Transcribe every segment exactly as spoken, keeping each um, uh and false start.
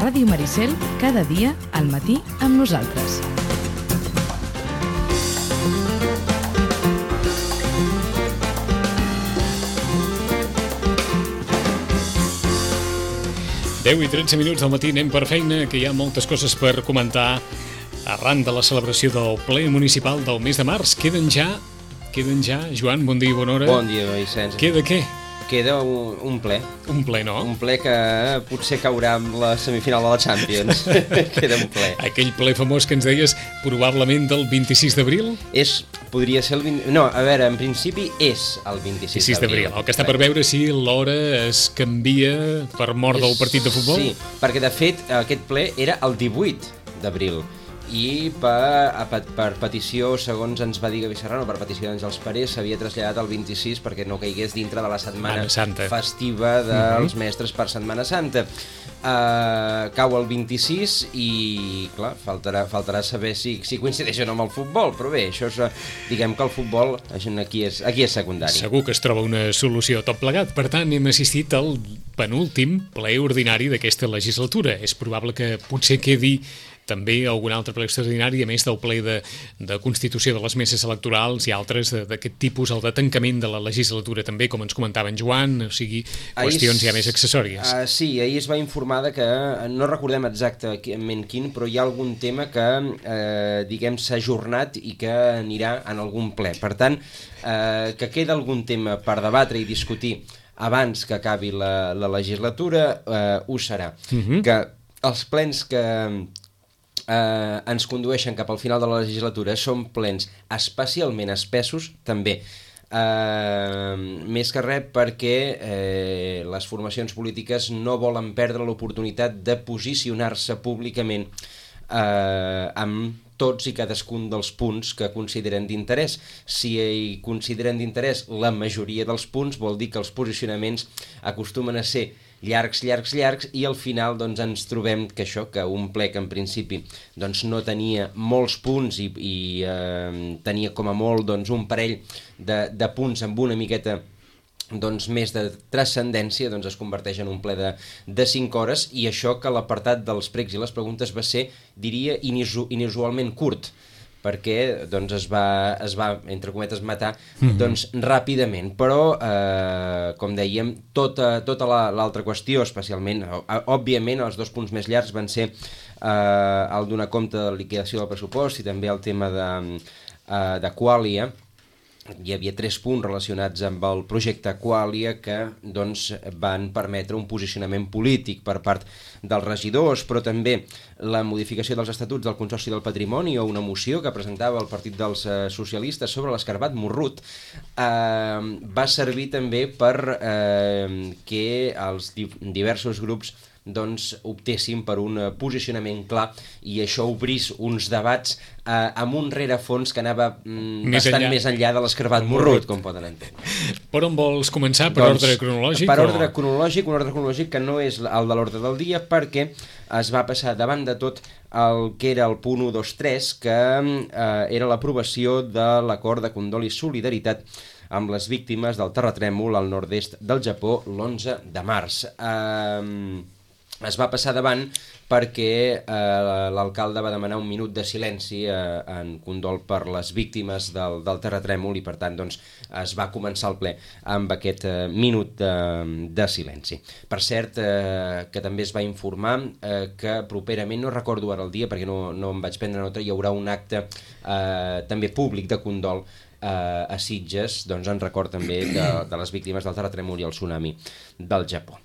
Ràdio Maricel, cada dia al matí amb nosaltres. deu i tretze minuts del matí, anem per feina, que hi ha moltes coses per comentar arran de la celebració del ple municipal del mes de març. Queden ja, queden ja, Joan, bon dia i bona hora. Bon dia, Vicenç. Queda què? Queda un, un ple. Un ple, no? Un ple que potser caurà amb la semifinal de la Champions. Queda un ple. Aquell ple famós que ens deies, probablement del vint-i-sis d'abril? És, podria ser el vint... No, a veure, en principi és el vint-i-sis d'abril. El que està per veure si l'hora es canvia per mort del partit de futbol? Sí, perquè de fet aquest ple era el divuit d'abril. I per, per, per petició, segons ens va dir Gavi Serrano, per petició d'Àngels Parés, s'havia traslladat al vint-i-sis perquè no caigués dintre de la setmana festiva dels uh-huh. mestres per Setmana Santa. Uh, cau el vint-i-sis i, clar, faltarà, faltarà saber si, si coincideix o no amb el futbol, però bé, això és, diguem que el futbol aquí és, aquí és secundari. Segur que es troba una solució tot plegat. Per tant, hem assistit al penúltim ple ordinari d'aquesta legislatura. És probable que potser quedi també algun altre ple extraordinari, a més del ple de, de constitució de les meses electorals i altres d'aquest tipus, el de tancament de la legislatura també, com ens comentava en Joan, o sigui, qüestions ahir, ja més accessòries. Uh, sí, ahir es va informar de que, no recordem exactament quin, però hi ha algun tema que, eh, diguem, s'ha ajornat i que anirà en algun ple. Per tant, eh, que queda algun tema per debatre i discutir abans que acabi la, la legislatura, eh, ho serà. Uh-huh. Que els plens que... Uh, ens condueixen cap al final de la legislatura són plens especialment espessos també, uh, més que res perquè uh, les formacions polítiques no volen perdre l'oportunitat de posicionar-se públicament uh, amb tots i cadascun dels punts que consideren d'interès. Si hi consideren d'interès la majoria dels punts, vol dir que els posicionaments acostumen a ser llargs, llargs, llargs, i al final doncs, ens trobem que això, que un ple que en principi doncs, no tenia molts punts i, i eh, tenia com a molt doncs, un parell de, de punts amb una miqueta doncs, més de transcendència, doncs, es converteix en un ple de, de cinc hores, i això que l'apartat dels pregs i les preguntes va ser, diria, inusu, inusualment curt, perquè doncs, es, va, es va, entre cometes, matar doncs, ràpidament. Però, eh, com dèiem, tota, tota la, l'altra qüestió, especialment, òbviament, els dos punts més llargs van ser eh, el donar compte de la liquidació del pressupost i també el tema de, eh, de Qualia. Hi havia tres punts relacionats amb el projecte Qualia que doncs, van permetre un posicionament polític per part dels regidors, però també la modificació dels estatuts del Consorci del Patrimoni o una moció que presentava el Partit dels eh, Socialistes sobre l'escarbat Morrut eh, va servir també per eh, que els di- diversos grups doncs optessin per un posicionament clar i això obrís uns debats eh, amb un rerefons que anava mm, més bastant enllà. més enllà de l'escarbat Morrut, com poden entendre. Per on vols començar? Per doncs, ordre cronològic? Per ordre o... cronològic, un ordre cronològic que no és el de l'ordre del dia, perquè es va passar davant de tot el que era el punt u, dos, tres, que eh, era l'aprovació de l'acord de condol i solidaritat amb les víctimes del terratrèmol al nord-est del Japó l'onze de març. Eh... Es va passar davant perquè eh, l'alcalde va demanar un minut de silenci eh, en condol per les víctimes del, del terratrèmol i per tant doncs, es va començar el ple amb aquest eh, minut de, de silenci. Per cert, eh, que també es va informar eh, que properament, no recordo ara el dia perquè no, no em vaig prendre nota, hi haurà un acte eh, també públic de condol a Sitges, doncs en record també de, de les víctimes del terratrèmol i el tsunami del Japó.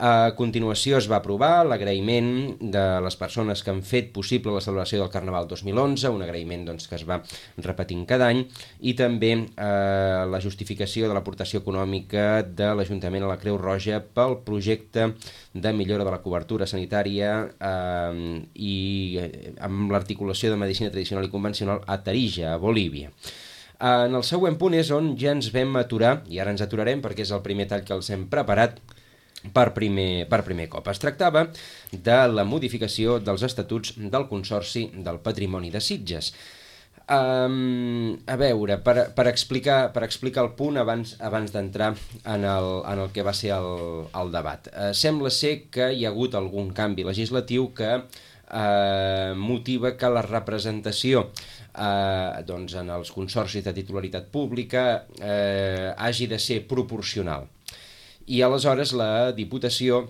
A continuació es va aprovar l'agraïment de les persones que han fet possible la celebració del Carnaval dos mil onze, un agraïment doncs, que es va repetint cada any, i també eh, la justificació de l'aportació econòmica de l'Ajuntament a la Creu Roja pel projecte de millora de la cobertura sanitària eh, i amb l'articulació de medicina tradicional i convencional a Tarija, a Bolívia. En el següent punt és on ja ens vam aturar, i ara ens aturarem perquè és el primer tall que els hem preparat per primer, per primer cop. Es tractava de la modificació dels estatuts del Consorci del Patrimoni de Sitges. Um, a veure, per, per, explicar, per explicar el punt abans, abans d'entrar en, el, en el que va ser el, el debat. Uh, sembla ser que hi ha hagut algun canvi legislatiu que uh, motiva que la representació uh, doncs en els consorcis de titularitat pública uh, hagi de ser proporcional. I aleshores la Diputació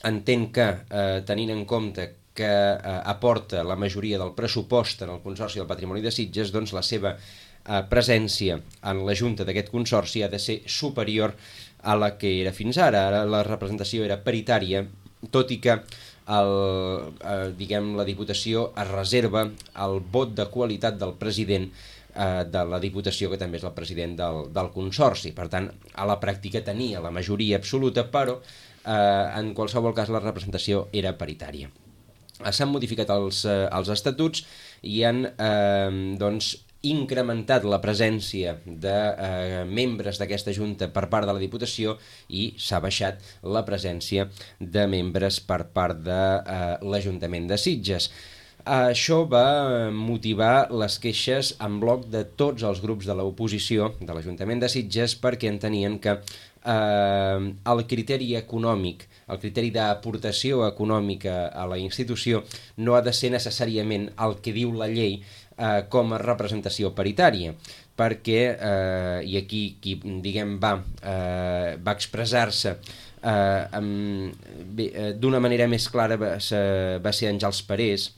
entén que, uh, tenint en compte que eh, aporta la majoria del pressupost en el Consorci del Patrimoni de Sitges, doncs la seva eh, presència en la Junta d'aquest Consorci ha de ser superior a la que era fins ara. Ara la representació era paritària, tot i que el, eh, diguem, la Diputació es reserva el vot de qualitat del president eh, de la Diputació, que també és el president del, del Consorci. Per tant, a la pràctica tenia la majoria absoluta, però eh, en qualsevol cas la representació era paritària. S'han modificat els, eh, els estatuts i han eh, doncs, incrementat la presència de eh, membres d'aquesta Junta per part de la Diputació i s'ha baixat la presència de membres per part de eh, l'Ajuntament de Sitges. Això va motivar les queixes en bloc de tots els grups de l'oposició de l'Ajuntament de Sitges, perquè entenien que eh, el criteri econòmic, el criteri d'aportació econòmica a la institució no ha de ser necessàriament el que diu la llei eh, com a representació paritària, perquè, eh, i aquí qui, diguem, va, eh, va expressar-se eh, eh, d'una manera més clara va ser, va ser Àngels Parés,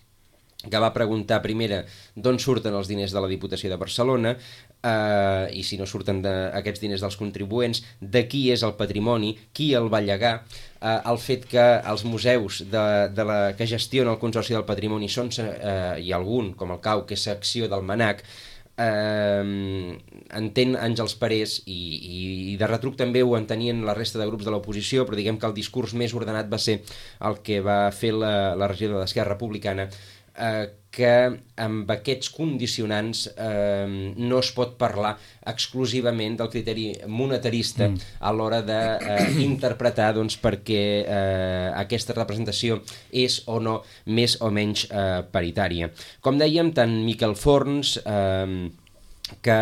que va preguntar primera d'on surten els diners de la Diputació de Barcelona, eh, i si no surten de, aquests diners dels contribuents, de qui és el patrimoni, qui el va llegar, eh, el fet que els museus de, de la, que gestiona el Consorci del Patrimoni són, eh, i algun, com el Cau, que és secció del MANAC, eh, entén Àngels Parés, i, i, i de retruc també ho entenien la resta de grups de l'oposició, però diguem que el discurs més ordenat va ser el que va fer la, la regidora d'Esquerra Republicana, Eh, que amb aquests condicionants eh, no es pot parlar exclusivament del criteri monetarista mm. a l'hora d'interpretar eh, doncs, perquè eh, aquesta representació és o no més o menys eh, paritària. Com dèiem, tant Miquel Forns, eh, que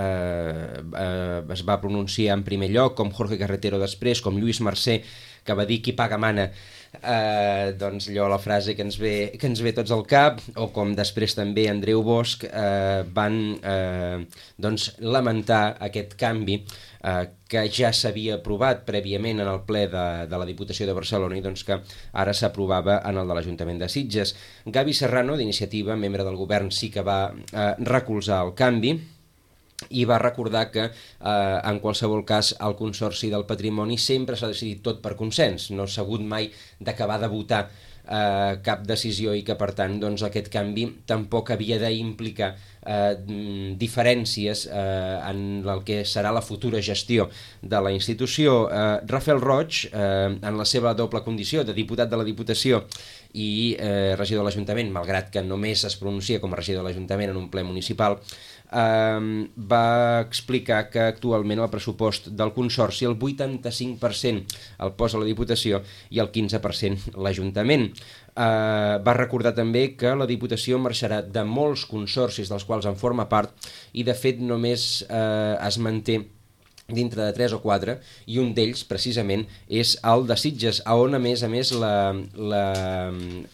eh, eh, es va pronunciar en primer lloc, com Jorge Carretero després, com Lluís Mercè, que va dir qui paga mana, eh, doncs allò, la frase que ens, ve, que ens ve tots al cap, o com després també Andreu Bosch, eh, van eh, doncs, lamentar aquest canvi eh, que ja s'havia aprovat prèviament en el ple de, de la Diputació de Barcelona i doncs que ara s'aprovava en el de l'Ajuntament de Sitges. Gavi Serrano, d'Iniciativa, membre del govern, sí que va eh, recolzar el canvi i va recordar que eh, en qualsevol cas el Consorci del Patrimoni sempre s'ha decidit tot per consens, no s'ha hagut mai d'acabar de votar eh, cap decisió i que per tant doncs, aquest canvi tampoc havia d'implicar eh, diferències eh, en el que serà la futura gestió de la institució. Eh, Rafael Roig, eh, en la seva doble condició de diputat de la Diputació i eh, regidor de l'Ajuntament, malgrat que només es pronuncia com a regidor de l'Ajuntament en un ple municipal, Uh, va explicar que actualment el pressupost del Consorci el vuitanta-cinc per cent el posa la Diputació i el quinze per cent l'Ajuntament. Uh, va recordar també que la Diputació marxarà de molts consorcis dels quals en forma part i de fet només uh, es manté dintre de tres o quatre, i un d'ells precisament és el de Sitges, on a més a més la, la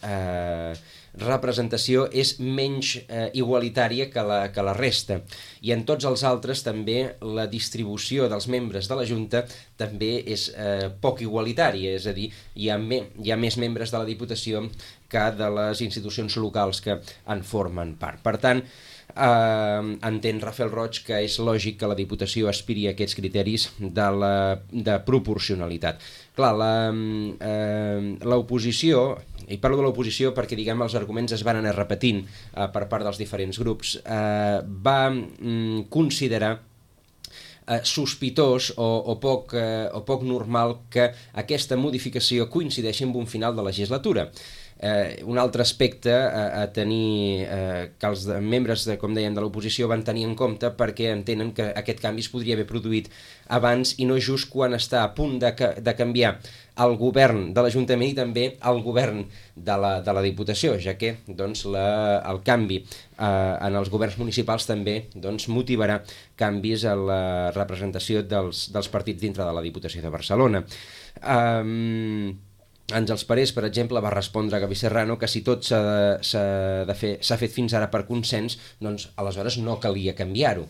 eh, representació és menys eh, igualitària que la, que la resta, i en tots els altres també la distribució dels membres de la Junta també és eh, poc igualitària, és a dir, hi ha, me, hi ha més membres de la Diputació que de les institucions locals que en formen part. Per tant, Uh, entén Rafael Roig que és lògic que la Diputació aspiri a aquests criteris de, la, de proporcionalitat. Clar, l'oposició, uh, i parlo de l'oposició perquè diguem els arguments es van anar repetint uh, per part dels diferents grups, uh, va um, considerar Uh, sospitós o, o, poc, uh, o poc normal que aquesta modificació coincideixi amb un final de legislatura. Eh, un altre aspecte a, a tenir, eh, que els membres, de, com dèiem, de l'oposició van tenir en compte, perquè entenen que aquest canvi es podria haver produït abans i no just quan està a punt de, de canviar el govern de l'Ajuntament i també el govern de la, de la Diputació, ja que doncs, la, el canvi eh, en els governs municipals també doncs, motivarà canvis a la representació dels, dels partits dintre de la Diputació de Barcelona. Um, Àngels Parés, per exemple, va respondre a Gavi Serrano que si tot s'ha de fer, s'ha fet fins ara per consens, doncs aleshores no calia canviar-ho.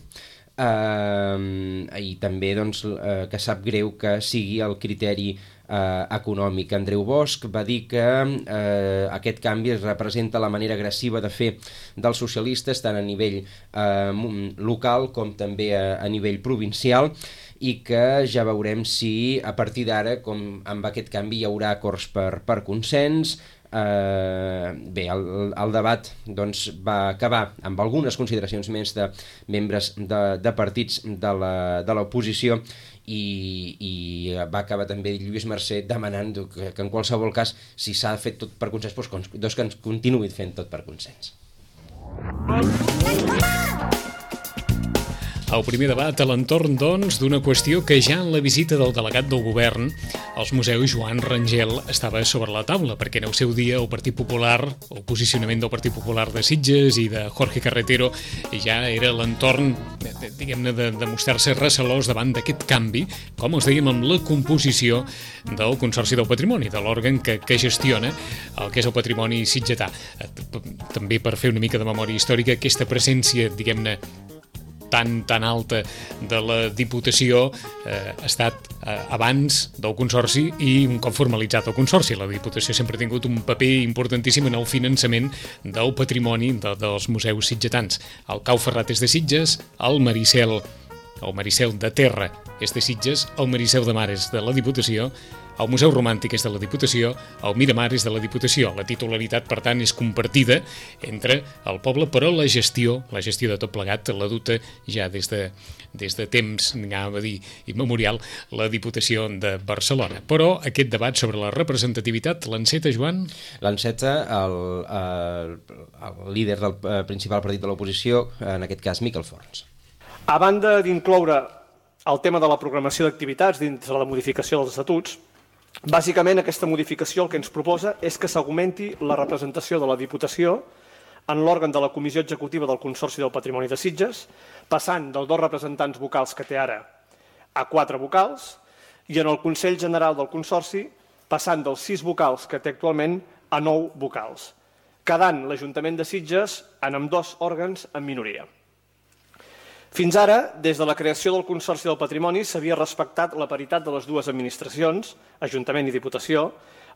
Uh, I també doncs, uh, que sap greu que sigui el criteri uh, econòmic. Andreu Bosch va dir que uh, aquest canvi representa la manera agressiva de fer dels socialistes tant a nivell uh, local com també a, a nivell provincial, i que ja veurem si a partir d'ara, com amb aquest canvi, hi haurà acords per, per consens. Eh, bé, el, el debat doncs, va acabar amb algunes consideracions més de membres de, de partits de l'oposició i, i va acabar també Lluís Mercè demanant que, que en qualsevol cas, si s'ha fet tot per consens, doncs, doncs que ens continuï fent tot per consens. El primer debat a l'entorn, doncs, d'una qüestió que ja en la visita del delegat del govern als museus, Joan Rangel, estava sobre la taula, perquè en el seu dia el Partit Popular, el posicionament del Partit Popular de Sitges i de Jorge Carretero ja era l'entorn, diguem-ne, de, de mostrar-se recelós davant d'aquest canvi, com us dèiem, amb la composició del Consorci del Patrimoni, de l'òrgan que, que gestiona el que és el patrimoni sitgetà. També per fer una mica de memòria històrica, aquesta presència, diguem-ne, tan tan alta de la Diputació eh, ha estat eh, abans del Consorci i un cop formalitzat el Consorci. La Diputació sempre ha tingut un paper importantíssim en el finançament del patrimoni de, dels museus sitgetans. El Cau Ferrat és de Sitges, el Maricel, el Maricel de Terra és de Sitges, el Maricel de Mar és de la Diputació, el Museu Romàntic és de la Diputació, el Miramar és de la Diputació. La titularitat, per tant, és compartida entre el poble, però la gestió, la gestió de tot plegat, la duta ja des de, des de temps, anava a dir, immemorial, la Diputació de Barcelona. Però aquest debat sobre la representativitat l'enceta, Joan? L'enceta el, el, el líder del principal partit de l'oposició, en aquest cas Miquel Forns. A banda d'incloure el tema de la programació d'activitats dins de la modificació dels estatuts, bàsicament aquesta modificació el que ens proposa és que s'augmenti la representació de la Diputació en l'òrgan de la Comissió Executiva del Consorci del Patrimoni de Sitges, passant dels dos representants vocals que té ara a quatre vocals, i en el Consell General del Consorci passant dels sis vocals que té actualment a nou vocals, quedant l'Ajuntament de Sitges en ambdós òrgans en minoria. Fins ara, des de la creació del Consorci del Patrimoni, s'havia respectat la paritat de les dues administracions, Ajuntament i Diputació,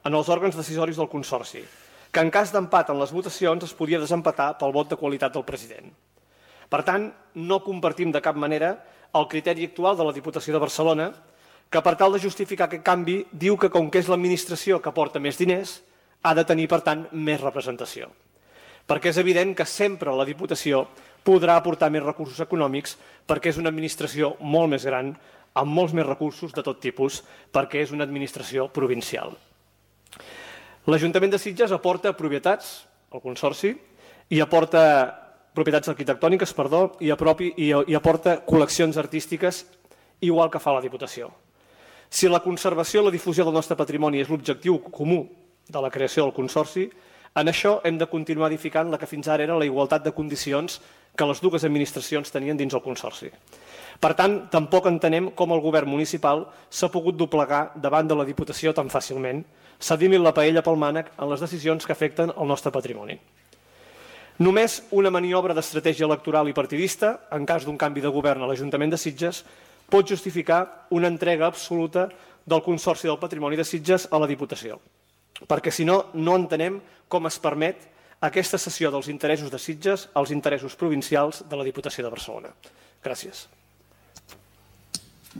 en els òrgans decisoris del Consorci, que en cas d'empat en les votacions es podia desempatar pel vot de qualitat del president. Per tant, no compartim de cap manera el criteri actual de la Diputació de Barcelona, que per tal de justificar aquest canvi diu que com que és l'administració que porta més diners, ha de tenir, per tant, més representació. Perquè és evident que sempre la Diputació podrà aportar més recursos econòmics perquè és una administració molt més gran, amb molts més recursos de tot tipus, perquè és una administració provincial. L'Ajuntament de Sitges aporta propietats al Consorci i aporta propietats arquitectòniques, perdó, i, apropi, i, i aporta col·leccions artístiques igual que fa la Diputació. Si la conservació i la difusió del nostre patrimoni és l'objectiu comú de la creació del Consorci, en això hem de continuar edificant la que fins ara era la igualtat de condicions que les dues administracions tenien dins el Consorci. Per tant, tampoc entenem com el govern municipal s'ha pogut doblegar davant de la Diputació tan fàcilment, cedint-li la paella pel mànec en les decisions que afecten el nostre patrimoni. Només una maniobra d'estratègia electoral i partidista, en cas d'un canvi de govern a l'Ajuntament de Sitges, pot justificar una entrega absoluta del Consorci del Patrimoni de Sitges a la Diputació. Perquè si no, no entenem com es permet aquesta cessió dels interessos de Sitges als interessos provincials de la Diputació de Barcelona. Gràcies.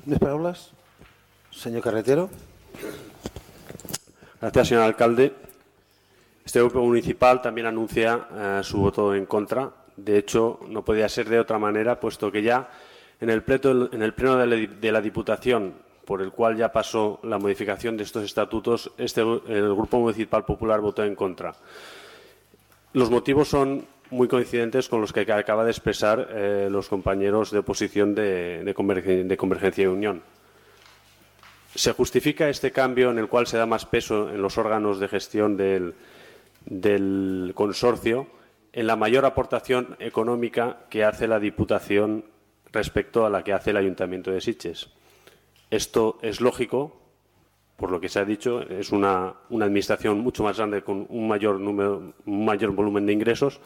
¿Más palabras? Señor Carretero. Gracias, señor alcalde. Este grupo municipal también anuncia eh, su voto en contra. De hecho, no podía ser de otra manera, puesto que ya en el pleno, en el pleno de, la, de la Diputación por el cual ya pasó la modificación de estos estatutos, este, el Grupo Municipal Popular votó en contra. Los motivos son muy coincidentes con los que acaba de expresar eh, los compañeros de oposición de, de, Convergen- de Convergencia y Unión. Se justifica este cambio en el cual se da más peso en los órganos de gestión del, del consorcio en la mayor aportación económica que hace la Diputación respecto a la que hace el Ayuntamiento de Sitges. Esto es lógico, por lo que se ha dicho, es una, una administración mucho más grande con un mayor número, un mayor volumen de ingresos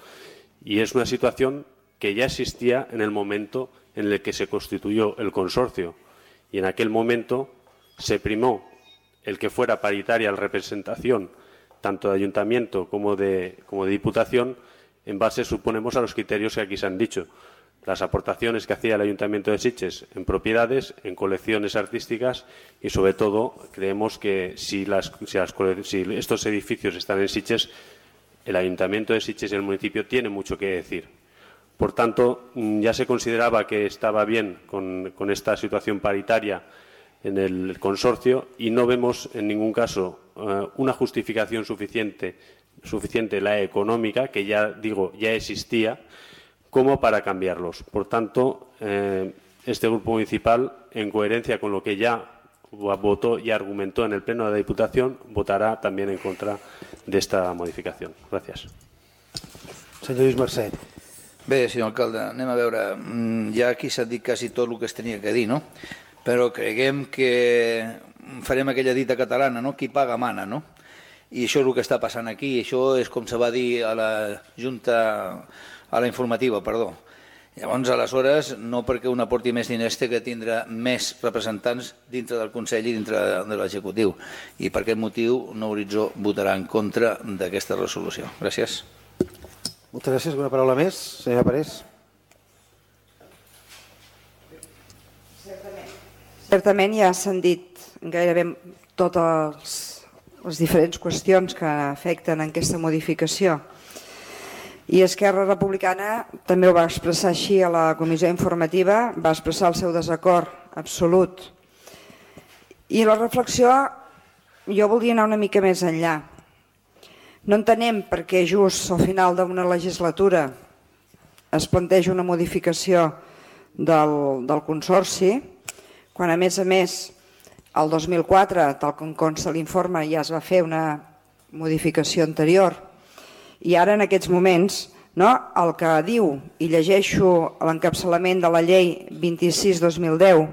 y es una situación que ya existía en el momento en el que se constituyó el consorcio y en aquel momento se primó el que fuera paritaria la representación tanto de ayuntamiento como de, como de diputación en base, suponemos, a los criterios que aquí se han dicho. Las aportaciones que hacía el Ayuntamiento de Sitges en propiedades, en colecciones artísticas y, sobre todo, creemos que si, las, si, las, si estos edificios están en Sitges, el Ayuntamiento de Sitges y el municipio tienen mucho que decir. Por tanto, ya se consideraba que estaba bien con, con esta situación paritaria en el consorcio y no vemos en ningún caso uh, una justificación suficiente, suficiente la económica, que ya digo, ya existía, como para cambiarlos. Por tanto, eh, este grupo municipal, en coherencia con lo que ya votó y argumentó en el Pleno de la Diputación, votarà també en contra d'esta modificació. Gràcies. Senyor Lluís Mercè. Bé, senyor alcalde, anem a veure. Ja aquí s'ha dit quasi tot el que es tenia que dir, no? Però creguem que farem aquella dita catalana, no? Qui paga mana, no? I això és el que està passant aquí. Això és com se va dir a la Junta, a la informativa, perdó. Llavors, aleshores, no perquè un aporti més diners té que tindrà més representants dintre del Consell i dintre de l'executiu. I per aquest motiu, Nou Horitzó votarà en contra d'aquesta resolució. Gràcies. Moltes gràcies. Alguna paraula més? Senyora Parés. Certament ja s'han dit gairebé totes les diferents qüestions que afecten en aquesta modificació. I Esquerra Republicana també ho va expressar així a la comissió informativa, va expressar el seu desacord absolut. I la reflexió, jo voldria anar una mica més enllà. No entenem per què just al final d'una legislatura es planteja una modificació del, del consorci, quan a més a més el dos mil quatre, tal com consta l'informe, ja es va fer una modificació anterior. I ara, en aquests moments, no, el que diu, i llegeixo l'encapçalament de la llei vint-i-sis dos mil deu,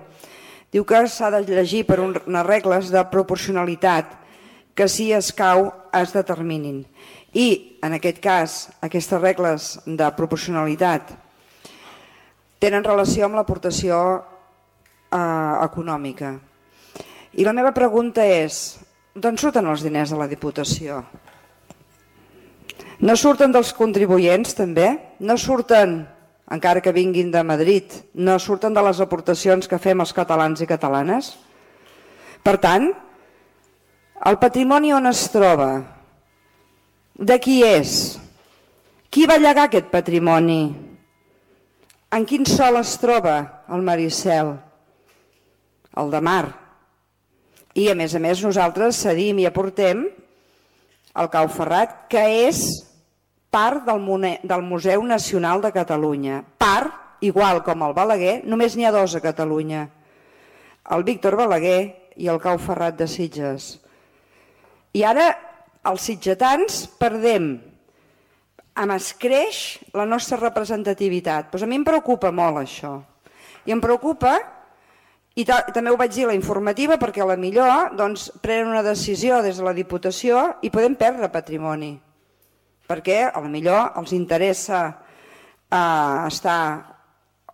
diu que s'ha de llegir per unes regles de proporcionalitat que si escau es determinin. I, en aquest cas, aquestes regles de proporcionalitat tenen relació amb l'aportació eh, econòmica. I la meva pregunta és, d'on surten els diners de la Diputació? No surten dels contribuents, també? No surten, encara que vinguin de Madrid, no surten de les aportacions que fem els catalans i catalanes? Per tant, el patrimoni on es troba? De qui és? Qui va llegar aquest patrimoni? En quin sòl es troba el Maricel? El de mar. I, a més a més, nosaltres cedim i aportem el Cau Ferrat, que és part del Museu Nacional de Catalunya. Part, igual com el Balaguer, només n'hi ha dos a Catalunya. El Víctor Balaguer i el Cau Ferrat de Sitges. I ara els sitgetans perdem, amb escreix la nostra representativitat. Doncs a mi em preocupa molt això. I em preocupa, i també ho vaig dir a la informativa, perquè a la millor doncs, prenen una decisió des de la Diputació i podem perdre patrimoni. Perquè a la millor els interessa eh, estar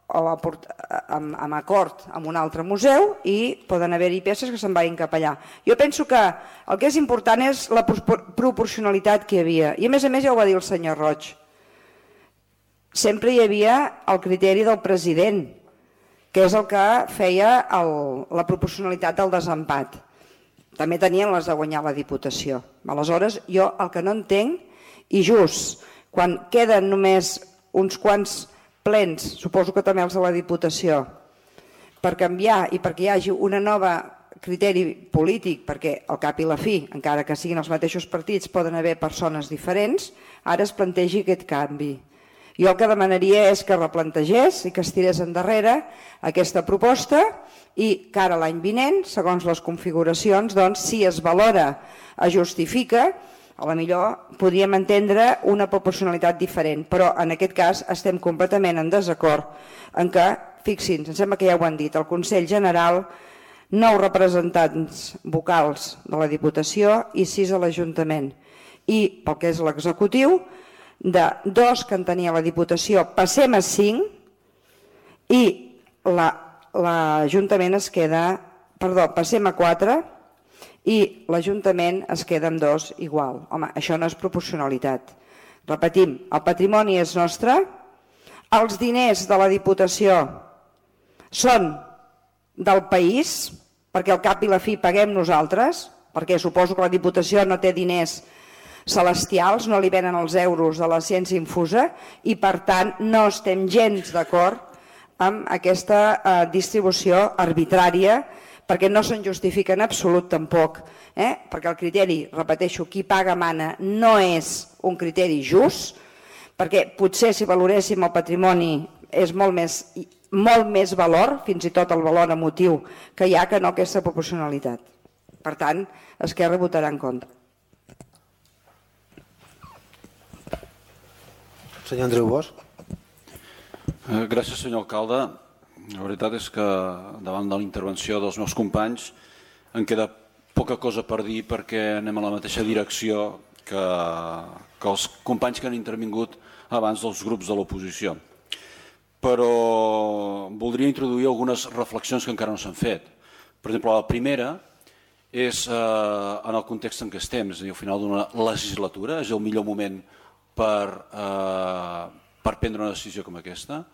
en acord amb un altre museu i poden haver-hi peces que se'n vagin cap allà. Jo penso que el que és important és la proporcionalitat que hi havia. I a més a més ja ho va dir el senyor Roig. Sempre hi havia el criteri del president, que és el que feia el, la proporcionalitat del desempat. També tenien les de guanyar la Diputació. Aleshores, jo el que no entenc, i just quan queden només uns quants plens, suposo que també els de la Diputació, per canviar i perquè hi hagi una nova criteri polític, perquè al cap i la fi, encara que siguin els mateixos partits, poden haver persones diferents, ara es plantegi aquest canvi. Jo el que demanaria és que replantegés i que es tirés endarrere aquesta proposta i que ara l'any vinent, segons les configuracions, doncs, si es valora, es justifica, a la millor podríem entendre una proporcionalitat diferent, però en aquest cas estem completament en desacord en què, fixin, em sembla que ja ho han dit, el Consell General, nou representants vocals de la Diputació i sis a l'Ajuntament. I pel que és l'executiu, de dos que en tenia la Diputació passem a cinc i l'Ajuntament es queda, perdó, passem a quatre i l'Ajuntament es queda amb dos igual. Home, això no és proporcionalitat. Repetim, el patrimoni és nostre, els diners de la Diputació són del país, perquè al cap i la fi paguem nosaltres, perquè suposo que la Diputació no té diners celestials, no li venen els euros de la ciència infusa i per tant no estem gens d'acord amb aquesta eh, distribució arbitrària perquè no se'n justifica en absolut tampoc, eh? Perquè el criteri, repeteixo, qui paga mana no és un criteri just, perquè potser si valoréssim el patrimoni és molt més, molt més valor, fins i tot el valor emotiu que hi ha, que no aquesta proporcionalitat. Per tant, Esquerra votarà en contra. Senyor Andreu Bosch. Gràcies, senyor alcalde. La veritat és que davant de la intervenció dels meus companys em queda poca cosa per dir perquè anem a la mateixa direcció que, que els companys que han intervingut abans dels grups de l'oposició. Però voldria introduir algunes reflexions que encara no s'han fet. Per exemple, la primera és eh, en el context en què estem, és a dir, al final d'una legislatura, és el millor moment per, eh, per prendre una decisió com aquesta.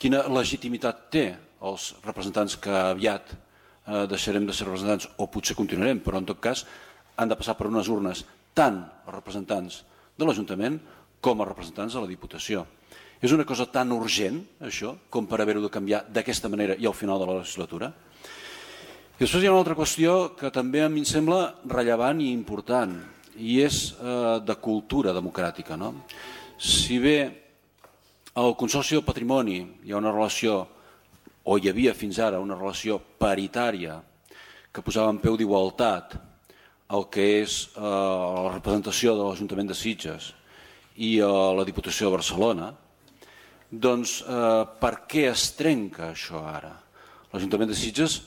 Quina legitimitat té els representants que aviat eh, deixarem de ser representants o potser continuarem, però en tot cas han de passar per unes urnes tant els representants de l'Ajuntament com els representants de la Diputació. És una cosa tan urgent, això, com per haver-ho de canviar d'aquesta manera i al final de la legislatura. I després hi ha una altra qüestió que també a mi em sembla rellevant i important, i és eh, de cultura democràtica. No? Si bé al Consorci del Patrimoni hi ha una relació, o hi havia fins ara una relació paritària que posava en peu d'igualtat el que és eh, la representació de l'Ajuntament de Sitges i eh, la Diputació de Barcelona, doncs eh, per què es trenca això ara? L'Ajuntament de Sitges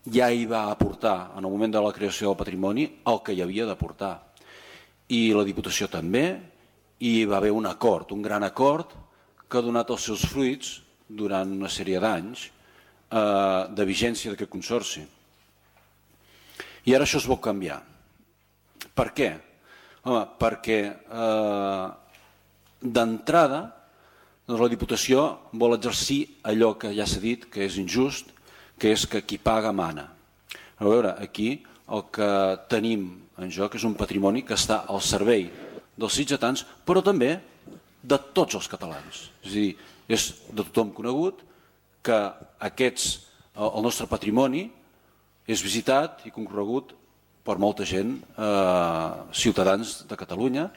ja hi va aportar en el moment de la creació del patrimoni el que hi havia d'aportar. I la Diputació també, i hi va haver un acord, un gran acord, que ha donat els seus fruits durant una sèrie d'anys eh, de vigència d'aquest consorci. I ara això es vol canviar. Per què? Home, perquè eh, d'entrada doncs la Diputació vol exercir allò que ja s'ha dit que és injust, que és que qui paga mana. A veure, aquí el que tenim en joc és un patrimoni que està al servei dels sitgetans, però també de tots els catalans. És a dir, és de tothom conegut que aquests, el nostre patrimoni és visitat i concorregut per molta gent, eh, ciutadans de Catalunya,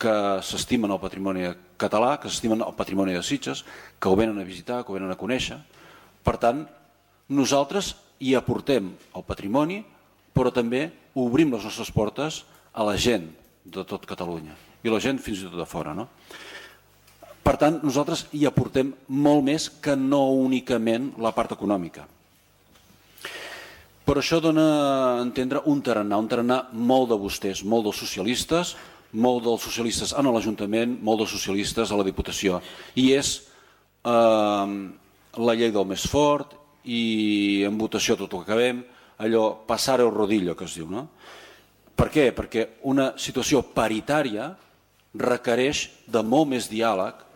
que s'estimen el patrimoni català, que s'estimen el patrimoni de Sitges, que ho venen a visitar, que ho venen a conèixer. Per tant, nosaltres hi aportem el patrimoni, però també obrim les nostres portes a la gent de tot Catalunya i la gent fins i tot de fora. No? Per tant, nosaltres hi aportem molt més que no únicament la part econòmica. Però això dona a entendre un tarannà, un tarannà molt de vostès, molt dels socialistes, molt dels socialistes en l'Ajuntament, molt dels socialistes a la Diputació. I és eh, la llei del més fort i en votació tot el que acabem, allò passar el rodillo que es diu. No? Per què? Perquè una situació paritària requereix de molt més diàleg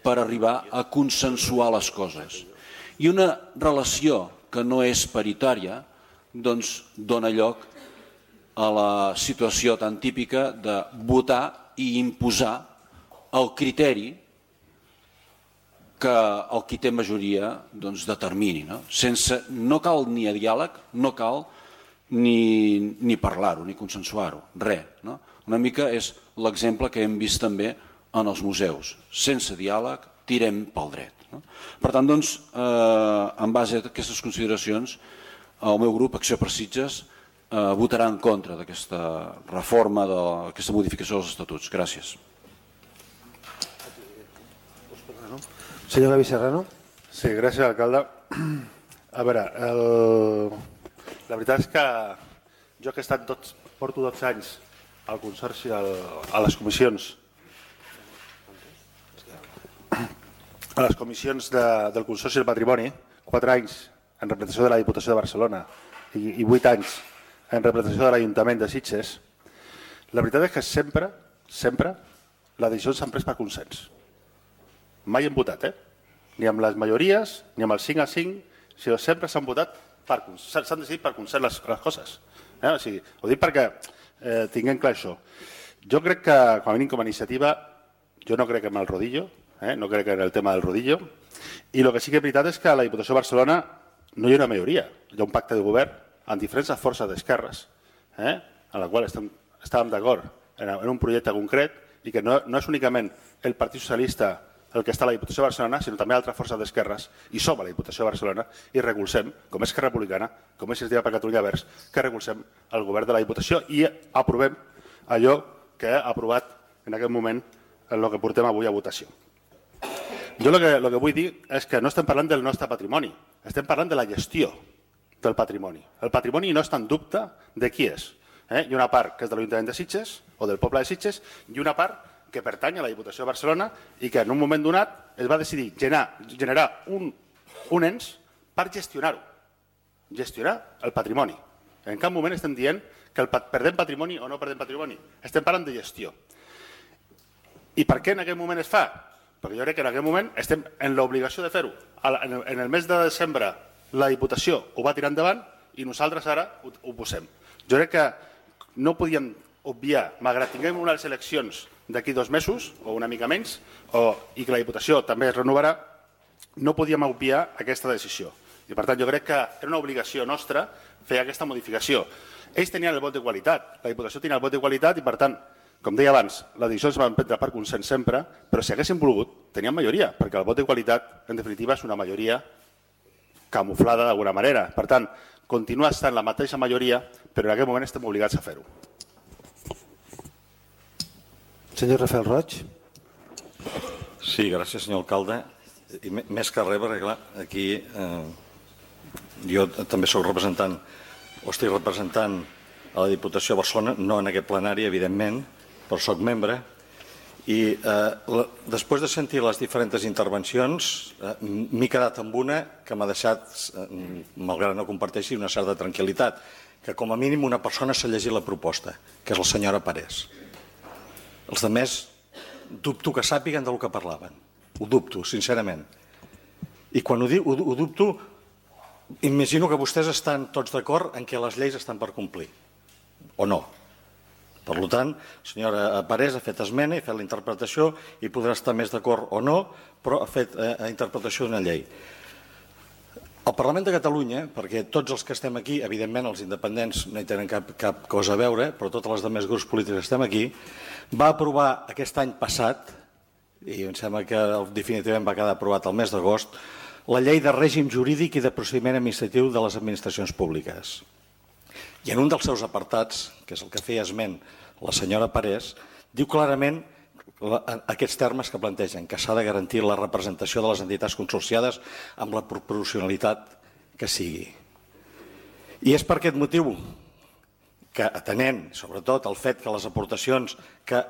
per arribar a consensuar les coses. I una relació que no és paritària doncs dona lloc a la situació tan típica de votar i imposar el criteri que el qui té majoria doncs, determini. No? Sense, no cal ni a diàleg, no cal ni, ni parlar-ho, ni consensuar-ho, res. No? Una mica és l'exemple que hem vist també en els museus. Sense diàleg, tirem pel dret. No? Per tant, doncs, eh, en base a aquestes consideracions, el meu grup, Acció per Sitges, eh, votarà en contra d'aquesta reforma, d'aquesta modificació dels estatuts. Gràcies. Senyor Gavi Serrano. Sí, gràcies, alcalde. A veure, el... la veritat és que jo que he estat tots, porto dotze anys al Consorci, al, a les comissions a les comissions de, del Consorci del Patrimoni, quatre anys en representació de la Diputació de Barcelona i, i vuit anys en representació de l'Ajuntament de Sitges, la veritat és que sempre, sempre, les decisions s'han pres per consens. Mai hem votat, eh? Ni amb les majories, ni amb el cinc a cinc, sinó sempre s'han votat, s'han decidit per consens les, les coses. Eh? O sigui, ho dic perquè eh, tinguem clar això. Jo crec que, com a mínim com a iniciativa, jo no crec en el rodillo, eh? no crec en el tema del rodillo, i el que sí que és veritat és que a la Diputació de Barcelona no hi ha una majoria, hi ha un pacte de govern amb diferents forces d'esquerres, eh? en la qual estem, estàvem d'acord en, en un projecte concret i que no, no és únicament el Partit Socialista el que està a la Diputació de Barcelona, sinó també altres forces d'esquerres, i som a la Diputació de Barcelona i recolzem, com és Esquerra Republicana, com és Iniciativa per Catalunya Verds, que recolzem el govern de la Diputació i aprovem allò que ha aprovat en aquest moment en el que portem avui a votació. Jo el que, el que vull dir és que no estem parlant del nostre patrimoni, estem parlant de la gestió del patrimoni. El patrimoni no està en dubte de qui és. Eh? Hi ha una part que és de l'Ajuntament de Sitges o del poble de Sitges i una part que pertany a la Diputació de Barcelona i que en un moment donat es va decidir generar, generar un, un ens per gestionar-ho, gestionar el patrimoni. En cap moment estem dient que el, perdem patrimoni o no perdem patrimoni, estem parlant de gestió. I per què en aquest moment es fa? Perquè jo crec que en aquest moment estem en l'obligació de fer-ho. En el mes de desembre la Diputació ho va tirar endavant i nosaltres ara ho, ho posem. Jo crec que no podíem obviar, malgrat tinguem unes eleccions d'aquí dos mesos, o una mica menys, o, i que la Diputació també es renovarà, no podíem obviar aquesta decisió. I per tant jo crec que era una obligació nostra fer aquesta modificació. Ells tenien el vot de qualitat, la Diputació tenia el vot de qualitat i per tant, com deia abans, les decisions es van prendre per consens sempre, però si haguéssim volgut, teníem majoria, perquè el vot de qualitat, en definitiva, és una majoria camuflada d'alguna manera. Per tant, continua estant la mateixa majoria, però en aquest moment estem obligats a fer-ho. Senyor Rafael Roig. Sí, gràcies, senyor alcalde. I més que res, perquè clar, aquí eh, jo també soc representant, o estic representant a la Diputació de Barcelona, no en aquest plenari, evidentment, però soc membre, i eh, la, després de sentir les diferents intervencions, eh, m'he quedat amb una que m'ha deixat, eh, malgrat no comparteixi, una certa tranquil·litat, que com a mínim una persona s'ha llegit la proposta, que és la senyora Parés. Els altres dubto que sàpiguen del que parlaven. Ho dubto, sincerament. I quan ho, dic, ho, ho dubto, imagino que vostès estan tots d'acord en què les lleis estan per complir. O no. Per tant, la senyora Parés ha fet esmena i ha fet la interpretació i podrà estar més d'acord o no, però ha fet eh, interpretació d'una llei. El Parlament de Catalunya, perquè tots els que estem aquí, evidentment els independents no hi tenen cap, cap cosa a veure, però tots els altres grups polítics que estem aquí, va aprovar aquest any passat, i em sembla que definitivament va quedar aprovat el mes d'agost, la llei de règim jurídic i de procediment administratiu de les administracions públiques. I en un dels seus apartats, que és el que feia esment la senyora Parés, diu clarament aquests termes que plantegen, que s'ha de garantir la representació de les entitats consorciades amb la proporcionalitat que sigui. I és per aquest motiu que, atenent sobretot el fet que les aportacions que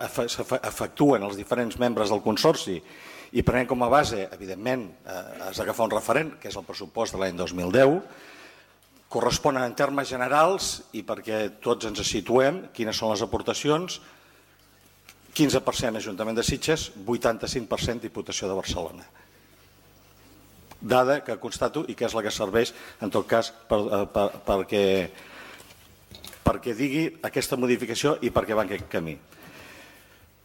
efectuen els diferents membres del Consorci i prenent com a base, evidentment, has d'agafar un referent, que és el pressupost de l'any dos mil deu, corresponen en termes generals i perquè tots ens situem quines són les aportacions, quinze per cent Ajuntament de Sitges, vuitanta-cinc per cent Diputació de Barcelona. Dada que constato i que és la que serveix, en tot cas, per, per, perquè, perquè digui aquesta modificació i perquè va en aquest camí.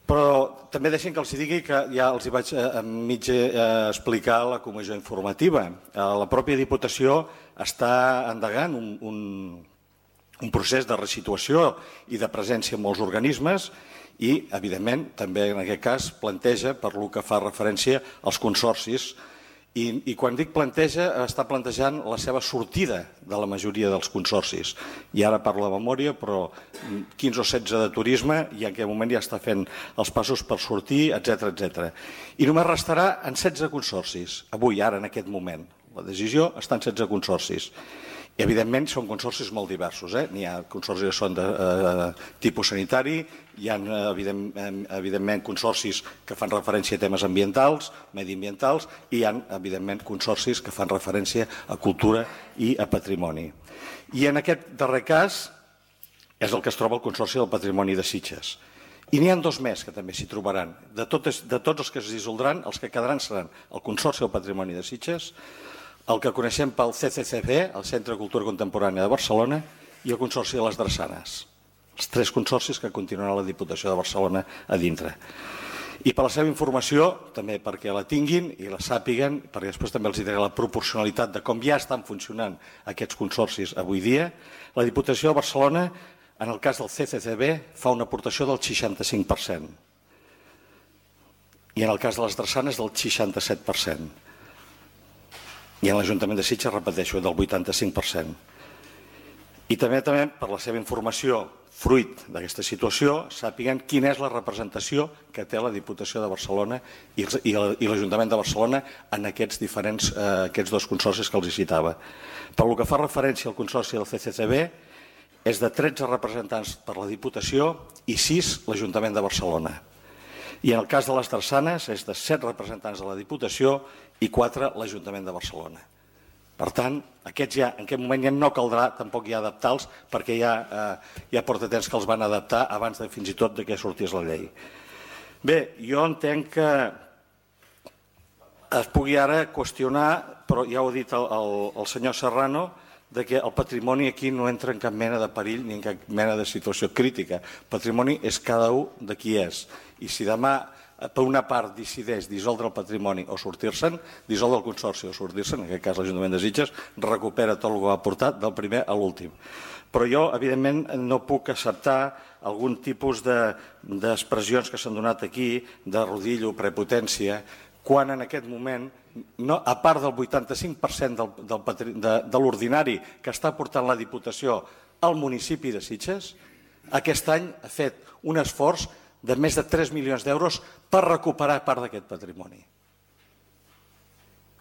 Però també deixen que els digui que ja els hi vaig a mig explicar a la comissió informativa. La pròpia Diputació està endegant un, un, un procés de resituació i de presència en molts organismes i, evidentment, també en aquest cas planteja per lo que fa referència als consorcis i, i quan dic planteja, està plantejant la seva sortida de la majoria dels consorcis. I ara parlo de memòria, però quinze o setze de turisme i en aquest moment ja està fent els passos per sortir, etcètera, etcètera. I només restarà en setze consorcis, avui, ara, en aquest moment. La decisió està en setze consorcis. I, evidentment, són consorcis molt diversos. Eh? N'hi ha consorcis que són de eh, tipus sanitari, hi ha, evidentment, evidentment, consorcis que fan referència a temes ambientals, mediambientals, i hi ha, evidentment, consorcis que fan referència a cultura i a patrimoni. I en aquest darrer cas és el que es troba el Consorci del Patrimoni de Sitges. I n'hi ha dos més que també s'hi trobaran. De, totes, de tots els que es dissoldran, els que quedaran seran el Consorci del Patrimoni de Sitges, el que coneixem pel C C C B, el Centre de Cultura Contemporània de Barcelona, i el Consorci de les Drassanes. Els tres consorcis que continuaran la Diputació de Barcelona a dintre. I per la seva informació, també perquè la tinguin i la sàpiguen, perquè després també els diré la proporcionalitat de com ja estan funcionant aquests consorcis avui dia, la Diputació de Barcelona, en el cas del C C C B, fa una aportació del seixanta-cinc per cent. I en el cas de les Drassanes, del seixanta-set per cent. I en l'Ajuntament de Sitges, repeteixo, del vuitanta-cinc per cent. I també, també per la seva informació, fruit d'aquesta situació, sàpiguen quina és la representació que té la Diputació de Barcelona i l'Ajuntament de Barcelona en aquests diferents, eh, aquests dos consorcis que els citava. Per lo que fa referència al consorci del C C C B, és de tretze representants per la Diputació i sis l'Ajuntament de Barcelona. I en el cas de les Drassanes és de set representants de la Diputació i quatre l'Ajuntament de Barcelona. Per tant, aquests ja, en aquest moment ja no caldrà tampoc ja adaptar-los perquè ja, eh, ja porta temps que els van adaptar abans de fins i tot de que sortís la llei. Bé, jo entenc que es pugui ara qüestionar, però ja ho ha dit el, el, el senyor Serrano, de que el patrimoni aquí no entra en cap mena de perill ni en cap mena de situació crítica. El patrimoni és cada un de qui és. I si demà, per una part, decideix dissoldre el patrimoni o sortir-se'n, dissoldre el consorci o sortir-se'n, en aquest cas l'Ajuntament de Sitges, recupera tot el que ha portat del primer a l'últim. Però jo, evidentment, no puc acceptar algun tipus d'expressions que s'han donat aquí, de rodillo, prepotència, quan en aquest moment, no, a part del vuitanta-cinc per cent del, del, de, de l'ordinari que està portant la Diputació al municipi de Sitges, aquest any ha fet un esforç de més de tres milions d'euros per recuperar part d'aquest patrimoni.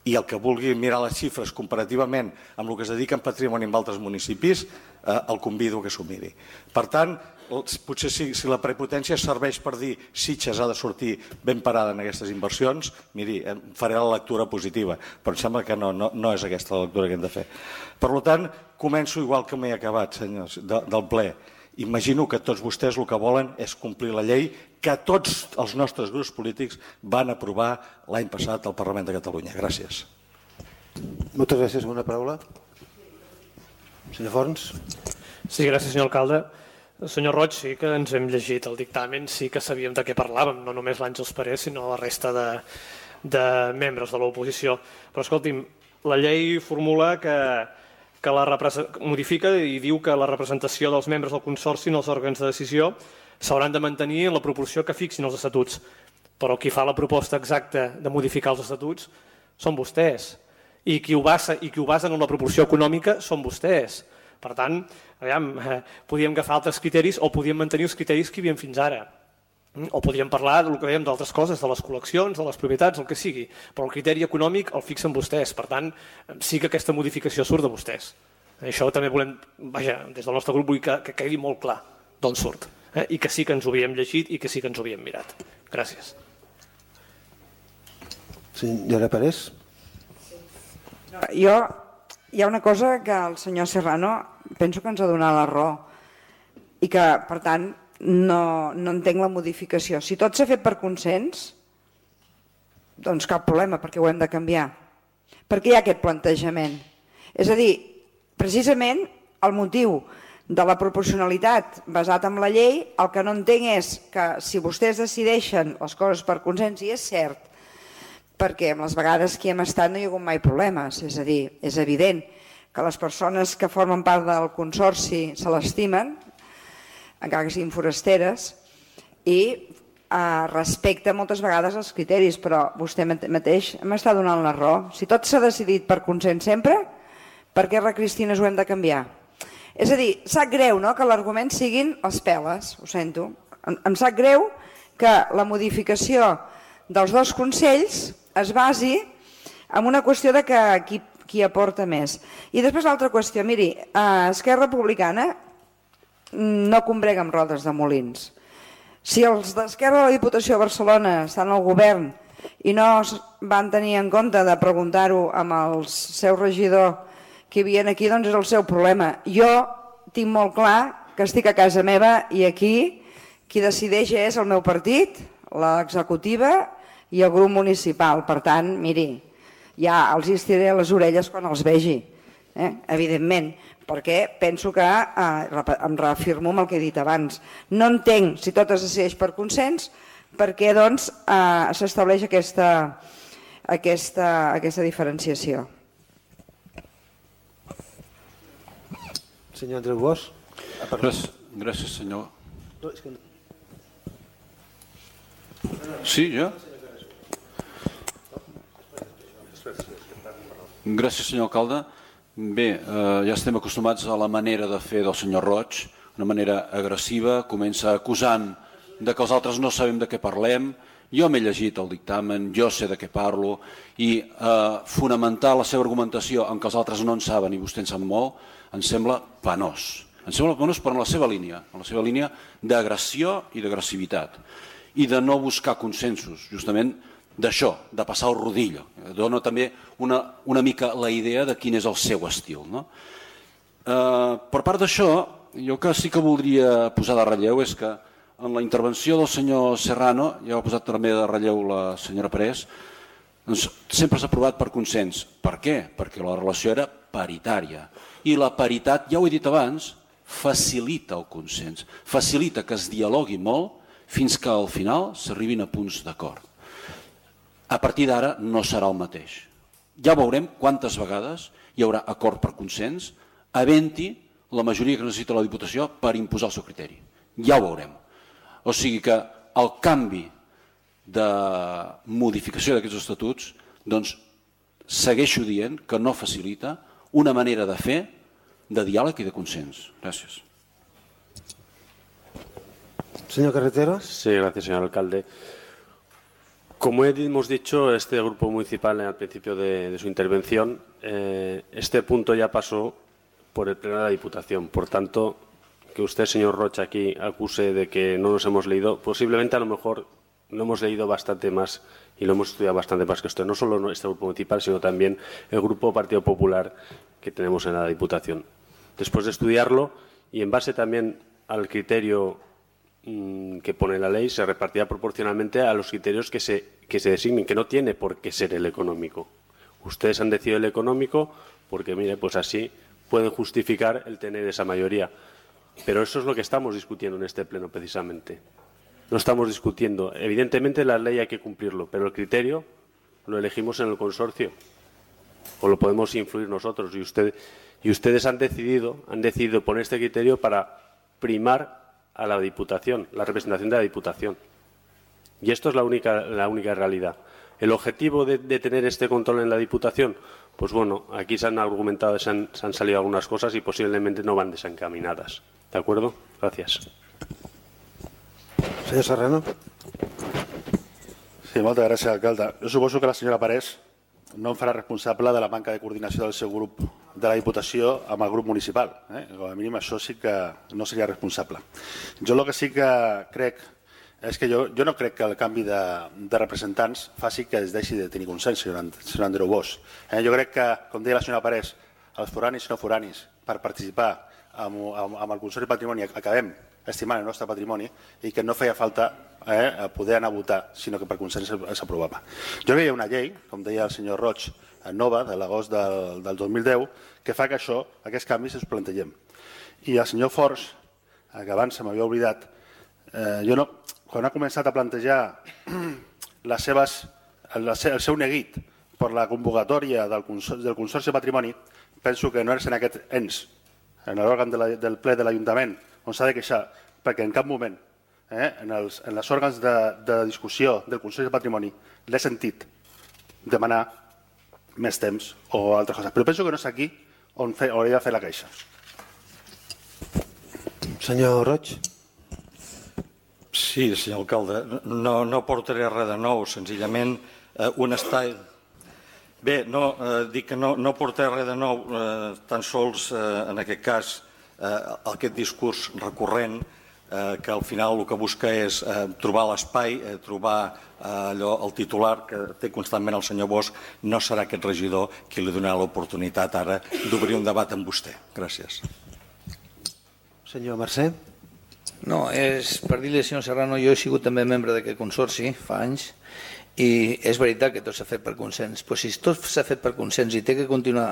I el que vulgui mirar les xifres comparativament amb el que es dedica en patrimoni en altres municipis, eh, el convido que s'ho miri. Per tant, potser si, si la prepotència serveix per dir Sitges ha de sortir ben parada en aquestes inversions, miri, faré la lectura positiva, però em sembla que no, no, no és aquesta la lectura que hem de fer. Per tant, començo igual que m'he acabat, senyors, de, del ple. Imagino que tots vostès el que volen és complir la llei que tots els nostres grups polítics van aprovar l'any passat al Parlament de Catalunya. Gràcies. Moltes gràcies. Una paraula. Senyor Forns. Sí, gràcies, senyor alcalde. Senyor Roig, sí que ens hem llegit el dictamen, sí que sabíem de què parlàvem, no només l'Àngels Parés, sinó la resta de, de membres de l'oposició. Però, escolti'm, la llei formula que, que la modifica i diu que la representació dels membres del Consorci en els òrgans de decisió s'hauran de mantenir en la proporció que fixin els estatuts. Però qui fa la proposta exacta de modificar els estatuts són vostès. I qui ho basa, i qui ho basen en la proporció econòmica són vostès. Per tant, aviam, eh, podíem agafar altres criteris o podíem mantenir els criteris que hi havia fins ara. O podríem parlar del que dèiem d'altres coses, de les col·leccions, de les propietats, el que sigui. Però el criteri econòmic el fixen vostès. Per tant, sí que aquesta modificació surt de vostès. Això també volem, vaja, des del nostre grup vull que, que quedi molt clar d'on surt. Eh? I que sí que ens ho havíem llegit i que sí que ens ho havíem mirat. Gràcies. Senyora Parés. Jo, hi ha una cosa que el senyor Serrano penso que ens ha donat la raó i que, per tant, no, no entenc la modificació. Si tot s'ha fet per consens, doncs cap problema, perquè ho hem de canviar. Perquè hi ha aquest plantejament. És a dir, precisament el motiu de la proporcionalitat basat en la llei, el que no entenc és que si vostès decideixen les coses per consens, i és cert, perquè amb les vegades que hi hem estat no hi ha hagut mai problemes, és a dir, és evident que les persones que formen part del consorci se l'estimen, encara que siguin forasteres, i eh, respecta moltes vegades els criteris, però vostè mateix m'està donant la raó. Si tot s'ha decidit per consens sempre, per què recristines ho hem de canviar? És a dir, sap greu, no?, que l'argument siguin les peles, ho sento. Em, em sap greu que la modificació dels dos consells es basi en una qüestió de que qui, qui aporta més. I després l'altra qüestió, miri, eh, Esquerra Republicana no combrega amb rodes de molins. Si els d'Esquerra de la Diputació de Barcelona estan al govern i no van tenir en compte de preguntar-ho amb el seu regidor que hi havia aquí, doncs és el seu problema. Jo tinc molt clar que estic a casa meva i aquí qui decideix és el meu partit, l'executiva i el grup municipal. Per tant, miri, ja els estiré les orelles quan els vegi, eh? Evidentment, perquè penso que, eh, em reafirmo amb el que he dit abans, no entenc, si tot es decideix per consens, per què doncs eh, s'estableix aquesta, aquesta, aquesta diferenciació. Senyor Andreu Bosch. Gràcies, gràcies senyor. Sí, jo? Gràcies, senyor alcalde. Bé, eh, ja estem acostumats a la manera de fer del senyor Roig, una manera agressiva, comença acusant de que els altres no sabem de què parlem. Jo m'he llegit el dictamen, jo sé de què parlo, i eh, fonamentar la seva argumentació en que els altres no en saben i vostè en sap molt, em sembla penós. Em sembla penós per la seva línia, en la seva línia d'agressió i d'agressivitat, i de no buscar consensos, justament d'això, de passar el rodillo. Dona també una, una mica la idea de quin és el seu estil. No? Eh, per part d'això, jo que sí que voldria posar de relleu és que en la intervenció del senyor Serrano, ja ho ha posat també de relleu la senyora Parés, doncs sempre s'ha aprovat per consens. Per què? Perquè la relació era paritària. I la paritat, ja ho he dit abans, facilita el consens, facilita que es dialogui molt fins que al final s'arribin a punts d'acord. A partir d'ara no serà el mateix. Ja veurem quantes vegades hi haurà acord per consens, havent-hi la majoria que necessita la Diputació per imposar el seu criteri. Ja ho veurem. O sigui que el canvi de modificació d'aquests estatuts doncs, segueixo dient que no facilita una manera de fer de diàleg i de consens. Gràcies. Señor Carreteros. Sí, gracias, señor alcalde. Como hemos dicho, este grupo municipal al principio de, de su intervención, eh, este punto ya pasó por el pleno de la Diputación. Por tanto, que usted, señor Rocha, aquí acuse de que no nos hemos leído, posiblemente a lo mejor lo hemos leído bastante más y lo hemos estudiado bastante más que usted. No solo este grupo municipal, sino también el grupo Partido Popular que tenemos en la Diputación. Después de estudiarlo y en base también al criterio que pone la ley, se repartirá proporcionalmente a los criterios que se, que se designen, que no tiene por qué ser el económico. Ustedes han decidido el económico porque, mire, pues así pueden justificar el tener esa mayoría. Pero eso es lo que estamos discutiendo en este pleno, precisamente. No estamos discutiendo. Evidentemente la ley hay que cumplirlo, pero el criterio lo elegimos en el consorcio o lo podemos influir nosotros. Y, usted, y ustedes han decidido, han decidido poner este criterio para primar a la Diputación, la representación de la Diputación. Y esto es la única, la única realidad. ¿El objetivo de, de tener este control en la Diputación? Pues bueno, aquí se han argumentado, se han, se han salido algunas cosas y posiblemente no van desencaminadas. ¿De acuerdo? Gracias. Senyor Serrano. Sí, moltes gràcies, alcalde. Jo suposo que la senyora Parés no em farà responsable de la manca de coordinació del seu grup de la Diputació amb el grup municipal. Eh? Com a mínim això sí que no seria responsable. Jo el que sí que crec és que jo, jo no crec que el canvi de, de representants faci que es deixi de tenir consens, senyor, senyor Andreu Bosch. Eh? Jo crec que, com deia la senyora Parés, els foranis i no foranis, per participar amb, amb, amb el Consorci de Patrimoni acabem estimant el nostre patrimoni i que no feia falta eh, poder anar a votar, sinó que per consens s'aprovava. Jo veia una llei, com deia el senyor Roig, nova, de l'agost del, del dos mil deu, que fa que això, aquests canvis es plantegem. I el senyor Forns, que abans se m'havia oblidat, eh, jo no, quan ha començat a plantejar les seves, el, el seu neguit per la convocatòria del Consorci, del Consorci de Patrimoni, penso que no és en aquest ens, en l'òrgan de la, del ple de l'Ajuntament, on s'ha de queixar, perquè en cap moment, eh, en, els, en els òrgans de, de discussió del Consorci de Patrimoni, l'he sentit demanar més temps o altres coses. Però penso que no és aquí on fe, hauria de fer la queixa. Senyor Roig. Sí, senyor alcalde, no, no portaré res de nou, senzillament eh, un espai... Bé, no, eh, dic que no, no portaré res de nou, eh, tan sols eh, en aquest cas eh, aquest discurs recurrent eh, que al final el que busca és eh, trobar l'espai, eh, trobar eh, allò, el titular que té constantment el senyor Bosch, no serà aquest regidor qui li donarà l'oportunitat ara d'obrir un debat amb vostè. Gràcies. Senyor Mercè. No, és per dir-li al senyor Serrano, jo he sigut també membre d'aquest consorci fa anys i és veritat que tot s'ha fet per consens, però si tot s'ha fet per consens i té que continuar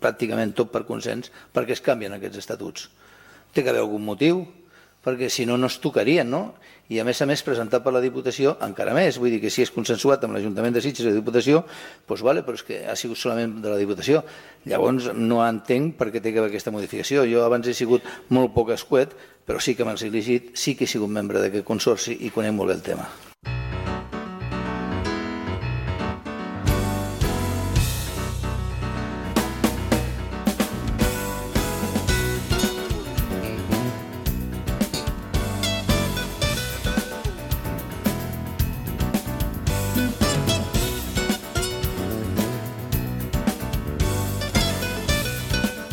pràcticament tot per consens, per què es canvien aquests estatuts? Té que haver algun motiu, perquè si no, no es tocarien, no? I a més a més presentat per la Diputació encara més, vull dir que si és consensuat amb l'Ajuntament de Sitges i la Diputació, doncs vale, però és que ha sigut solament de la Diputació. Llavors no entenc per què té que haver aquesta modificació. Jo abans he sigut molt poc escuet, però sí que m'han elegit, sí que he sigut membre d'aquest consorci i conec molt bé el tema.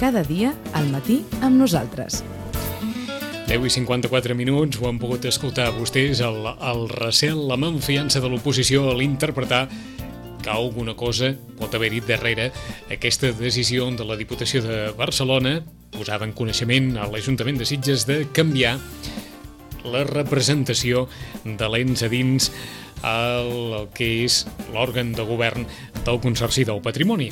Cada dia al matí amb nosaltres. deu i cinquanta-quatre minuts, ho han pogut escoltar vostès, el, el recel, la malfiança de l'oposició a l'interpretar que alguna cosa pot haver-hi darrere aquesta decisió de la Diputació de Barcelona, posada en coneixement a l'Ajuntament de Sitges, de canviar la representació de l'ens a dins el que és l'òrgan de govern del Consorci del Patrimoni.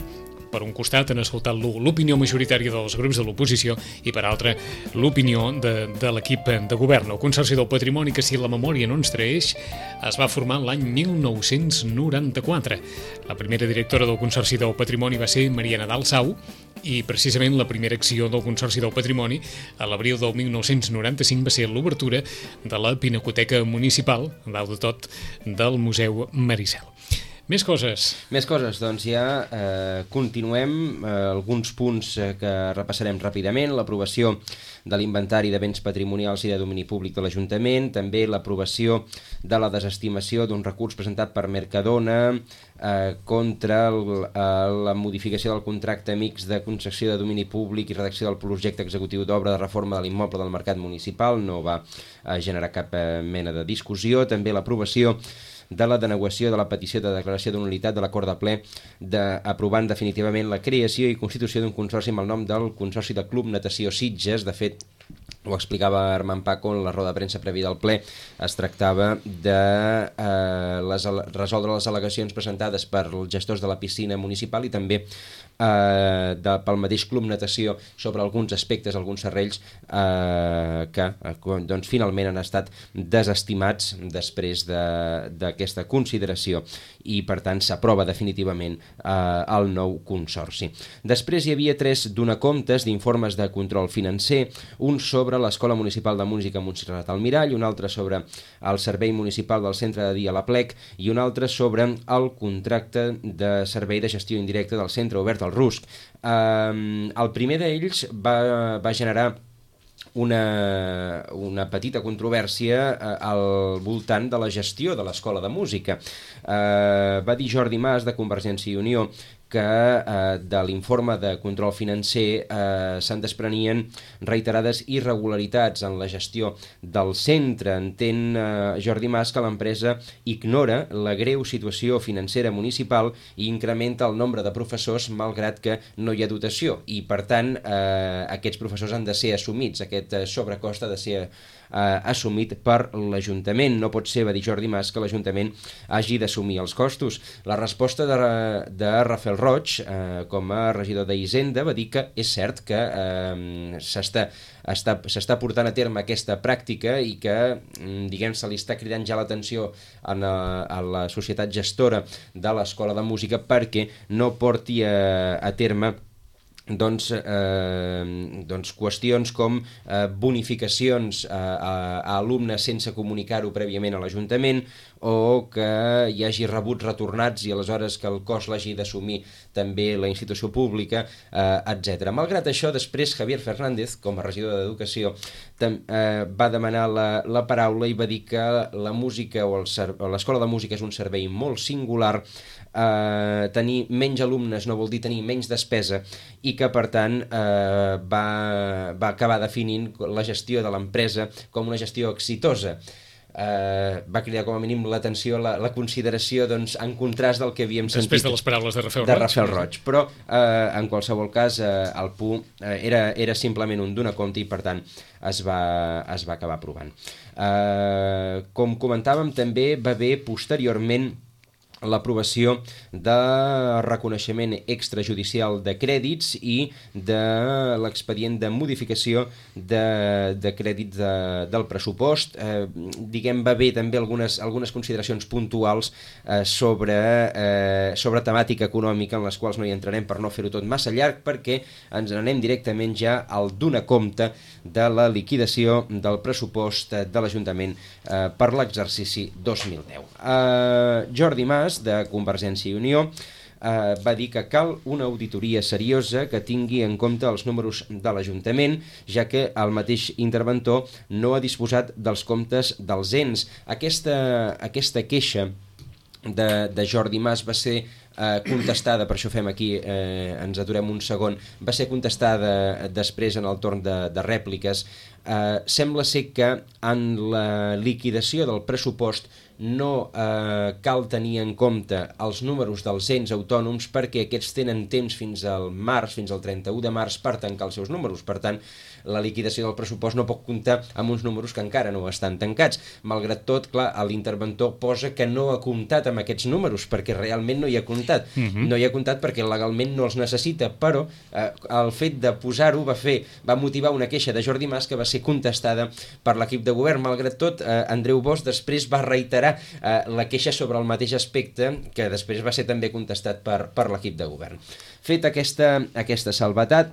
Per un costat han escoltat l'opinió majoritària dels grups de l'oposició i per altre l'opinió de, de l'equip de govern. El Consorci del Patrimoni, que si la memòria no ens traeix, es va formar l'any mil nou-cents noranta-quatre. La primera directora del Consorci del Patrimoni va ser Maria Nadal Sau i precisament la primera acció del Consorci del Patrimoni a l'abril del mil nou-cents noranta-cinc va ser l'obertura de la Pinacoteca Municipal, dalt de tot, del Museu Maricel. Més coses. Més coses, doncs ja eh, continuem, eh, alguns punts eh, que repassarem ràpidament, l'aprovació de l'inventari de béns patrimonials i de domini públic de l'Ajuntament, també l'aprovació de la desestimació d'un recurs presentat per Mercadona eh, contra el, eh, la modificació del contracte mixt de concessió de domini públic i redacció del projecte executiu d'obra de reforma de l'immoble del mercat municipal, no va eh, generar cap eh, mena de discussió, també l'aprovació de la denegació de la petició de declaració de nul·litat de l'acord de ple de, aprovant definitivament la creació i constitució d'un consorci amb el nom del Consorci de Club Natació Sitges. De fet, ho explicava Armand Paco en la roda de premsa prèvia del ple, es tractava de eh, les, resoldre les al·legacions presentades per els gestors de la piscina municipal i també eh, de, pel mateix Club Natació sobre alguns aspectes, alguns serrells eh, que eh, doncs, finalment han estat desestimats després d'aquesta de, consideració i per tant s'aprova definitivament eh, el nou consorci. Després hi havia tres donacomptes d'informes de control financer, un sobre l'Escola Municipal de Música Montserrat Almirall, un altre sobre el Servei Municipal del Centre de Dia La Plec i un altre sobre el contracte de servei de gestió indirecta del Centre Obert al Rusc. Eh, el primer d'ells va, va generar una, una petita controvèrsia eh, al voltant de la gestió de l'Escola de Música. Eh, va dir Jordi Mas, de Convergència i Unió, que eh, de l'informe de control financer eh, se'n desprenien reiterades irregularitats en la gestió del centre. Entén eh, Jordi Mas que l'empresa ignora la greu situació financera municipal i incrementa el nombre de professors malgrat que no hi ha dotació i per tant eh, aquests professors han de ser assumits, aquest sobrecost ha de ser eh, assumit per l'Ajuntament. No pot ser, va dir Jordi Mas, que l'Ajuntament hagi d'assumir els costos. La resposta de, de Rafael Roig, eh, com a regidor d'Hisenda, va dir que és cert que eh, s'està està, s'està portant a terme aquesta pràctica i que, diguem, se li està cridant ja l'atenció a, a la societat gestora de l'Escola de Música perquè no porti a, a terme doncs, eh, doncs qüestions com eh, bonificacions a, a, a alumnes sense comunicar-ho prèviament a l'Ajuntament o que hi hagi rebuts retornats i aleshores que el cost l'hagi d'assumir també la institució pública, eh, etcètera. Malgrat això, després Javier Fernández, com a regidor d'Educació, tam, eh, va demanar la, la paraula i va dir que la música o l'Escola de Música és un servei molt singular. Uh, tenir menys alumnes no vol dir tenir menys despesa i que per tant uh, va, va acabar definint la gestió de l'empresa com una gestió exitosa. Uh, va cridar com a mínim l'atenció, la, la consideració, doncs, en contrast del que havíem sentit després de les paraules de Rafael de Roig, Rafael Roig. Però uh, en qualsevol cas uh, el P U uh, era, era simplement un donar compte i per tant es va, es va acabar aprovant. Uh, com comentàvem, també va haver posteriorment l'aprovació de reconeixement extrajudicial de crèdits i de l'expedient de modificació de, de crèdits de, del pressupost. Eh, diguem, va haver també algunes, algunes consideracions puntuals eh, sobre, eh, sobre temàtica econòmica en les quals no hi entrarem per no fer-ho tot massa llarg perquè ens anem directament ja al donar compte de la liquidació del pressupost de l'Ajuntament eh, per l'exercici dos mil deu. Eh, Jordi Mas, de Convergència i Unió, eh, va dir que cal una auditoria seriosa que tingui en compte els números de l'Ajuntament, ja que el mateix interventor no ha disposat dels comptes dels ens. Aquesta, aquesta queixa de, de Jordi Mas va ser eh, contestada, per això fem aquí, eh, ens aturem un segon, va ser contestada després en el torn de, de rèpliques. Eh, sembla ser que en la liquidació del pressupost no eh, cal tenir en compte els números dels ens autònoms perquè aquests tenen temps fins al març, fins al trenta-u de març per tancar els seus números. Per tant, la liquidació del pressupost no pot comptar amb uns números que encara no estan tancats. Malgrat tot, clar, l'interventor posa que no ha comptat amb aquests números perquè realment no hi ha comptat. Uh-huh. No hi ha comptat perquè legalment no els necessita, però eh, el fet de posar-ho va fer, va motivar una queixa de Jordi Mas que va ser contestada per l'equip de govern. Malgrat tot, eh, Andreu Bosch després va reiterar Eh, la queixa sobre el mateix aspecte que després va ser també contestat per, per l'equip de govern. Fet aquesta, aquesta salvetat,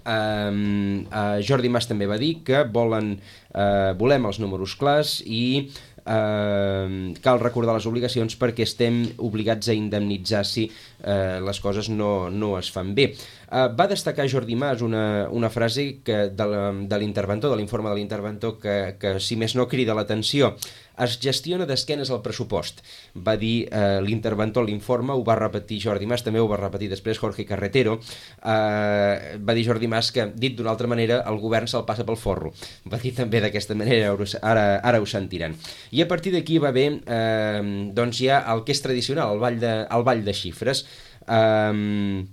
eh, eh, Jordi Mas també va dir que volen, eh, volem els números clars i Uh, cal recordar les obligacions perquè estem obligats a indemnitzar si uh, les coses no, no es fan bé. Uh, va destacar Jordi Mas una, una frase que de l'interventor, de l'informe de l'interventor, que, que si més no crida l'atenció. Es gestiona d'esquenes al pressupost, va dir uh, l'interventor a l'informe, ho va repetir Jordi Mas, també ho va repetir després Jorge Carretero. Uh, va dir Jordi Mas que, dit d'una altra manera, el govern se'l passa pel forro. Va dir també d'aquesta manera, ara, ara ho sentiran. I a partir d'aquí va haver eh, doncs ja el que és tradicional, el ball de, el ball de xifres. Eh,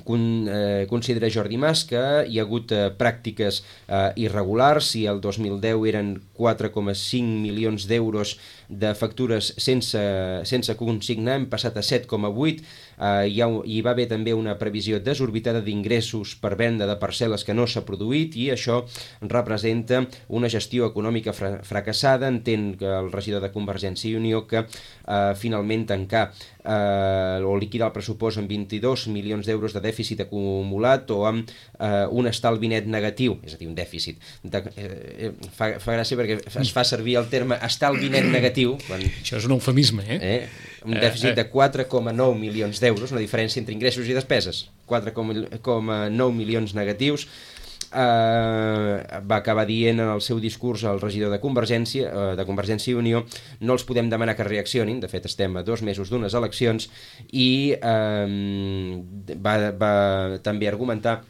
con, eh, considera Jordi Mas que hi ha hagut eh, pràctiques eh, irregulars. Si el dos mil deu eren quatre coma cinc milions d'euros de factures sense, sense consignar, hem passat a set coma vuit. Uh, hi, ha, hi va haver també una previsió desorbitada d'ingressos per venda de parcel·les que no s'ha produït i això representa una gestió econòmica fra fracassada. Entén que el regidor de Convergència i Unió que uh, finalment tancar uh, o liquidar el pressupost amb vint-i-dos milions d'euros de dèficit acumulat o amb uh, un estalvi net negatiu, és a dir, un dèficit. De, eh, fa, fa gràcia perquè es fa servir el terme estalvi net negatiu. Quan, això és un eufemisme, eh? eh? Un dèficit de quatre coma nou milions d'euros, una diferència entre ingressos i despeses, quatre coma nou milions negatius. Uh, va acabar dient en el seu discurs el regidor de Convergència, uh, de Convergència i Unió, no els podem demanar que reaccionin, de fet estem a dos mesos d'unes eleccions, i uh, va, va també argumentar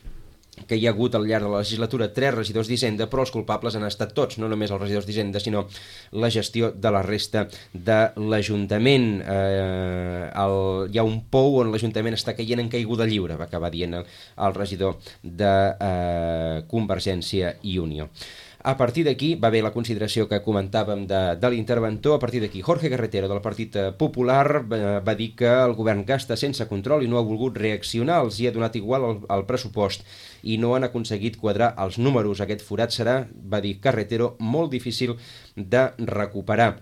que hi ha hagut al llarg de la legislatura tres regidors d'Hisenda, però els culpables han estat tots, no només els regidors d'Hisenda, sinó la gestió de la resta de l'Ajuntament. Eh, el, hi ha un pou on l'Ajuntament està caient en caiguda lliure, va acabar dient el, el regidor de eh, Convergència i Unió. A partir d'aquí va haver la consideració que comentàvem de, de l'interventor. A partir d'aquí Jorge Carretero del Partit Popular va, va dir que el govern gasta sense control i no ha volgut reaccionar, els hi ha donat igual el, el pressupost i no han aconseguit quadrar els números. Aquest forat serà, va dir Carretero, molt difícil de recuperar.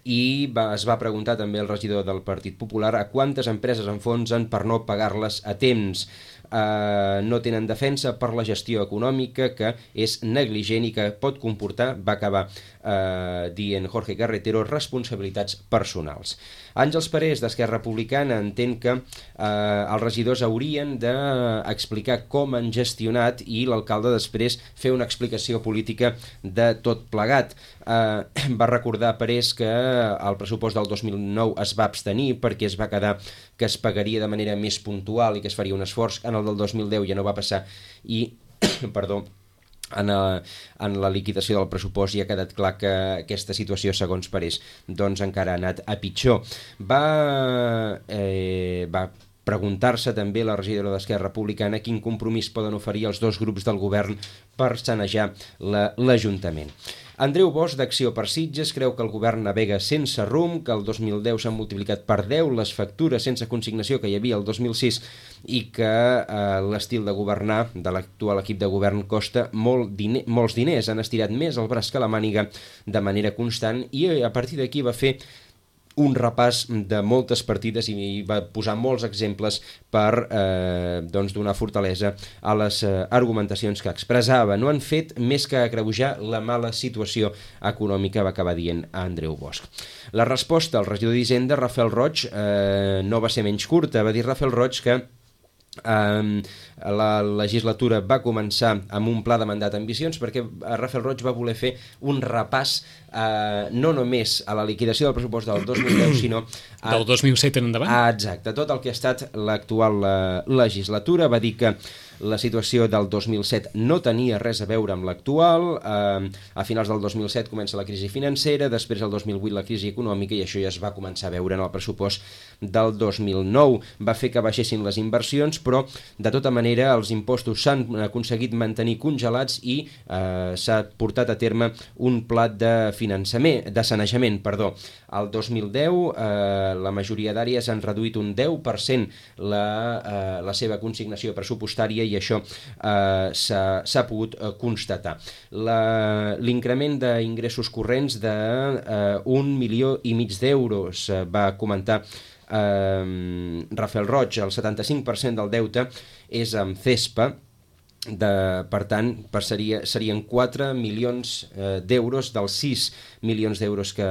I va, es va preguntar també el regidor del Partit Popular a quantes empreses enfonsen per no pagar-les a temps. Uh, no tenen defensa per la gestió econòmica, que és negligent i que pot comportar, va acabar uh, dient Jorge Carretero, responsabilitats personals. Àngels Parés, d'Esquerra Republicana, entén que uh, els regidors haurien d'explicar com han gestionat i l'alcalde després fer una explicació política de tot plegat. Uh, va recordar Parés que el pressupost del dos mil nou es va abstenir perquè es va quedar que es pagaria de manera més puntual i que es faria un esforç. En el del dos mil deu ja no va passar i, perdó, en, a, en la liquidació del pressupost ja ha quedat clar que aquesta situació, segons Parés, doncs encara ha anat a pitjor. Va, eh, va preguntar-se també la regidora d'Esquerra Republicana quin compromís poden oferir els dos grups del govern per sanejar l'Ajuntament. Andreu Bosch, d'Acció per Sitges, creu que el govern navega sense rumb, que el dos mil deu s'han multiplicat per deu les factures sense consignació que hi havia el dos mil sis i que eh, l'estil de governar de l'actual equip de govern costa molt diner, molts diners. Han estirat més el braç que la màniga de manera constant i a partir d'aquí va fer un repàs de moltes partides i va posar molts exemples per eh, doncs donar fortalesa a les eh, argumentacions que expressava. No han fet més que agreujar la mala situació econòmica, va acabar dient a Andreu Bosch. La resposta al regidor d'Hisenda, Rafael Roig, eh, no va ser menys curta. Va dir Rafael Roig que Um, la legislatura va començar amb un pla de mandat ambiciós perquè Rafael Roig va voler fer un repàs uh, no només a la liquidació del pressupost del dos mil deu sinó a, del dos mil set en endavant. Ah, exacte, tot el que ha estat l'actual uh, legislatura. Va dir que la situació del dos mil set no tenia res a veure amb l'actual. Uh, a finals del dos mil set comença la crisi financera, després el dos mil vuit la crisi econòmica i això ja es va començar a veure en el pressupost del dos mil nou. Va fer que baixessin les inversions, però de tota manera els impostos s'han aconseguit mantenir congelats i eh, s'ha portat a terme un pla de finançament, de sanejament, perdó. Al dos mil deu eh, la majoria d'àrees han reduït un deu per cent la, eh, la seva consignació pressupostària i això eh, s'ha pogut eh, constatar. L'increment d'ingressos corrents d'un eh, milió i mig d'euros eh, va comentar Uh, Rafael Roig. El setanta-cinc per cent del deute és amb CESPA, de, per tant passaria, serien quatre milions eh, d'euros dels sis milions d'euros que,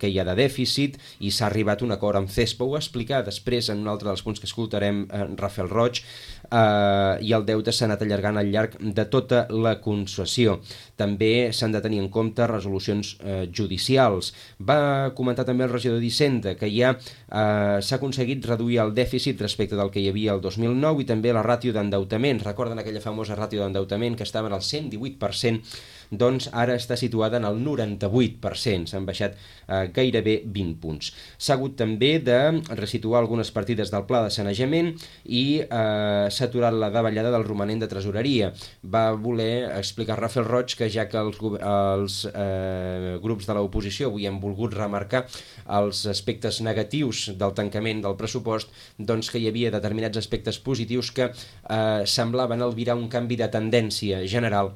que hi ha de dèficit i s'ha arribat a un acord amb CESPA. Ho va explicar després en un altre dels punts que escoltarem eh, Rafael Roig, eh, i el deute s'ha anat allargant al llarg de tota la concessió. També s'han de tenir en compte resolucions eh, judicials. Va comentar també el regidor d'Hisenda que ja eh, s'ha aconseguit reduir el dèficit respecte del que hi havia el dos mil nou i també la ràtio d'endeutament. Recorden aquella famosa ràtio d'endeutament que estava en el cent divuit per cent, doncs ara està situada en el noranta-vuit per cent, s'han baixat eh, gairebé vint punts. S'ha hagut també de resituar algunes partides del pla de sanejament i eh, s'ha aturat la davallada del romanent de tresoreria. Va voler explicar Rafael Roig que ja que els, els eh, grups de l'oposició avui han volgut remarcar els aspectes negatius del tancament del pressupost, doncs que hi havia determinats aspectes positius que eh, semblaven albirar un canvi de tendència general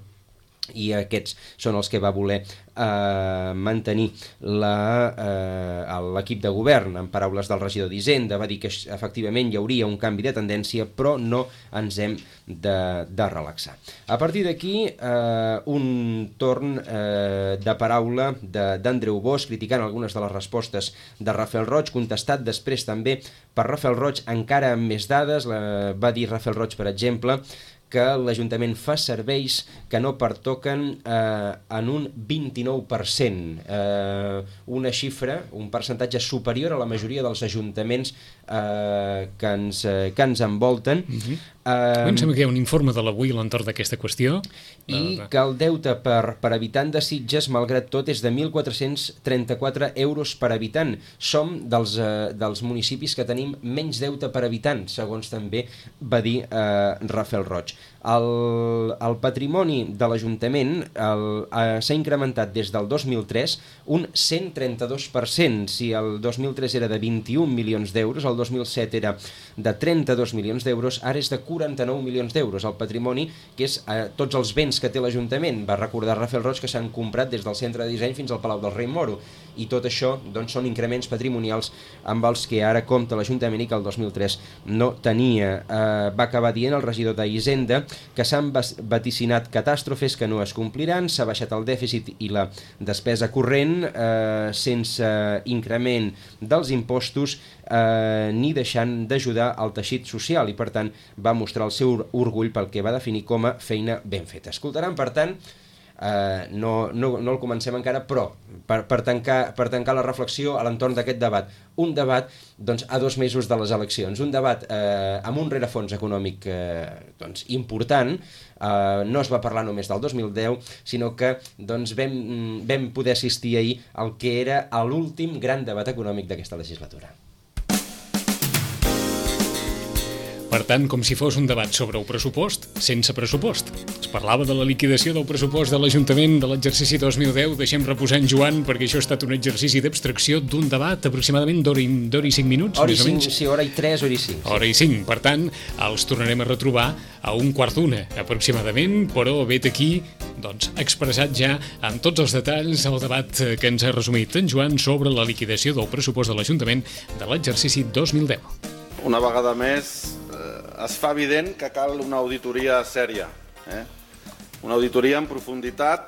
i aquests són els que va voler eh, mantenir l'equip eh, de govern. En paraules del regidor d'Hisenda va dir que efectivament hi hauria un canvi de tendència però no ens hem de, de relaxar. A partir d'aquí eh, un torn eh, de paraula d'Andreu Bosch criticant algunes de les respostes de Rafael Roig, contestat després també per Rafael Roig encara amb més dades. La, va dir Rafael Roig, per exemple, que l'Ajuntament fa serveis que no pertoquen eh, en un vint-i-nou per cent, eh, una xifra, un percentatge superior a la majoria dels ajuntaments eh, que, ens, eh, que ens envolten. Uh-huh. eh, em sembla que hi ha un informe de l'avui a l'entorn d'aquesta qüestió. I uh, que el deute per, per habitant de Sitges, malgrat tot, és de mil quatre-cents trenta-quatre euros per habitant. Som dels, eh, dels municipis que tenim menys deute per habitant, segons també va dir eh, Rafael Roig. El, el patrimoni de l'Ajuntament s'ha incrementat des del dos mil tres un cent trenta-dos per cent. Si el dos mil tres era de vint-i-un milions d'euros, el dos mil set era de trenta-dos milions d'euros, ara és de quaranta-nou milions d'euros. El patrimoni, que és eh, tots els béns que té l'Ajuntament. Va recordar Rafael Roig que s'han comprat des del centre de disseny fins al Palau del Rei Moro. I tot això doncs, són increments patrimonials amb els que ara compta l'Ajuntament i que el dos mil tres no tenia. Eh, va acabar dient el regidor d'Hisenda que s'han vaticinat catàstrofes que no es compliran, s'ha baixat el dèficit i la despesa corrent eh, sense increment dels impostos eh, ni deixant d'ajudar al teixit social i per tant va mostrar el seu orgull pel que va definir com a feina ben feta. Escoltaran per tant Uh, no, no, no el comencem encara, però per, per, tancar, per tancar la reflexió a l'entorn d'aquest debat, un debat doncs, a dos mesos de les eleccions, un debat uh, amb un rerefons econòmic uh, doncs, important, uh, no es va parlar només del dos mil deu, sinó que doncs, vam, vam poder assistir ahir al que era l'últim gran debat econòmic d'aquesta legislatura. Per tant, com si fos un debat sobre el pressupost, sense pressupost. Es parlava de la liquidació del pressupost de l'Ajuntament de l'exercici dos mil deu. Deixem reposar en Joan, perquè això ha estat un exercici d'abstracció d'un debat aproximadament d'hora i, d'hora i cinc minuts, hora més o menys. Sí, hora i tres, hora i cinc. Hora i cinc. Per tant, els tornarem a retrobar a un quart d'una, aproximadament, però vet aquí, doncs, expressat ja amb tots els detalls el debat que ens ha resumit en Joan sobre la liquidació del pressupost de l'Ajuntament de l'exercici dos mil deu. Una vegada més, eh, es fa evident que cal una auditoria sèria, eh? Una auditoria en profunditat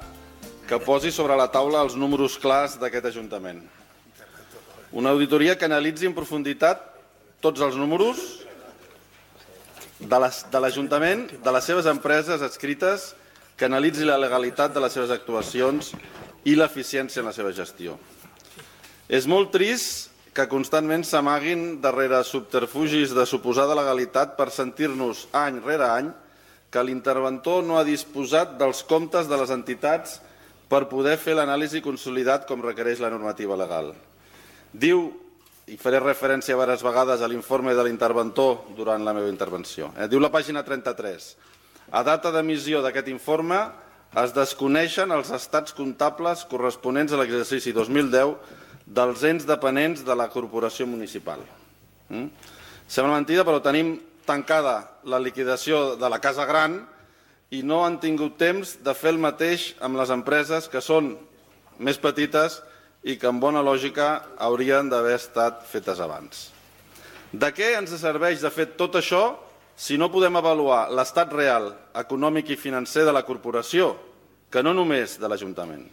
que posi sobre la taula els números clars d'aquest Ajuntament. Una auditoria que analitzi en profunditat tots els números de l'Ajuntament, de les seves empreses adscrites, que analitzi la legalitat de les seves actuacions i l'eficiència en la seva gestió. És molt trist que constantment s'amaguin darrere subterfugis de suposada legalitat per sentir-nos any rere any que l'interventor no ha disposat dels comptes de les entitats per poder fer l'anàlisi consolidat com requereix la normativa legal. Diu, i faré referència diverses vegades a l'informe de l'interventor durant la meva intervenció, eh? Diu la pàgina trenta-tres, a data d'emissió d'aquest informe es desconeixen els estats comptables corresponents a l'exercici dos mil deu dels ens dependents de la corporació municipal. Mm? Sembla mentida, però tenim tancada la liquidació de la Casa Gran i no han tingut temps de fer el mateix amb les empreses que són més petites i que, en bona lògica, haurien d'haver estat fetes abans. De què ens serveix de fer tot això si no podem avaluar l'estat real, econòmic i financer de la corporació, que no només de l'Ajuntament?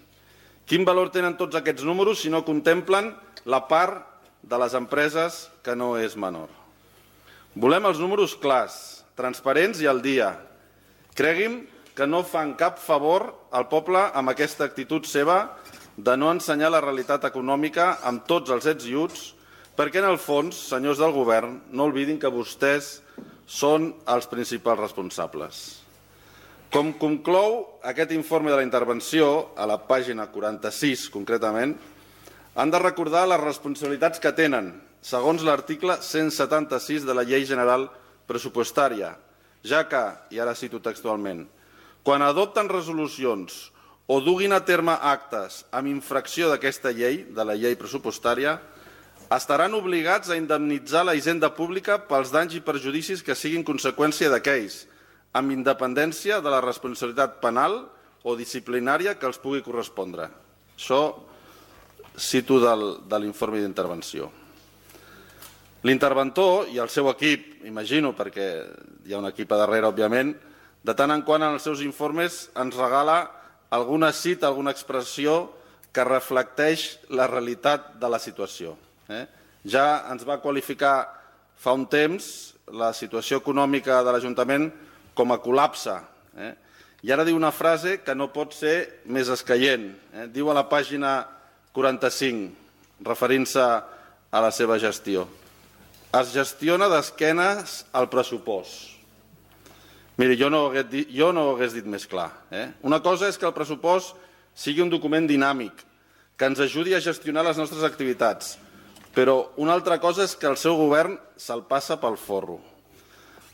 Quin valor tenen tots aquests números si no contemplen la part de les empreses que no és menor? Volem els números clars, transparents i al dia. Cregui'm que no fan cap favor al poble amb aquesta actitud seva de no ensenyar la realitat econòmica amb tots els ets i uts, perquè en el fons, senyors del govern, no oblidin que vostès són els principals responsables. Com conclou aquest informe de la intervenció, a la pàgina quaranta-sis concretament, han de recordar les responsabilitats que tenen, segons l'article cent setanta-sis de la Llei General Pressupostària, ja que, i ara cito textualment, quan adopten resolucions o duguin a terme actes amb infracció d'aquesta llei, de la llei pressupostària, estaran obligats a indemnitzar la hisenda pública pels danys i perjudicis que siguin conseqüència d'aquells, amb independència de la responsabilitat penal o disciplinària que els pugui correspondre. Això cito del, de l'informe d'intervenció. L'interventor i el seu equip, imagino, perquè hi ha un equip a darrere, òbviament, de tant en quant en els seus informes ens regala alguna cita, alguna expressió que reflecteix la realitat de la situació. Eh? Ja ens va qualificar fa un temps la situació econòmica de l'Ajuntament com a col·lapse. Eh? I ara diu una frase que no pot ser més escaient. Eh? Diu a la pàgina quaranta-cinc, referint-se a la seva gestió. Es gestiona d'esquenes al pressupost. Miri, jo no ho hagués dit, jo no ho hagués dit més clar. Eh? Una cosa és que el pressupost sigui un document dinàmic, que ens ajudi a gestionar les nostres activitats, però una altra cosa és que el seu govern se'l passa pel forro.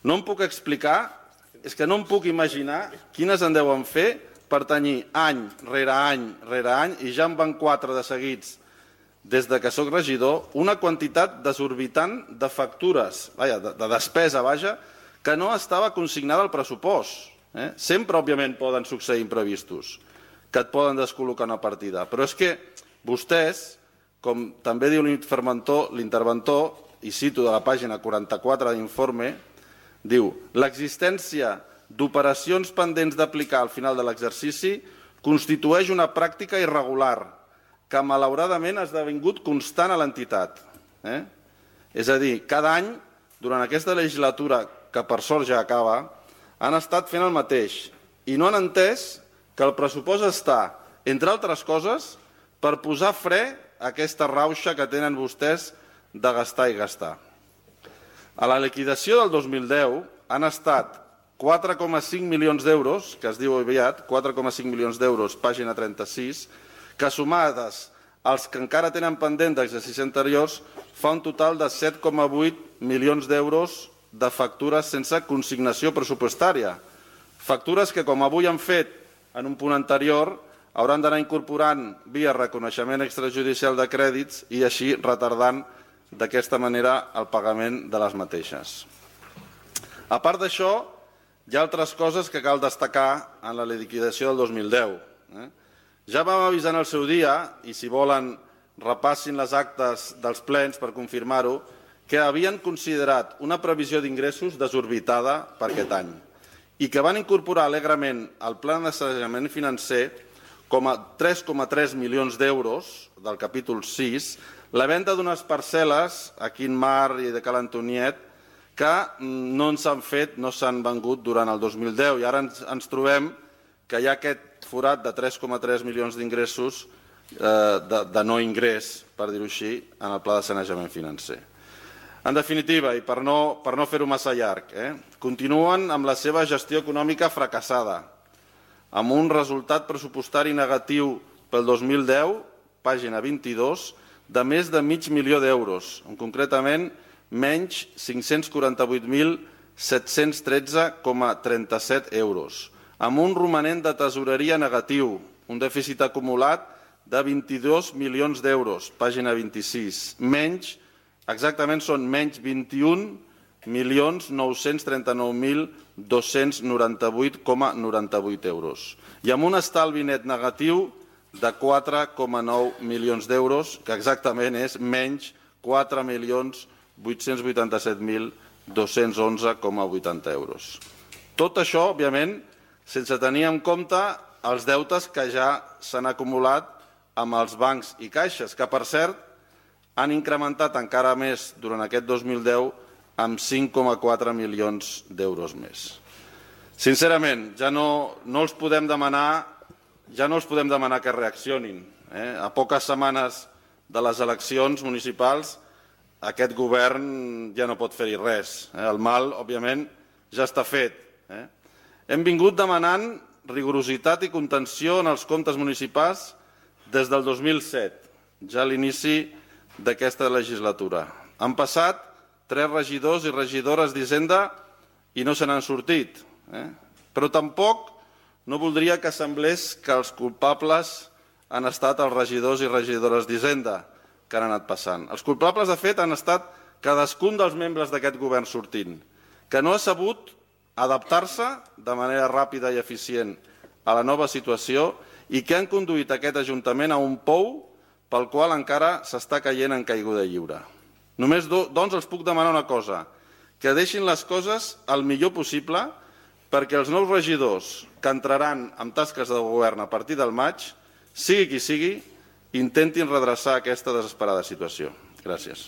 No em puc explicar és que no em puc imaginar quines en deuen fer per tenir any rere any rere any, i ja en van quatre de seguits des de que sóc regidor, una quantitat desorbitant de factures, vaja, de, de despesa, vaja, que no estava consignada al pressupost. Eh? Sempre, òbviament, poden succeir imprevistos, que et poden descol·locar una partida. Però és que vostès, com també diu l'interventor, i cito de la pàgina quaranta-quatre d'informe, diu: l'existència d'operacions pendents d'aplicar al final de l'exercici constitueix una pràctica irregular que malauradament ha esdevingut constant a l'entitat. Eh? És a dir, cada any, durant aquesta legislatura, que per sort ja acaba, han estat fent el mateix i no han entès que el pressupost està, entre altres coses, per posar fre a aquesta rauxa que tenen vostès de gastar i gastar. A la liquidació del dos mil deu han estat quatre coma cinc milions d'euros, que es diu aviat, quatre coma cinc milions d'euros, pàgina trenta-sis, que sumades als que encara tenen pendent d'exercicis anteriors fa un total de set coma vuit milions d'euros de factures sense consignació pressupostària. Factures que, com avui han fet en un punt anterior, hauran d'anar incorporant via reconeixement extrajudicial de crèdits i així retardant d'aquesta manera el pagament de les mateixes. A part d'això, hi ha altres coses que cal destacar en la liquidació del dos mil deu. Ja vam avisar en el seu dia, i si volen repassin les actes dels plens per confirmar-ho, que havien considerat una previsió d'ingressos desorbitada per aquest any i que van incorporar alegrement al pla de sanejament financer com a tres coma tres milions d'euros del capítol sis la venda d'unes parcel·les a Quin Mar i de Cal Antoniet que no s'han fet, no s'han vengut durant el dos mil deu, i ara ens, ens trobem que hi ha aquest forat de tres coma tres milions d'ingressos eh, de, de no ingrés, per dir-ho així, en el pla de sanejament financer. En definitiva, i per no, per no fer-ho massa llarg, eh, continuen amb la seva gestió econòmica fracassada, amb un resultat pressupostari negatiu pel dos mil deu, pàgina vint-i-dos, de més de mig milió d'euros, concretament menys cinc-cents quaranta-vuit mil set-cents tretze coma trenta-set euros, amb un romanent de tesoreria negatiu, un dèficit acumulat de vint-i-dos milions d'euros, pàgina vint-i-sis, menys, exactament són menys vint-i-un milions nou-cents trenta-nou mil dos-cents noranta-vuit coma noranta-vuit euros, i amb un estalvi net negatiu de quatre coma nou milions d'euros, que exactament és menys quatre milions vuit-cents vuitanta-set mil dos-cents onze coma vuitanta euros. Tot això, òbviament, sense tenir en compte els deutes que ja s'han acumulat amb els bancs i caixes, que, per cert, han incrementat encara més durant aquest dos mil deu amb cinc coma quatre milions d'euros més. Sincerament, ja no, no els podem demanar ja no els podem demanar que reaccionin. Eh? A poques setmanes de les eleccions municipals, aquest govern ja no pot fer-hi res. Eh? El mal, òbviament, ja està fet. Eh? Hem vingut demanant rigorositat i contenció en els comptes municipals des del dos mil set, ja a l'inici d'aquesta legislatura. Han passat tres regidors i regidores d'Hisenda i no se n'han sortit. Eh? Però tampoc no voldria que semblés que els culpables han estat els regidors i regidores d'Hisenda que han anat passant. Els culpables, de fet, han estat cadascun dels membres d'aquest govern sortint, que no ha sabut adaptar-se de manera ràpida i eficient a la nova situació i que han conduït aquest Ajuntament a un pou pel qual encara s'està caient en caiguda lliure. Només, doncs, els puc demanar una cosa, que deixin les coses el millor possible perquè els nous regidors que entraran en tasques de govern a partir del maig, sigui qui sigui, intentin redreçar aquesta desesperada situació. Gràcies.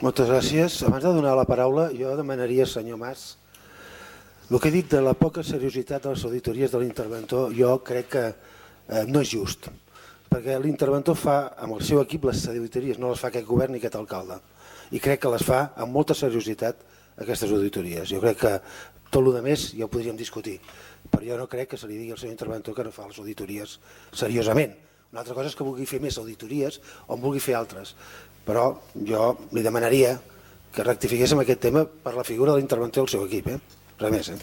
Moltes gràcies. Abans de donar la paraula, jo demanaria, senyor Mas, el que he dit de la poca seriositat de les auditories de l'interventor, jo crec que eh, no és just, perquè l'interventor fa amb el seu equip les auditories, no les fa aquest govern ni aquest alcalde, i crec que les fa amb molta seriositat aquestes auditories. Jo crec que tot el més ja ho podríem discutir, però jo no crec que se li digui al senyor interventor que no fa les auditories seriosament. Una altra cosa és que vulgui fer més auditories o en vulgui fer altres, però jo li demanaria que rectifiquéssim aquest tema per la figura de l'interventor del seu equip. Eh? Res més. Eh?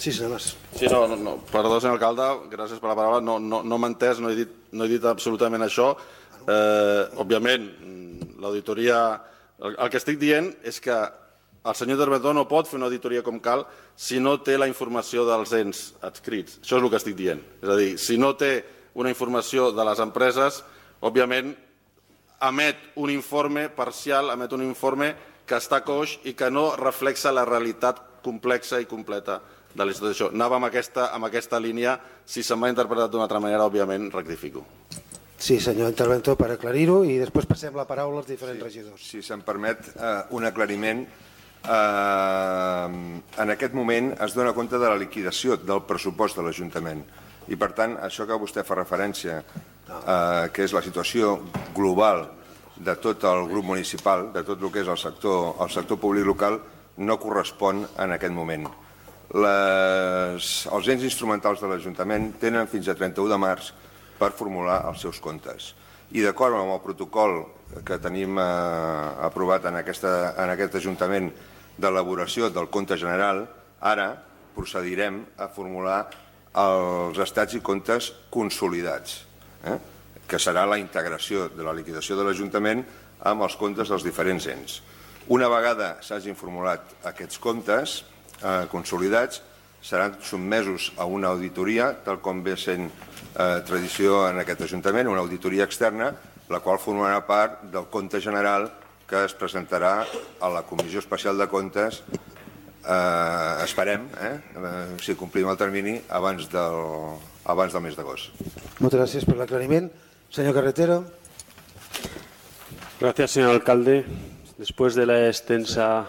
Sí, senyor Mas. Sí, no, no, no. Perdó, senyor alcalde, gràcies per la paraula. No, no, no m'he entès, no he dit, no he dit absolutament això. Eh, òbviament, l'auditoria... El, el que estic dient és que el senyor interventor no pot fer una auditoria com cal si no té la informació dels ens adscrits. Això és el que estic dient. És a dir, si no té una informació de les empreses, òbviament emet un informe parcial, emet un informe que està coix i que no reflexa la realitat complexa i completa de la institució. Anava amb aquesta, amb aquesta línia. Si se m'ha interpretat d'una altra manera, òbviament, rectifico. Sí, senyor interventor, per aclarir-ho, i després passem la paraula als diferents sí, regidors. Si se'm permet eh, un aclariment, eh, en aquest moment es dona compte de la liquidació del pressupost de l'Ajuntament. I, per tant, això que vostè fa referència, eh, que és la situació global de tot el grup municipal, de tot el que és el sector, el sector públic local, no correspon en aquest moment. Les, els ens instrumentals de l'Ajuntament tenen fins a trenta-u de març per formular els seus comptes. I d'acord amb el protocol que tenim eh, aprovat en, aquesta, en aquest Ajuntament d'elaboració del compte general, ara procedirem a formular els estats i comptes consolidats, eh? que serà la integració de la liquidació de l'Ajuntament amb els comptes dels diferents ens. Una vegada s'hagin formulat aquests comptes eh, consolidats, seran sotmesos a una auditoria, tal com ve sent eh, tradició en aquest Ajuntament, una auditoria externa, la qual formarà part del compte general que es presentarà a la Comissió Especial de Comptes, eh, esperem, eh, eh, si complim el termini, abans del, abans del mes d'agost. Moltes gràcies per l'aclariment. Señor Carretero. Gracias, señor alcalde. Después de la extensa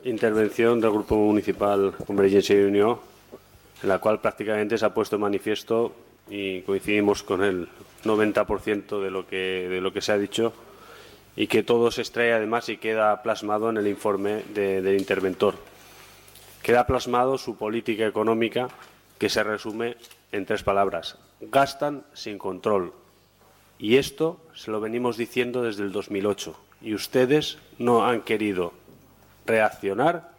intervención del Grupo Municipal Convergencia y Unión, en la cual prácticamente se ha puesto en manifiesto y coincidimos con el noventa por ciento de lo que, de lo que se ha dicho, y que todo se extrae además y queda plasmado en el informe de, del interventor. Queda plasmado su política económica, que se resume en tres palabras: gastan sin control. Y esto se lo venimos diciendo desde el dos mil ocho, y ustedes no han querido reaccionar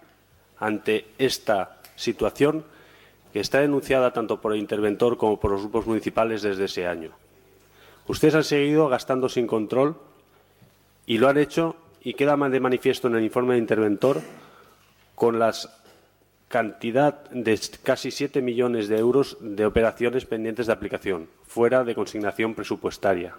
ante esta situación que está denunciada tanto por el interventor como por los grupos municipales desde ese año. Ustedes han seguido gastando sin control y lo han hecho, y queda de manifiesto en el informe del interventor, con la cantidad de casi siete millones de euros de operaciones pendientes de aplicación, fuera de consignación presupuestaria.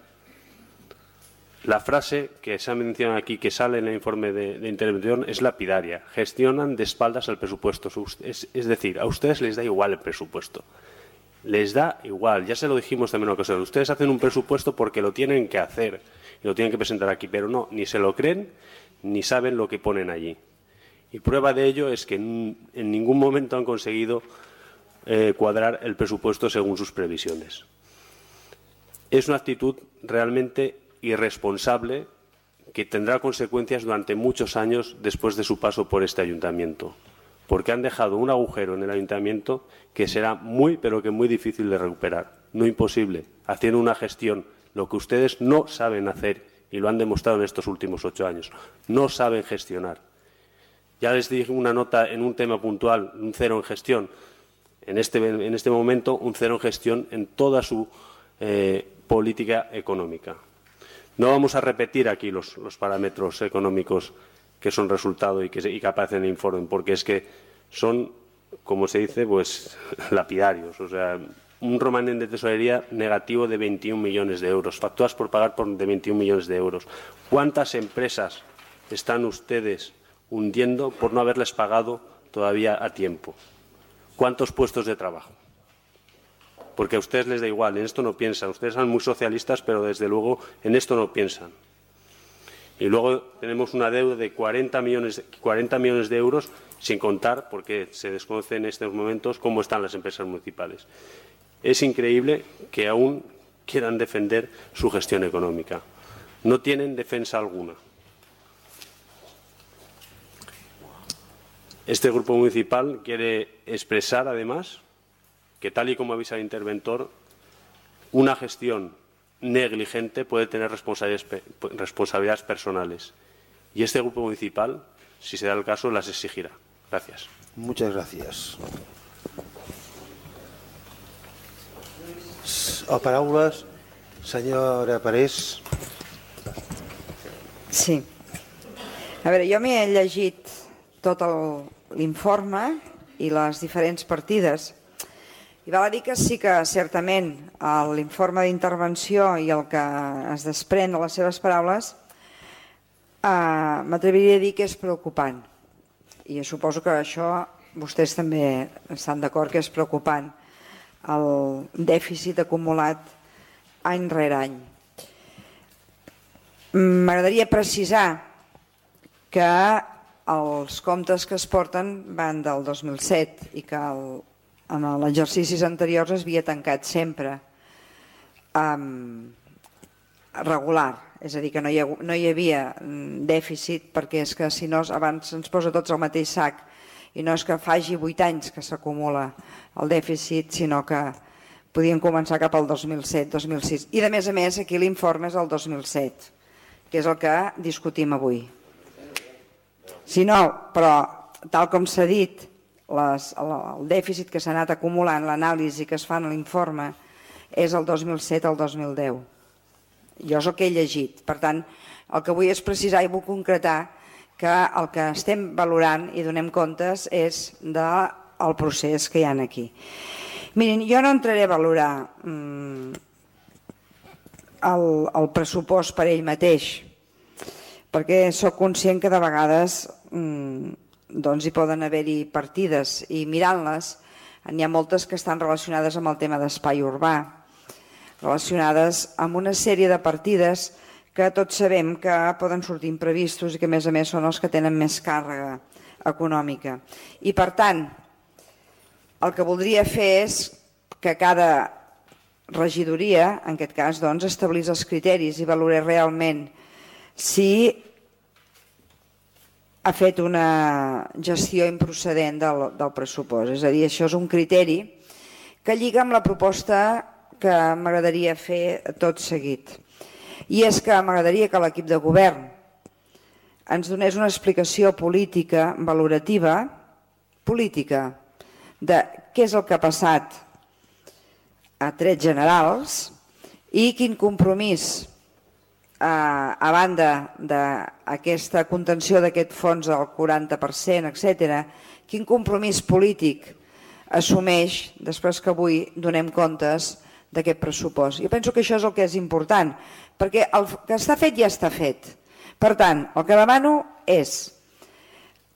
La frase que se ha mencionado aquí, que sale en el informe de, de intervención, es lapidaria: gestionan de espaldas al presupuesto. Es, es decir, a ustedes les da igual el presupuesto. Les da igual, ya se lo dijimos también en ocasión. Ustedes hacen un presupuesto porque lo tienen que hacer y lo tienen que presentar aquí, pero no, ni se lo creen ni saben lo que ponen allí. Y prueba de ello es que en, en ningún momento han conseguido eh, cuadrar el presupuesto según sus previsiones. Es una actitud realmente irresponsable que tendrá consecuencias durante muchos años después de su paso por este ayuntamiento, porque han dejado un agujero en el ayuntamiento que será muy, pero que muy difícil de recuperar. No imposible, haciendo una gestión, lo que ustedes no saben hacer, y lo han demostrado en estos últimos ocho años. No saben gestionar. Ya les dije una nota en un tema puntual, un cero en gestión. En este, en este momento, un cero en gestión en toda su eh, política económica. No vamos a repetir aquí los, los parámetros económicos que son resultado y que, y que aparecen en el informe, porque es que son, como se dice, pues lapidarios. O sea, un remanente de tesorería negativo de veintiún millones de euros, facturas por pagar por de veintiún millones de euros. ¿Cuántas empresas están ustedes hundiendo por no haberles pagado todavía a tiempo? ¿Cuántos puestos de trabajo? Porque a ustedes les da igual, en esto no piensan. Ustedes son muy socialistas, pero desde luego en esto no piensan. Y luego tenemos una deuda de cuarenta millones, cuarenta millones de euros, sin contar, porque se desconoce en estos momentos cómo están las empresas municipales. Es increíble que aún quieran defender su gestión económica. No tienen defensa alguna. Este grupo municipal quiere expresar, además, que tal y como avisa el interventor, una gestión negligente puede tener responsabilidades, responsabilidades personales. Y este grupo municipal, si se da el caso, las exigirá. Gracias. Muchas gracias. O paraules, senyora Parés. Sí. A veure, jo m'he llegit tot l'informe i les diferents partides i val a dir que sí que certament l'informe d'intervenció i el que es desprèn de les seves paraules eh, m'atreviria a dir que és preocupant i suposo que això vostès també estan d'acord que és preocupant el dèficit acumulat any rere any. M'agradaria precisar que els comptes que es porten van del dos mil set i que el, en els exercicis anteriors es havia tancat sempre um, regular, és a dir, que no hi, ha, no hi havia dèficit perquè és que si no abans ens posa tots al mateix sac i no és que faci vuit anys que s'acumula el dèficit, sinó que podien començar cap al dos mil set dos mil sis i de més a més aquí l'informe és el dos mil set, que és el que discutim avui. Si no, però tal com s'ha dit, les, el, el dèficit que s'ha anat acumulant, l'anàlisi que es fa en l'informe, és el dos mil set al dos mil deu. Jo és el que he llegit. Per tant, el que vull és precisar i vull concretar que el que estem valorant i donem comptes és del procés que hi ha aquí. Mirin, jo no entraré a valorar mm, el, el pressupost per ell mateix, perquè sóc conscient que de vegades mm, doncs hi poden haver-hi partides i mirant-les n'hi ha moltes que estan relacionades amb el tema d'espai urbà, relacionades amb una sèrie de partides que tots sabem que poden sortir imprevistos i que a més a més són els que tenen més càrrega econòmica. I per tant, el que voldria fer és que cada regidoria, en aquest cas, doncs, establís els criteris i valorés realment si ha fet una gestió improcedent del, del pressupost. És a dir, això és un criteri que lliga amb la proposta que m'agradaria fer tot seguit. I és que m'agradaria que l'equip de govern ens donés una explicació política, valorativa, política, de què és el que ha passat a trets generals i quin compromís a banda d'aquesta contenció d'aquest fons del quaranta per cent, etcètera, quin compromís polític assumeix després que avui donem comptes d'aquest pressupost. Jo penso que això és el que és important, perquè el que està fet ja està fet. Per tant, el que demano és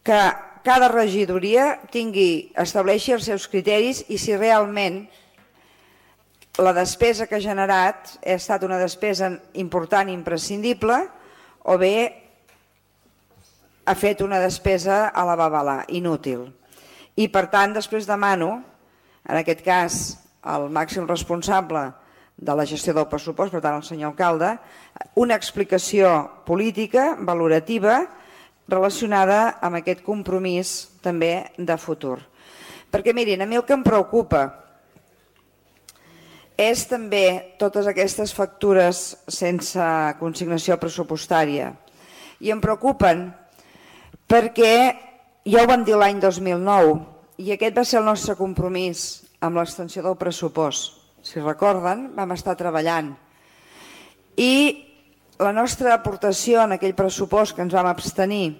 que cada regidoria tingui, estableixi els seus criteris i si realment la despesa que ha generat ha estat una despesa important i imprescindible o bé ha fet una despesa a la babalà, inútil. I per tant després demano, en aquest cas el màxim responsable de la gestió del pressupost, per tant el senyor alcalde, una explicació política, valorativa, relacionada amb aquest compromís també de futur. Perquè mirin, a mi el que em preocupa és també totes aquestes factures sense consignació pressupostària. I em preocupen perquè ja ho vam dir l'any dos mil nou i aquest va ser el nostre compromís amb l'extensió del pressupost. Si recorden, vam estar treballant. I la nostra aportació en aquell pressupost que ens vam abstenir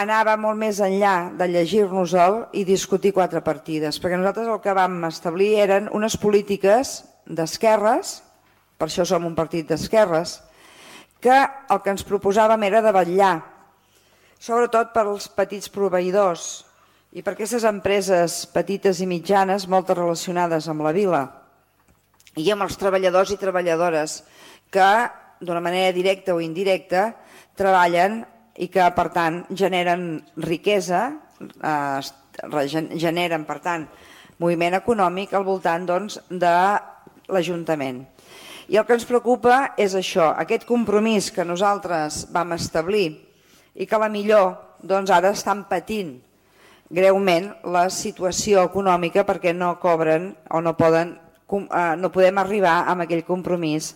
anava molt més enllà de llegir-nos-el i discutir quatre partides, perquè nosaltres el que vam establir eren unes polítiques d'esquerres, per això som un partit d'esquerres, que el que ens proposàvem era de vetllar, sobretot per als petits proveïdors i per aquestes empreses petites i mitjanes, moltes relacionades amb la vila, i amb els treballadors i treballadores que, d'una manera directa o indirecta, treballen i que, per tant, generen riquesa, eh, generen, per tant, moviment econòmic al voltant doncs, de l'Ajuntament. I el que ens preocupa és això, aquest compromís que nosaltres vam establir i que a la millor doncs, ara estan patint greument la situació econòmica perquè no cobren o no poden, eh, no podem arribar amb aquell compromís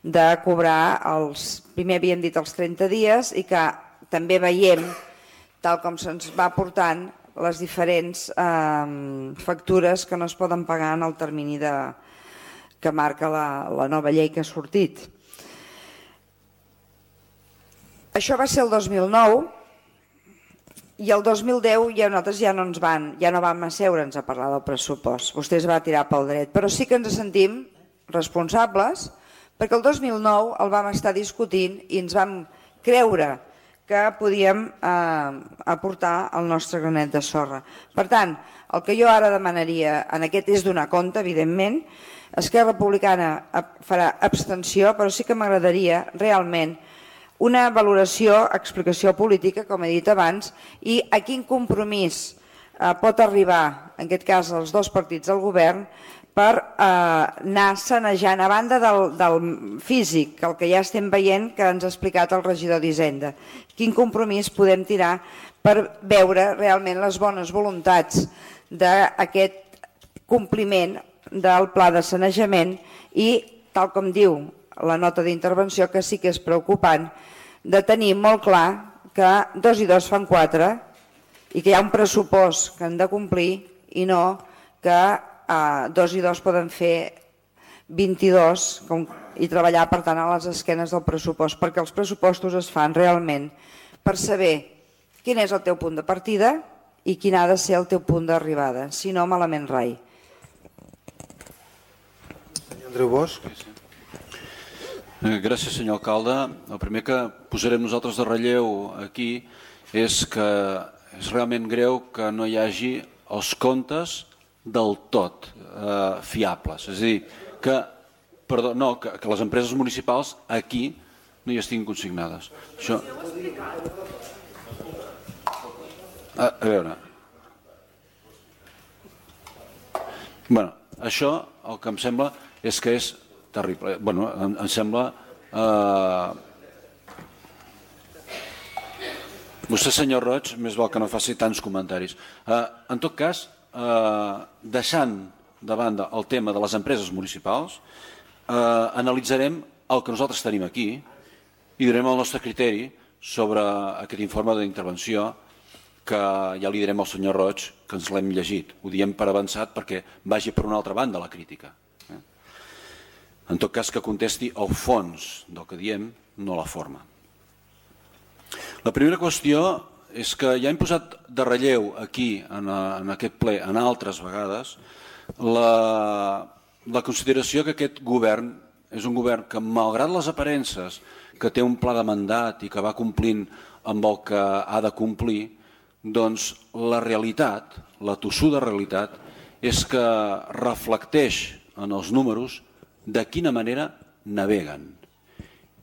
de cobrar els, primer havíem dit els trenta dies i que també veiem, tal com se'ns va portant, les diferents eh, factures que no es poden pagar en el termini de, que marca la, la nova llei que ha sortit. Això va ser el dos mil nou i el dos mil deu ja nosaltres ja no ens van, ja no vam asseure'ns a parlar del pressupost. Vostè es va tirar pel dret, però sí que ens sentim responsables perquè el dos mil nou el vam estar discutint i ens vam creure que podíem eh, aportar el nostre granet de sorra. Per tant, el que jo ara demanaria, en aquest és donar compte, evidentment, Esquerra Republicana farà abstenció, però sí que m'agradaria realment una valoració, explicació política, com he dit abans, i a quin compromís eh, pot arribar, en aquest cas, els dos partits del govern, per eh, anar sanejant, a banda del, del físic, el que ja estem veient que ens ha explicat el regidor d'Hisenda. Quin compromís podem tirar per veure realment les bones voluntats d'aquest compliment del pla de sanejament i, tal com diu la nota d'intervenció, que sí que és preocupant, de tenir molt clar que dos i dos fan quatre i que hi ha un pressupost que han de complir i no que eh, dos i dos poden fer vint-i-dos com, i treballar, per tant, a les esquenes del pressupost, perquè els pressupostos es fan realment per saber quin és el teu punt de partida i quin ha de ser el teu punt d'arribada, si no, malament rai. Senyor Andreu Bosch. Gràcies, senyor alcalde. El primer que posarem nosaltres de relleu aquí és que és realment greu que no hi hagi els comptes del tot eh, fiables. És a dir, que, perdó, no, que, que les empreses municipals aquí no hi estiguin consignades. Això... A, a veure... Bueno, això el que em sembla és que és terrible. Bueno, em, em sembla... Eh... Vostè, senyor Roig, més val que no faci tants comentaris. Eh, en tot cas, eh, deixant de banda el tema de les empreses municipals, eh, analitzarem el que nosaltres tenim aquí i direm el nostre criteri sobre aquest informe d'intervenció que ja li direm al senyor Roig que ens l'hem llegit. Ho diem per avançat perquè vagi per una altra banda la crítica. En tot cas, que contesti el fons del que diem, no la forma. La primera qüestió és que ja hem posat de relleu aquí, en, en aquest ple, en altres vegades, la, la consideració que aquest govern és un govern que, malgrat les aparences, que té un pla de mandat i que va complint amb el que ha de complir, doncs la realitat, la tossuda realitat, és que reflecteix en els números de quina manera naveguen.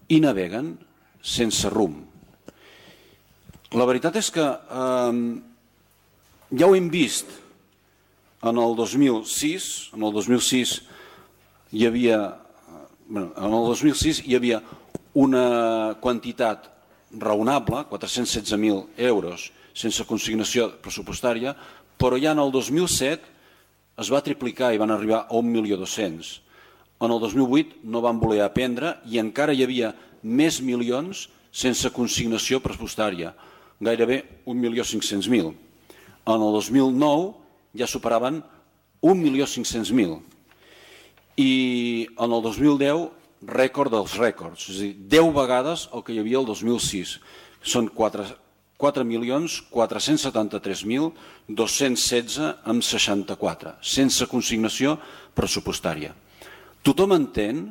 I naveguen sense rumb. La veritat és que eh, ja ho hem vist en el dos mil sis, en el dos mil sis hi havia, bueno, en el dos mil sis hi havia una quantitat raonable, quatre-cents setze mil euros, sense consignació pressupostària, però ja en el dos mil set es va triplicar i van arribar a un milió dos-cents. En el dos mil vuit no van voler aprendre i encara hi havia més milions sense consignació pressupostària, gairebé un milió cinc-cents mil. En el dos mil nou ja superaven un milió cinc-cents mil. I en el dos mil deu, rècord dels rècords, és a dir, deu vegades el que hi havia el dos mil sis. Són quatre milions quatre-cents setanta-tres mil dos-cents setze amb seixanta-quatre, sense consignació pressupostària. Tothom entén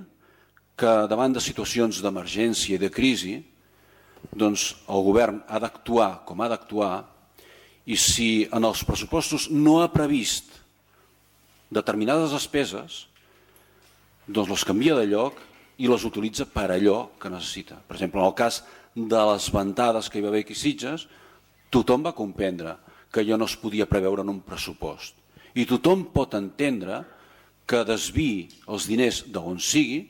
que davant de situacions d'emergència i de crisi, doncs el govern ha d'actuar com ha d'actuar i si en els pressupostos no ha previst determinades despeses, doncs les canvia de lloc i les utilitza per allò que necessita. Per exemple, en el cas de les ventades que hi va haver aquí a Sitges, tothom va comprendre que allò no es podia preveure en un pressupost. I tothom pot entendre que desviï els diners d'on sigui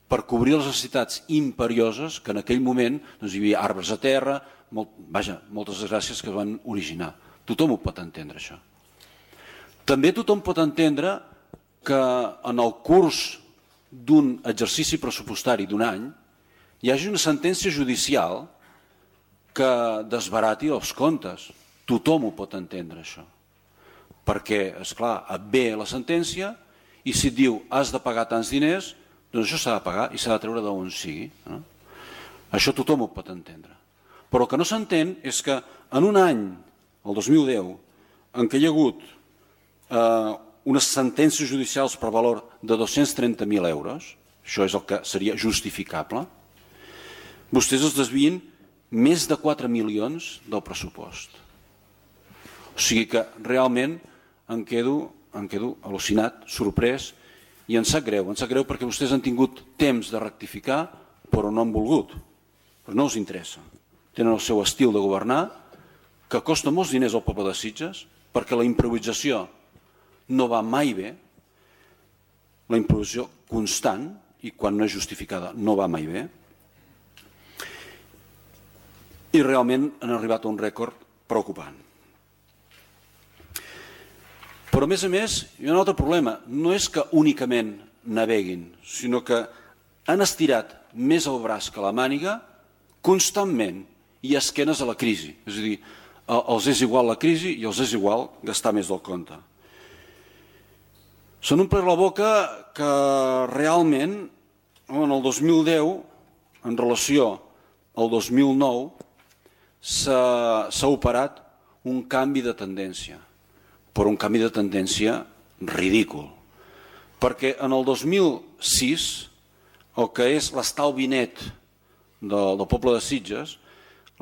per cobrir les necessitats imperioses que en aquell moment doncs, hi havia arbres a terra, molt, vaja, moltes desgràcies que van originar. Tothom ho pot entendre, això. També tothom pot entendre que en el curs d'un exercici pressupostari d'un any hi hagi una sentència judicial que desbarati els comptes. Tothom ho pot entendre, això. Perquè, esclar, et ve la sentència i si et diu has de pagar tants diners, doncs això s'ha de pagar i s'ha de treure d'on sigui. No? Això tothom ho pot entendre. Però el que no s'entén és que en un any, el dos mil deu, en què hi ha hagut eh, unes sentències judicials per valor de dos-cents trenta mil euros, això és el que seria justificable, vostès es desvien més de quatre milions del pressupost. O sigui que realment em quedo, em quedo al·lucinat, sorprès, i em sap greu. Em sap greu perquè vostès han tingut temps de rectificar, però no han volgut. Però no els interessa. Tenen el seu estil de governar, que costa molts diners al poble de Sitges, perquè la improvisació no va mai bé, la improvisació constant, i quan no és justificada no va mai bé, i realment han arribat a un rècord preocupant. Però a més a més hi ha un altre problema, no és que únicament naveguin, sinó que han estirat més el braç que la màniga constantment i esquenes a la crisi. És a dir, els és igual la crisi i els és igual gastar més del compte. Se n'omple la boca que realment en el dos mil deu, en relació al dos mil nou, s'ha operat un canvi de tendència, però un canvi de tendència ridícul. Perquè en el dos mil sis, el que és l'estalvi net del, del poble de Sitges,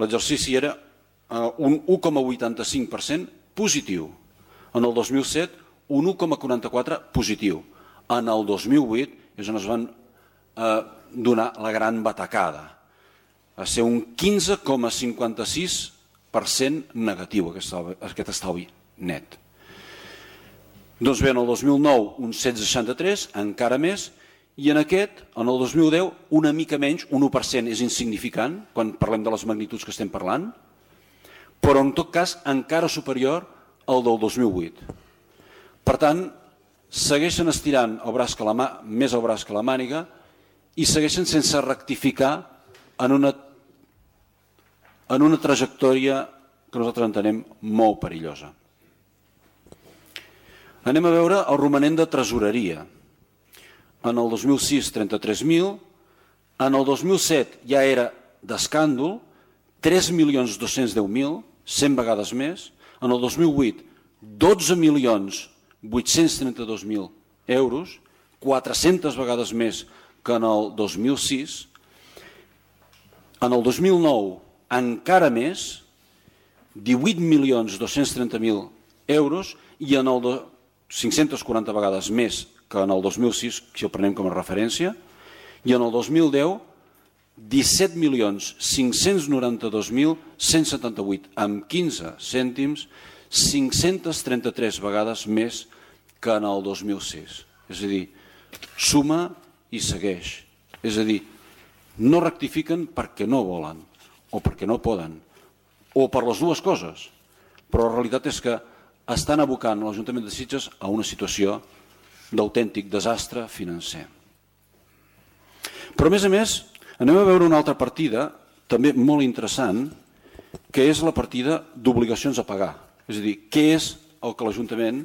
l'exercici era un u coma vuitanta-cinc per cent positiu. En el dos mil set, un u coma quaranta-quatre per cent positiu. En el dos mil vuit és on es van eh, donar la gran batacada. Va ser un quinze coma cinquanta-sis per cent negatiu aquest, aquest estalvi net. Doncs bé, en el dos mil nou un set coma seixanta-tres, encara més, i en aquest, en el dos mil deu, una mica menys, un u per cent és insignificant, quan parlem de les magnituds que estem parlant, però en tot cas encara superior al del dos mil vuit. Per tant, segueixen estirant el braç que la mà, més el braç que la màniga i segueixen sense rectificar en una, en una trajectòria que nosaltres entenem molt perillosa. Anem a veure el romanent de tresoreria. En el dos mil sis, trenta-tres mil, en el dos mil set ja era d'escàndol, tres milions dos-cents deu mil, cent vegades més, en el dos mil vuit, dotze milions vuit-cents trenta-dos mil euros, quatre-centes vegades més que en el dos mil sis, en el dos mil nou encara més, divuit milions dos-cents trenta mil euros, i en el cinc-centes quaranta vegades més que en el dos mil sis, si el prenem com a referència, i en el dos mil deu, disset milions cinc-cents noranta-dos mil cent setanta-vuit amb quinze cèntims, cinc-centes trenta-tres vegades més que en el dos mil sis. És a dir, suma i segueix. És a dir, no rectifiquen perquè no volen, o perquè no poden, o per les dues coses. Però la realitat és que estan abocant l'Ajuntament de Sitges a una situació d'autèntic desastre financer. Però a més a més, anem a veure una altra partida, també molt interessant, que és la partida d'obligacions a pagar. És a dir, què és el que l'Ajuntament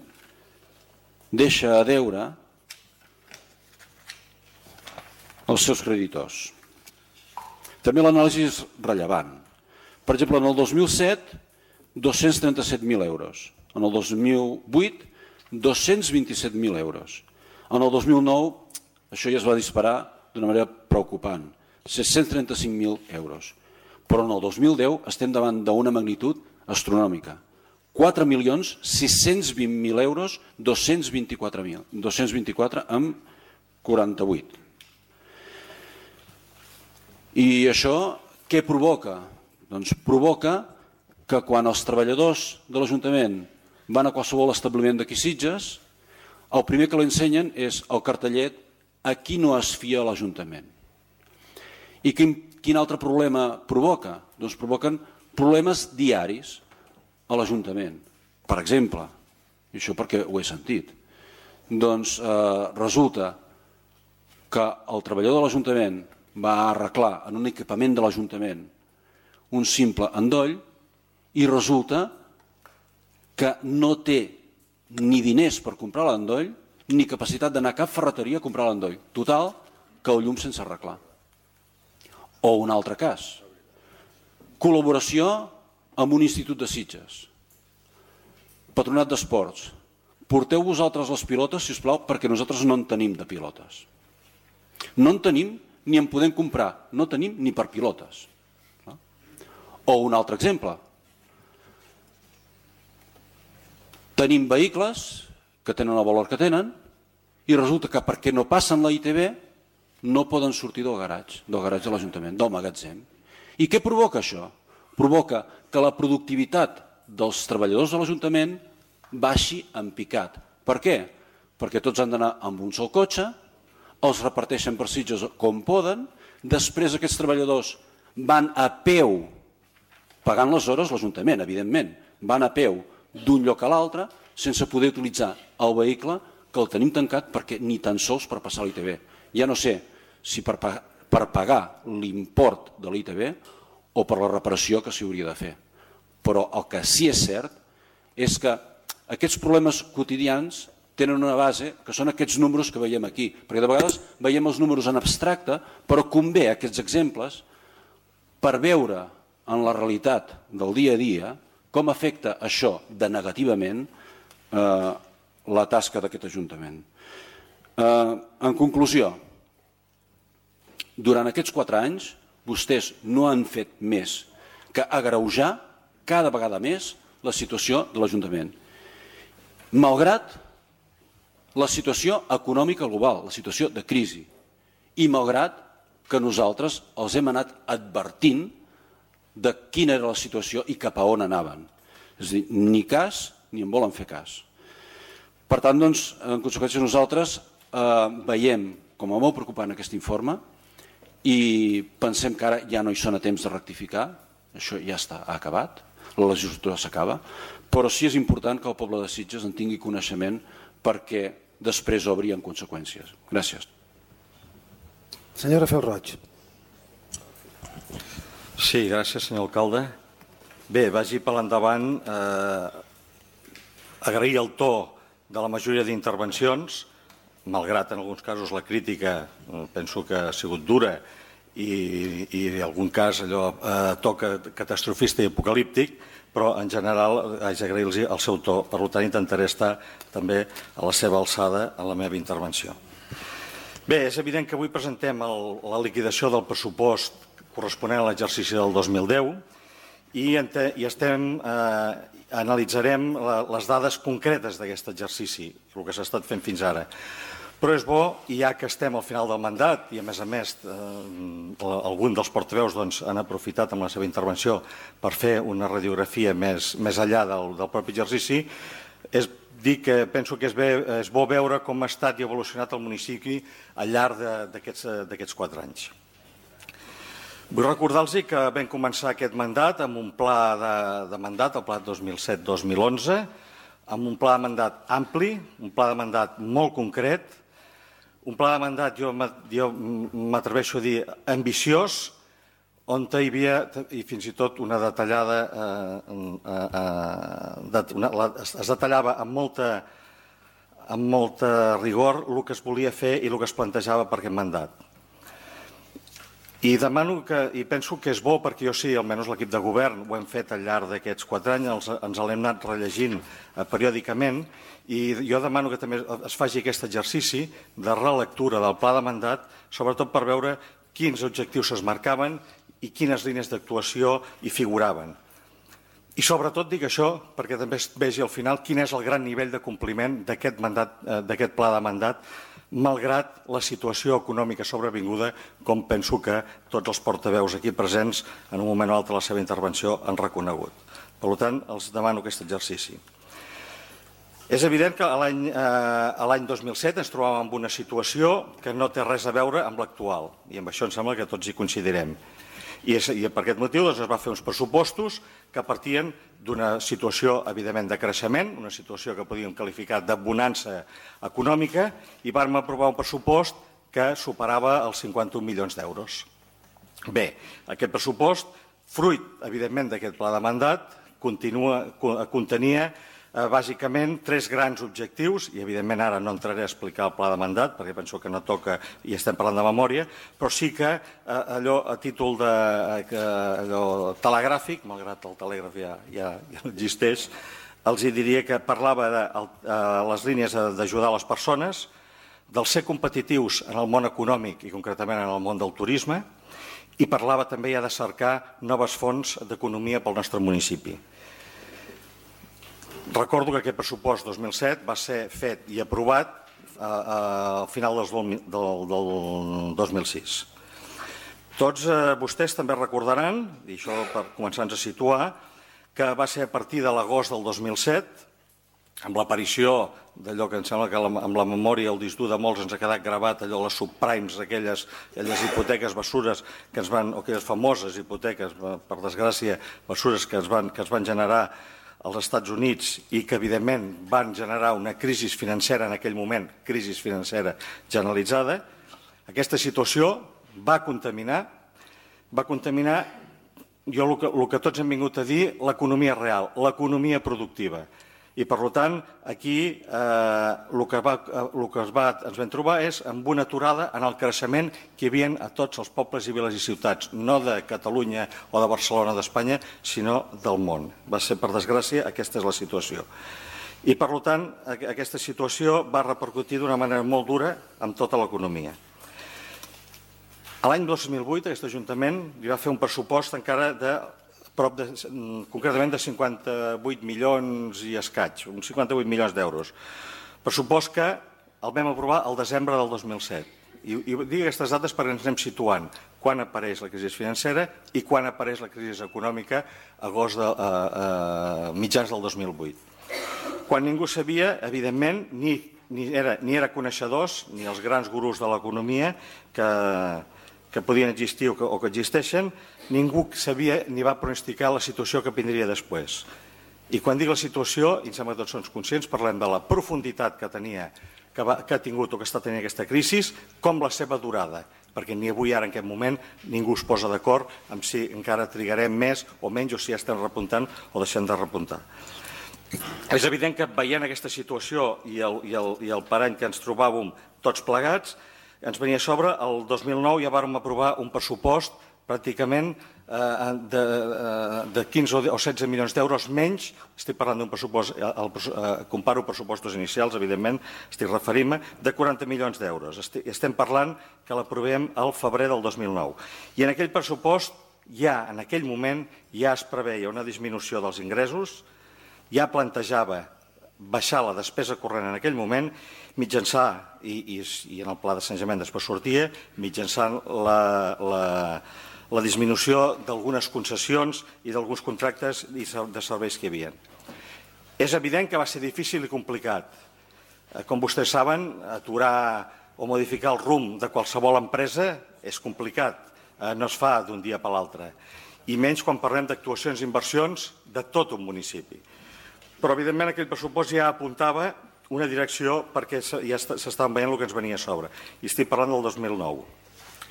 deixa a deure als seus creditors. També l'anàlisi és rellevant. Per exemple, en el dos mil set, dos-cents trenta-set mil euros. En el dos mil vuit, dos-cents vint-i-set mil euros. En el dos mil nou, això ja es va disparar d'una manera preocupant, set-cents trenta-cinc mil euros. Però en el dos mil deu estem davant d'una magnitud astronòmica. quatre milions sis-cents vint mil euros, dos-cents vint-i-quatre mil, dos-cents vint-i-quatre amb quaranta-vuit. I això què provoca? Doncs provoca que quan els treballadors de l'Ajuntament van a qualsevol establiment d'aquí Sitges, el primer que l'ensenyen és el cartellet "a qui no es fia l'Ajuntament". I quin, quin altre problema provoca? Doncs provoquen problemes diaris a l'Ajuntament. Per exemple, i això perquè ho he sentit, doncs eh, resulta que el treballador de l'Ajuntament va arreglar en un equipament de l'Ajuntament un simple endoll i resulta que no té ni diners per comprar l'endoll ni capacitat d'anar a cap ferreteria a comprar l'endoll. Total, que el llum sense arreglar. O un altre cas, col·laboració amb un institut de Sitges, Patronat d'Esports, porteu vosaltres les pilotes, si us plau, perquè nosaltres no en tenim de pilotes. No en tenim ni en podem comprar, no tenim ni per pilotes. O un altre exemple, tenim vehicles que tenen el valor que tenen i resulta que perquè no passen la I T B no poden sortir del garatge, del garatge de l'Ajuntament, del magatzem. I què provoca això? Provoca que la productivitat dels treballadors de l'Ajuntament baixi en picat. Per què? Perquè tots han d'anar amb un sol cotxe, els reparteixen per Sitges com poden, després aquests treballadors van a peu, pagant les hores l'Ajuntament, evidentment, van a peu d'un lloc a l'altre sense poder utilitzar el vehicle que el tenim tancat perquè ni tan sols per passar l'I T B. Ja no sé si per, per pagar l'import de l'I T B o per la reparació que s'hi hauria de fer. Però el que sí és cert és que aquests problemes quotidians tenen una base que són aquests números que veiem aquí, perquè de vegades veiem els números en abstracte, però convé aquests exemples per veure en la realitat del dia a dia com afecta això de negativament eh, la tasca d'aquest Ajuntament. Eh, en conclusió, durant aquests quatre anys vostès no han fet més que agreujar cada vegada més la situació de l'Ajuntament. Malgrat la situació econòmica global, la situació de crisi, i malgrat que nosaltres els hem anat advertint de quina era la situació i cap a on anaven. És a dir, ni cas ni en volen fer cas. Per tant, doncs, en conseqüència, nosaltres eh, veiem com a molt preocupant aquest informe i pensem que ara ja no hi són a temps de rectificar, això ja està acabat, la legislatura s'acaba, però sí és important que el poble de Sitges en tingui coneixement perquè després obri en conseqüències. Gràcies. Senyor Rafael Roig. Sí, gràcies, senyor alcalde. Bé, vagi per l'endavant. Eh, agrair el to de la majoria d'intervencions, malgrat en alguns casos la crítica penso que ha sigut dura i, i en algun cas allò eh, to catastrofista i apocalíptic, però en general haig d'agrair-los el seu to, per tant intentaré estar també a la seva alçada en la meva intervenció. Bé, és evident que avui presentem el, la liquidació del pressupost corresponent a l'exercici del dos mil deu i, ente, i estem, eh, analitzarem la, les dades concretes d'aquest exercici, el que s'ha estat fent fins ara. Però és bo, i ja que estem al final del mandat, i a més a més eh, algun dels portaveus doncs, han aprofitat amb la seva intervenció per fer una radiografia més, més enllà del, del propi exercici, és dir que penso que és, bé, és bo veure com ha estat i evolucionat el municipi al llarg d'aquests quatre anys. Vull recordar-los que vam començar aquest mandat amb un pla de, de mandat, el pla dos mil set dos mil onze, amb un pla de mandat ampli, un pla de mandat molt concret, un pla de mandat, jo m'atreveixo a dir, ambiciós, on hi havia, i fins i tot una detallada, eh, eh, una, la, es detallava amb molta, amb molta rigor el que es volia fer i el que es plantejava per aquest mandat. I demano que, i penso que és bo, perquè jo sí, almenys l'equip de govern ho hem fet al llarg d'aquests quatre anys, ens l'hem anat rellegint periòdicament, i jo demano que també es faci aquest exercici de relectura del pla de mandat, sobretot per veure quins objectius es marcaven i quines línies d'actuació hi figuraven. I sobretot dic això perquè també es vegi al final quin és el gran nivell de compliment d'aquest mandat, d'aquest pla de mandat, malgrat la situació econòmica sobrevinguda, com penso que tots els portaveus aquí presents en un moment o altre de la seva intervenció han reconegut. Per tant, els demano aquest exercici. És evident que l'any eh, dos mil set ens trobàvem en una situació que no té res a veure amb l'actual, i amb això em sembla que tots hi coincidirem. I, és, i per aquest motiu doncs, es va fer uns pressupostos que partien d'una situació, evidentment, de creixement, una situació que podíem qualificar de bonança econòmica, i vam aprovar un pressupost que superava els cinquanta-un milions d'euros. Bé, aquest pressupost, fruit, evidentment, d'aquest pla de mandat, continua, contenia bàsicament tres grans objectius, i evidentment ara no entraré a explicar el pla de mandat perquè penso que no toca i estem parlant de memòria, però sí que allò a títol de allò telegràfic, malgrat el telègraf ja, ja, ja no existeix, els diria que parlava de les línies d'ajudar les persones, del ser competitius en el món econòmic i concretament en el món del turisme, i parlava també ja de cercar noves fonts d'economia pel nostre municipi. Recordo que aquest pressupost dos mil set va ser fet i aprovat al final del dos mil sis. Tots vostès també recordaran, i això per començar-nos a situar, que va ser a partir de l'agost del dos mil set, amb l'aparició d'allò que em sembla que amb la memòria, el disc dur de molts ens ha quedat gravat, allò, les subprimes, aquelles hipoteques bessures que ens van, o aquelles famoses hipoteques, per desgràcia, bessures que es van generar als Estats Units i que, evidentment, van generar una crisi financera en aquell moment, crisi financera generalitzada, aquesta situació va contaminar, va contaminar, jo el que, el que tots hem vingut a dir, l'economia real, l'economia productiva. I, per tant, aquí eh, el que, va, el que es va, ens vam trobar és amb una aturada en el creixement que hi havia a tots els pobles i viles i ciutats, no de Catalunya o de Barcelona o d'Espanya, sinó del món. Va ser, per desgràcia, aquesta és la situació. I, per tant, aquesta situació va repercutir d'una manera molt dura amb tota l'economia. L'any dos mil vuit, aquest Ajuntament li va fer un pressupost encara de prop de, concretament de cinquanta-vuit milions i escaig, uns cinquanta-vuit milions d'euros. Pressupost que el vam aprovar el desembre del dos mil set. I, i dic aquestes dates perquè ens anem situant quan apareix la crisi financera i quan apareix la crisi econòmica a agost de, a, a mitjans del dos mil vuit. Quan ningú sabia, evidentment, ni, ni, era, ni era coneixedors, ni els grans gurus de l'economia que... que podien existir o que, o que existeixen, ningú sabia ni va pronosticar la situació que vindria després. I quan dic la situació, i em sembla que tots som conscients, parlem de la profunditat que tenia, que, va, que ha tingut o que està tenint aquesta crisi, com la seva durada, perquè ni avui ara en aquest moment ningú es posa d'acord amb si encara trigarem més o menys o si ja estem repuntant o deixem de repuntar. És evident que veient aquesta situació i el, i el, i el parany que ens trobàvem tots plegats, ens venia a sobre, el dos mil nou ja vàrem aprovar un pressupost pràcticament eh, de, de quinze o setze milions d'euros menys, estic parlant d'un pressupost, el, eh, comparo pressupostos inicials, evidentment, estic referint-me, de quaranta milions d'euros. Estem parlant que l'aprovem al febrer del dos mil nou. I en aquell pressupost, ja en aquell moment, ja es preveia una disminució dels ingressos, ja plantejava baixar la despesa corrent en aquell moment, mitjançant, i, i, i en el pla de sanejament després sortia, mitjançant la, la, la disminució d'algunes concessions i d'alguns contractes de serveis que hi havia. És evident que va ser difícil i complicat. Com vostès saben, aturar o modificar el rumb de qualsevol empresa és complicat, no es fa d'un dia per l'altre, i menys quan parlem d'actuacions i inversions de tot un municipi. Però, evidentment, aquell pressupost ja apuntava una direcció perquè ja s'estaven veient el que ens venia a sobre. I estic parlant del dos mil nou.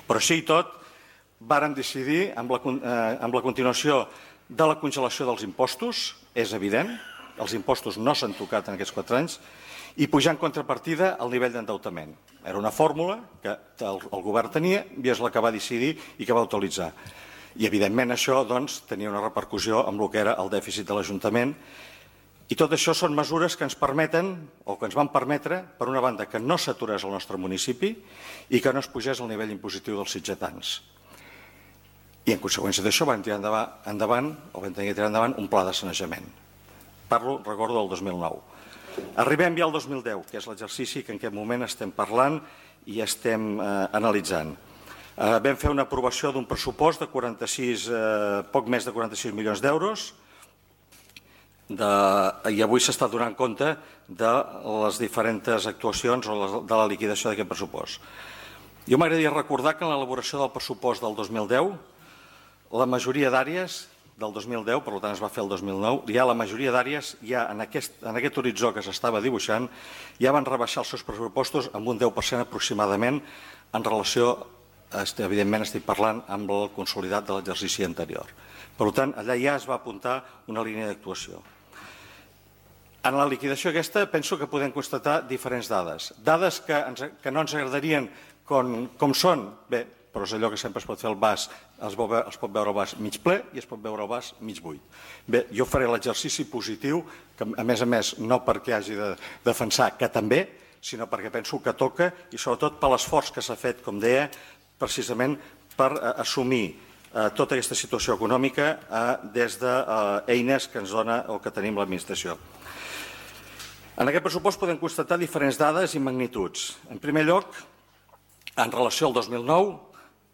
Però així i tot, vàrem decidir amb la, eh, amb la continuació de la congelació dels impostos, és evident, els impostos no s'han tocat en aquests quatre anys, i pujar en contrapartida el nivell d'endeutament. Era una fórmula que el, el govern tenia i és la que va decidir i que va utilitzar. I, evidentment, això doncs, tenia una repercussió amb el que era el dèficit de l'Ajuntament. I tot això són mesures que ens permeten, o que ens van permetre, per una banda, que no s'aturés el nostre municipi i que no es pugés el nivell impositiu dels sitgetans. I en conseqüència d'això vam tirar endavant, endavant o vam tenir que tirar endavant un pla de sanejament. Parlo, recordo, del dos mil nou. Arribem ja al dos mil deu, que és l'exercici que en aquest moment estem parlant i estem eh, analitzant. Eh, vam fer una aprovació d'un pressupost de quaranta-sis, eh, poc més de quaranta-sis milions d'euros, de, i avui s'està donant compte de les diferents actuacions o de la liquidació d'aquest pressupost. Jo m'agradaria recordar que en l'elaboració del pressupost del dos mil deu, la majoria d'àrees del dos mil deu, per tant es va fer el dos mil nou, ja la majoria d'àrees, ja en aquest, en aquest horitzó que s'estava dibuixant, ja van rebaixar els seus pressupostos amb un deu per cent aproximadament en relació, evidentment estic parlant, amb el consolidat de l'exercici anterior. Per tant, allà ja es va apuntar una línia d'actuació. En la liquidació aquesta penso que podem constatar diferents dades. Dades que, ens, que no ens agradarien com, com són, bé, però és allò que sempre es pot fer el vas, es, ve, es pot veure el vas mig ple i es pot veure el vas mig buit. Bé, jo faré l'exercici positiu, que a més a més no perquè hagi de defensar que també, sinó perquè penso que toca i sobretot per l'esforç que s'ha fet, com deia, precisament per eh, assumir eh, tota aquesta situació econòmica eh, des d'eines que ens dona o que tenim l'administració. En aquest pressupost podem constatar diferents dades i magnituds. En primer lloc, en relació al dos mil nou,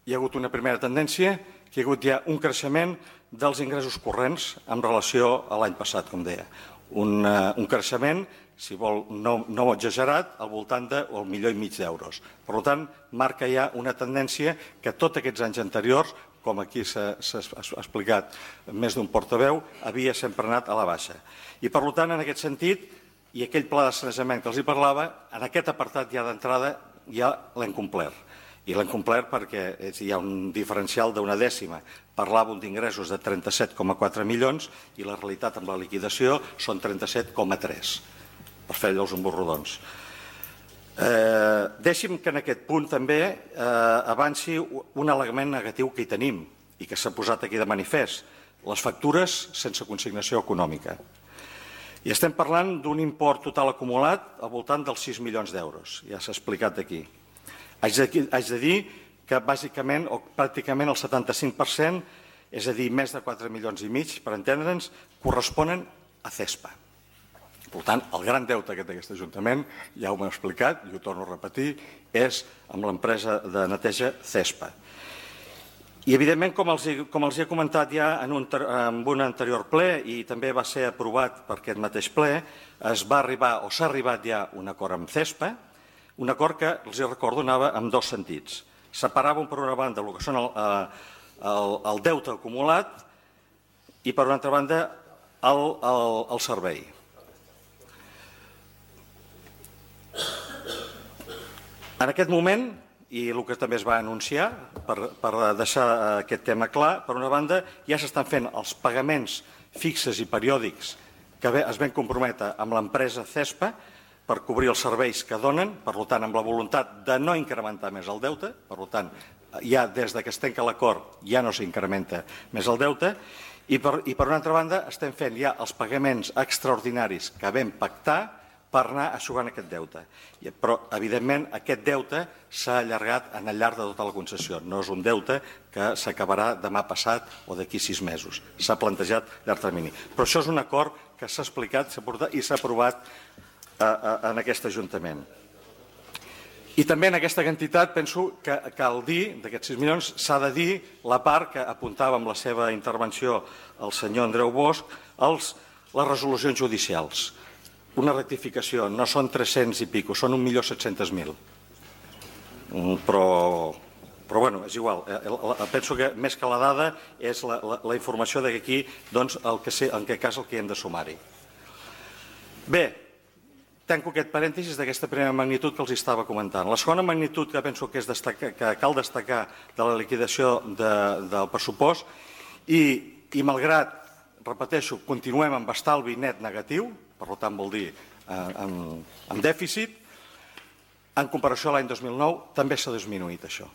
hi ha hagut una primera tendència, que hi ha hagut ja un creixement dels ingressos corrents en relació a l'any passat, com deia. Un, uh, un creixement, si vol, no, no exagerat, al voltant del milió i mig d'euros. Per tant, marca ja una tendència que tots aquests anys anteriors, com aquí s'ha explicat més d'un portaveu, havia sempre anat a la baixa. I per tant, en aquest sentit, i aquell pla de sanejament que els hi parlava, en aquest apartat ja d'entrada ja l'hem complert. I l'hem complert perquè hi ha un diferencial d'una dècima. Parlàvem d'ingressos de trenta-set coma quatre milions i la realitat amb la liquidació són trenta-set coma tres, per fer allò els emborrodons. Eh, deixi'm que en aquest punt també eh, avanci un element negatiu que hi tenim i que s'ha posat aquí de manifest, les factures sense consignació econòmica. I estem parlant d'un import total acumulat al voltant dels sis milions d'euros, ja s'ha explicat aquí. Haig de, haig de dir que bàsicament o pràcticament el setanta-cinc per cent, és a dir, més de quatre milions i mig, per entendre'ns, corresponen a CESPA. Per tant, el gran deute que té aquest Ajuntament, ja ho m'he explicat, i ho torno a repetir, és amb l'empresa de neteja CESPA. I, evidentment, com els, com els he comentat ja en un, en un anterior ple i també va ser aprovat per aquest mateix ple, es va arribar o s'ha arribat ja un acord amb CESPA, un acord que, els hi recordo, anava en dos sentits. Separàvem per una banda el que són el, el, el deute acumulat i per una altra banda el, el, el servei. En aquest moment, i el que també es va anunciar, per, per deixar aquest tema clar, per una banda, ja s'estan fent els pagaments fixes i periòdics que es van comprometre amb l'empresa CESPA per cobrir els serveis que donen, per tant, amb la voluntat de no incrementar més el deute, per tant, ja des que es tanca l'acord ja no s'incrementa més el deute, i per, i per una altra banda estem fent ja els pagaments extraordinaris que vam pactar per anar aixugant aquest deute. Però, evidentment, aquest deute s'ha allargat en el llarg de tota la concessió. No és un deute que s'acabarà demà passat o d'aquí sis mesos. S'ha plantejat a llarg termini. Però això és un acord que s'ha explicat i s'ha aprovat en aquest Ajuntament. I també en aquesta quantitat penso que cal dir, d'aquests sis milions, s'ha de dir la part que apuntava amb la seva intervenció el senyor Andreu Bosch, els, les resolucions judicials. Una rectificació, no són tres-cents i pico, són un milió set-cents mil. Però, però bueno, és igual. Penso que més que la dada és la, la, la informació de que aquí, doncs, el que sé, en aquest cas, el que hem de sumar-hi. Bé, tanco aquest parèntesis d'aquesta primera magnitud que els estava comentant. La segona magnitud que penso que, és destacar, que cal destacar de la liquidació de, del pressupost i, i malgrat, repeteixo, continuem amb estalvi net negatiu, per tant vol dir eh, amb, amb dèficit, en comparació a l'any dos mil nou també s'ha disminuït això.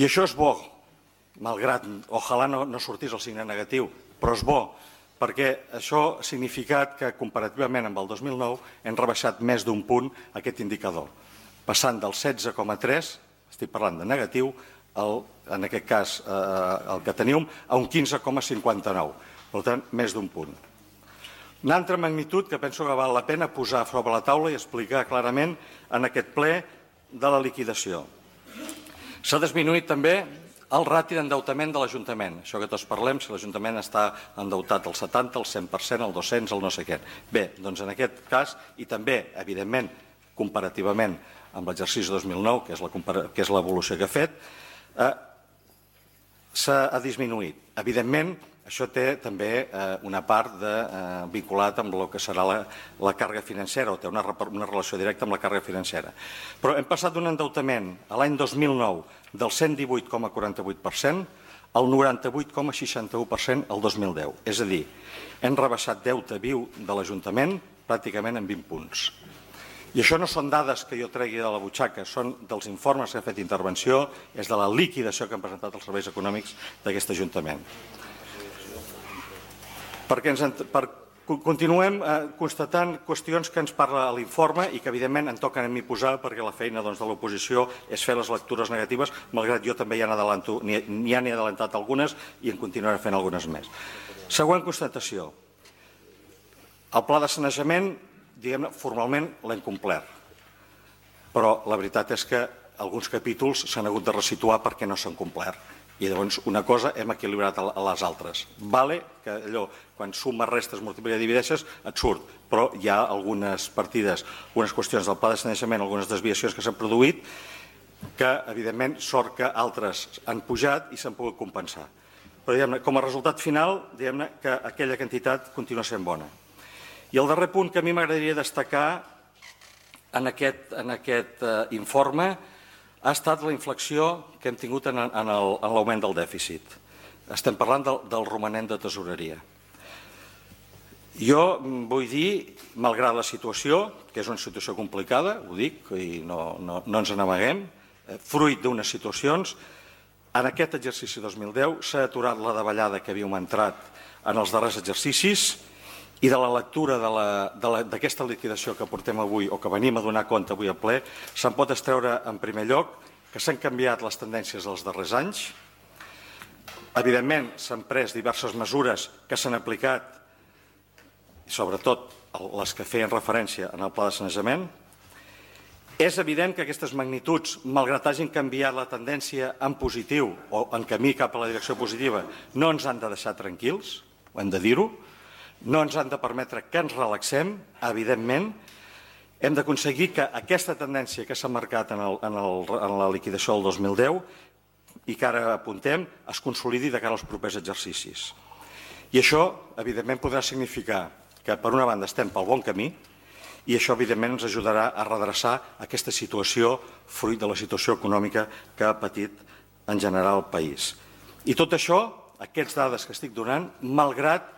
I això és bo, malgrat, ojalà no, no sortís el signe negatiu, però és bo, perquè això ha significat que comparativament amb el dos mil nou hem rebaixat més d'un punt aquest indicador, passant del setze coma tres, estic parlant de negatiu, el, en aquest cas eh, el que teníem, a un quinze coma cinquanta-nou, per tant, més d'un punt. Una altra magnitud que penso que val la pena posar sobre la taula i explicar clarament en aquest ple de la liquidació. S'ha disminuït també el rati d'endeutament de l'Ajuntament. Això que tots parlem, si l'Ajuntament està endeutat al setanta, al cent per cent, al dos cents, al no sé què. Bé, doncs en aquest cas, i també, evidentment, comparativament amb l'exercici dos mil nou, que és l'evolució que ha fet, eh, s'ha disminuït. Evidentment, això té també eh, una part de, eh, vinculat amb el que serà la, la càrrega financera, o té una, una relació directa amb la càrrega financera. Però hem passat d'un endeutament a l'any dos mil nou del cent divuit coma quaranta-vuit per cent el noranta-vuit coma seixanta-u per cent el dos mil deu. És a dir, hem rebaixat deute viu de l'Ajuntament pràcticament en vint punts. I això no són dades que jo tregui de la butxaca, són dels informes que ha fet intervenció, és de la liquidació que han presentat els serveis econòmics d'aquest Ajuntament. Perquè ens, per, continuem eh, constatant qüestions que ens parla l'informe i que evidentment em toquen a mi posar perquè la feina doncs, de l'oposició és fer les lectures negatives, malgrat jo també ja n'he adelantat algunes i en continuaré fent algunes més. Següent constatació. El pla de sanejament, diguem-ne, formalment l'hem complert, però la veritat és que alguns capítols s'han hagut de resituar perquè no s'han complert. I llavors una cosa hem equilibrat a les altres. Vale que allò, quan sumes, restes, multiplica i divideixes, et surt, però hi ha algunes partides, algunes qüestions del pla de sanejament, algunes desviacions que s'han produït, que evidentment sort que altres han pujat i s'han pogut compensar. Però diguem-ne, com a resultat final, diguem-ne que aquella quantitat continua sent bona. I el darrer punt que a mi m'agradaria destacar en aquest, en aquest eh, informe ha estat la inflexió que hem tingut en, en l'augment del dèficit. Estem parlant del, del romanent de tesoreria. Jo vull dir, malgrat la situació, que és una situació complicada, ho dic, i no, no, no ens n'amaguem, eh, fruit d'unes situacions, en aquest exercici dos mil deu s'ha aturat la davallada que havíem entrat en els darrers exercicis i de la lectura d'aquesta liquidació que portem avui o que venim a donar compte avui al ple, se'n pot extreure en primer lloc que s'han canviat les tendències dels darrers anys. Evidentment, s'han pres diverses mesures que s'han aplicat, sobretot les que feien referència en el pla de sanejament. És evident que aquestes magnituds, malgrat hagin canviat la tendència en positiu o en camí cap a la direcció positiva, no ens han de deixar tranquils, ho hem de dir-ho, no ens han de permetre que ens relaxem, evidentment. Hem d'aconseguir que aquesta tendència que s'ha marcat en, el, en, el, en la liquidació del dos mil deu i que ara apuntem es consolidi de cara als propers exercicis. I això, evidentment, podrà significar que, per una banda, estem pel bon camí i això, evidentment, ens ajudarà a redreçar aquesta situació fruit de la situació econòmica que ha patit en general el país. I tot això, aquestes dades que estic donant, malgrat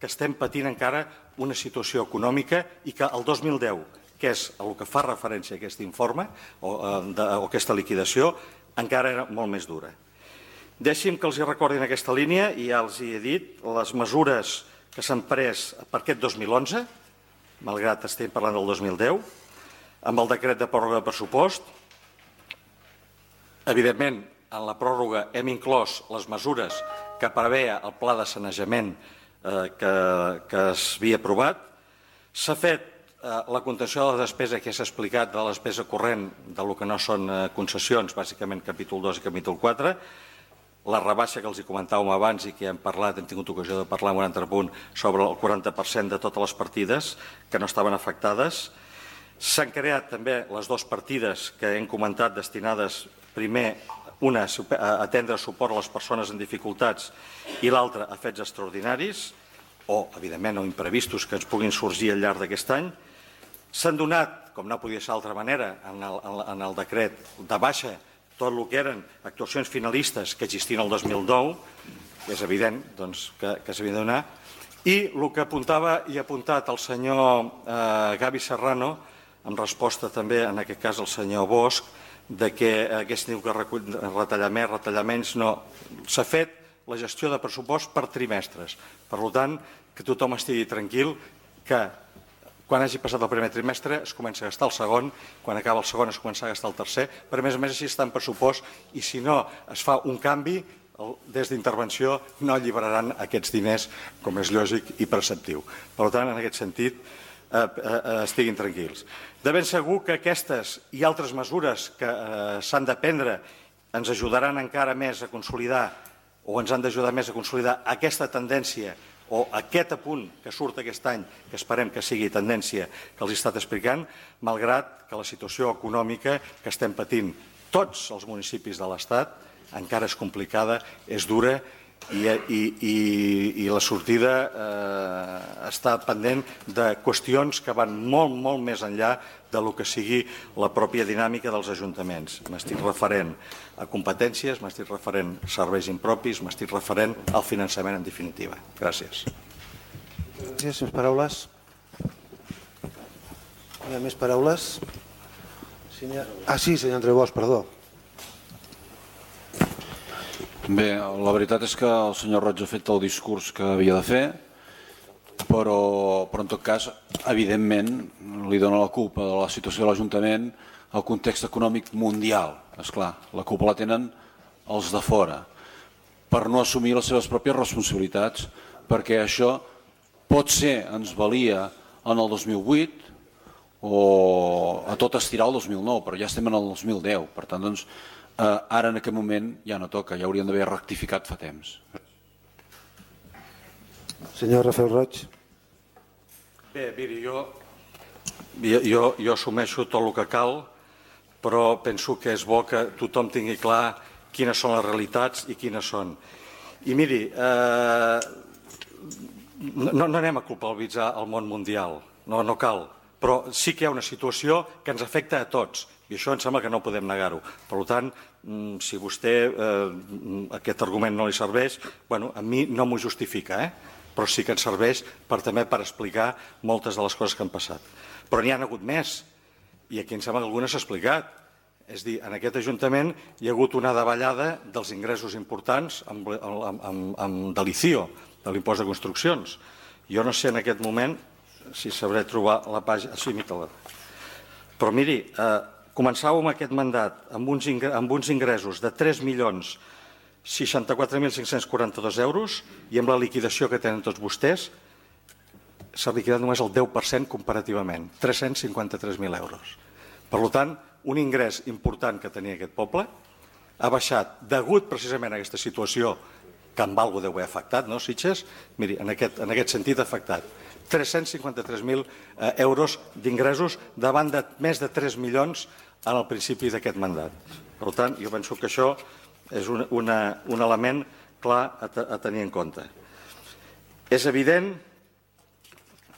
que estem patint encara una situació econòmica i que el dos mil deu, que és el que fa referència a aquest informe o, de, o aquesta liquidació, encara era molt més dura. Deixi'm que els hi recordi en aquesta línia, i ja els hi he dit, les mesures que s'han pres per aquest dos mil onze, malgrat estem parlant del dos mil deu, amb el decret de pròrroga de pressupost. Evidentment, en la pròrroga hem inclòs les mesures que preveia el pla de sanejament Que, que s'havia aprovat. S'ha fet eh, la contenció de la despesa que s'ha explicat de la despesa corrent del que no són eh, concessions, bàsicament capítol dos i capítol quatre, la rebaixa que els hi comentàvem abans i que hem parlat, hem tingut ocasió de parlar en un altre punt sobre el quaranta per cent de totes les partides que no estaven afectades. S'han creat també les dues partides que hem comentat destinades primer una a atendre suport a les persones en dificultats i l'altra a fets extraordinaris o, evidentment, o imprevistos que ens puguin sorgir al llarg d'aquest any. S'han donat, com no podia ser d'altra manera, en el, en el decret de baixa tot el que eren actuacions finalistes que existien el dos mil nou, és evident doncs, que, que s'havia de donar, i el que apuntava i ha apuntat el senyor eh, Gavi Serrano, en resposta també, en aquest cas, al senyor Bosch, de que aquest diu que retallar més, retallar menys, no. S'ha fet la gestió de pressupost per trimestres. Per tant, que tothom estigui tranquil que quan hagi passat el primer trimestre es comença a gastar el segon, quan acaba el segon es comença a gastar el tercer, però a més a més així està en pressupost i si no es fa un canvi, des d'intervenció no alliberaran aquests diners com és lògic i preceptiu. Per tant, en aquest sentit, Eh, eh, estiguin tranquils. De ben segur que aquestes i altres mesures que eh, s'han de prendre ens ajudaran encara més a consolidar o ens han d'ajudar més a consolidar aquesta tendència o aquest apunt que surt aquest any, que esperem que sigui tendència que els he estat explicant, malgrat que la situació econòmica que estem patint tots els municipis de l'Estat encara és complicada, és dura I, i, i, i la sortida eh, està pendent de qüestions que van molt, molt més enllà de lo que sigui la pròpia dinàmica dels ajuntaments. M'estic referent a competències, m'estic referent a serveis impropis, m'estic referent al finançament en definitiva. Gràcies. Gràcies. Més paraules? Hi ha més paraules? Ah, sí, senyor Andreu Bosch, perdó. Bé, la veritat és que el senyor Roig ha fet el discurs que havia de fer, però, però en tot cas, evidentment, li dona la culpa de la situació de l'Ajuntament al context econòmic mundial. Esclar, la culpa la tenen els de fora, per no assumir les seves pròpies responsabilitats, perquè això pot ser, ens valia en el dos mil vuit o a tot estirar el dos mil nou, però ja estem en el dos mil deu, per tant, doncs, Eh, ara en aquest moment ja no toca, ja hauríem d'haver rectificat fa temps. Senyor Rafael Roig. Bé, miri, jo, jo, jo assumeixo tot el que cal, però penso que és bo que tothom tingui clar quines són les realitats i quines són. I miri, eh, no, no anem a culpabilitzar el món mundial, no, no cal, però sí que hi ha una situació que ens afecta a tots. I això em sembla que no podem negar-ho. Per tant, si vostè eh, aquest argument no li serveix, bueno, a mi no m'ho justifica, eh? Però sí que ens serveix per, també per explicar moltes de les coses que han passat. Però n'hi ha hagut més, i aquí em sembla que algunes s'ha explicat. És a dir, en aquest Ajuntament hi ha hagut una davallada dels ingressos importants amb, amb, amb, amb de l'I C I O, de l'impost de construccions. Jo no sé en aquest moment si sabré trobar la pàgina... Sí, mira-la. Però miri, eh, començàvem aquest mandat amb uns, amb uns ingressos de tres milions seixanta-quatre mil cinc-cents quaranta-dos euros i amb la liquidació que tenen tots vostès s'ha liquidat només el deu per cent comparativament, tres-cents cinquanta-tres mil euros. Per tant, un ingrés important que tenia aquest poble ha baixat degut precisament a aquesta situació que amb algú deu haver afectat, no, Sitges? Miri, en aquest, en aquest sentit ha afectat tres-cents cinquanta-tres mil euros d'ingressos davant de més de tres milions en el principi d'aquest mandat. Per tant, jo penso que això és un, una, un element clar a, a tenir en compte. És evident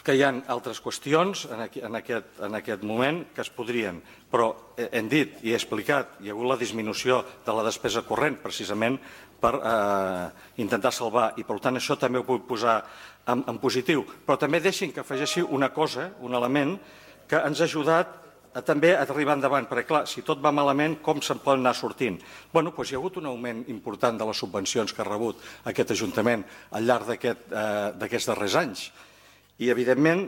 que hi ha altres qüestions en, aquí, en, aquest, en aquest moment que es podrien, però hem dit i he explicat, hi ha hagut la disminució de la despesa corrent precisament per eh, intentar salvar, i per tant això també ho puc posar en, en positiu. Però també deixin que afegeixi una cosa, un element que ens ha ajudat a, també a arribar endavant, perquè clar, si tot va malament, com se'n poden anar sortint? Bueno, doncs hi ha hagut un augment important de les subvencions que ha rebut aquest Ajuntament al llarg d'aquests aquest, eh, darrers anys. I, evidentment,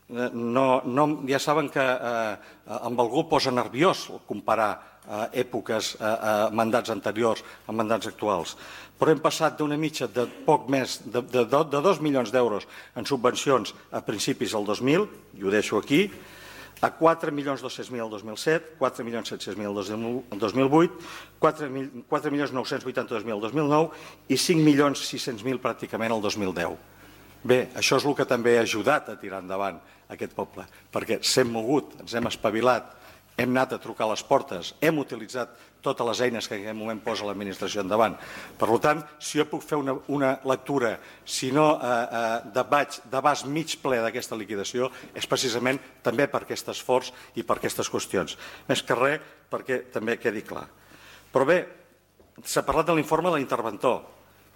no, no, ja saben que eh, amb algú posa nerviós comparar eh, èpoques, eh, eh, mandats anteriors amb mandats actuals. Però hem passat d'una mitja de poc més de, de, de dos milions d'euros en subvencions a principis del dos mil, i ho deixo aquí, a quatre milions dos-cents mil el dos mil set, quatre milions set-cents mil el dos mil vuit, quatre milions nou-cents vuitanta-dos mil el dos mil nou i cinc milions sis-cents mil pràcticament el dos mil deu. Bé, això és el que també ha ajudat a tirar endavant aquest poble, perquè s'hem mogut, ens hem espavilat, hem anat a trucar a les portes, hem utilitzat totes les eines que en aquest moment posa l'administració endavant. Per tant, si jo puc fer una, una lectura, si no eh, eh, d'abast mig ple d'aquesta liquidació, és precisament també per aquest esforç i per aquestes qüestions. Més que res, perquè també quedi clar. Però bé, s'ha parlat de l'informe de l'interventor,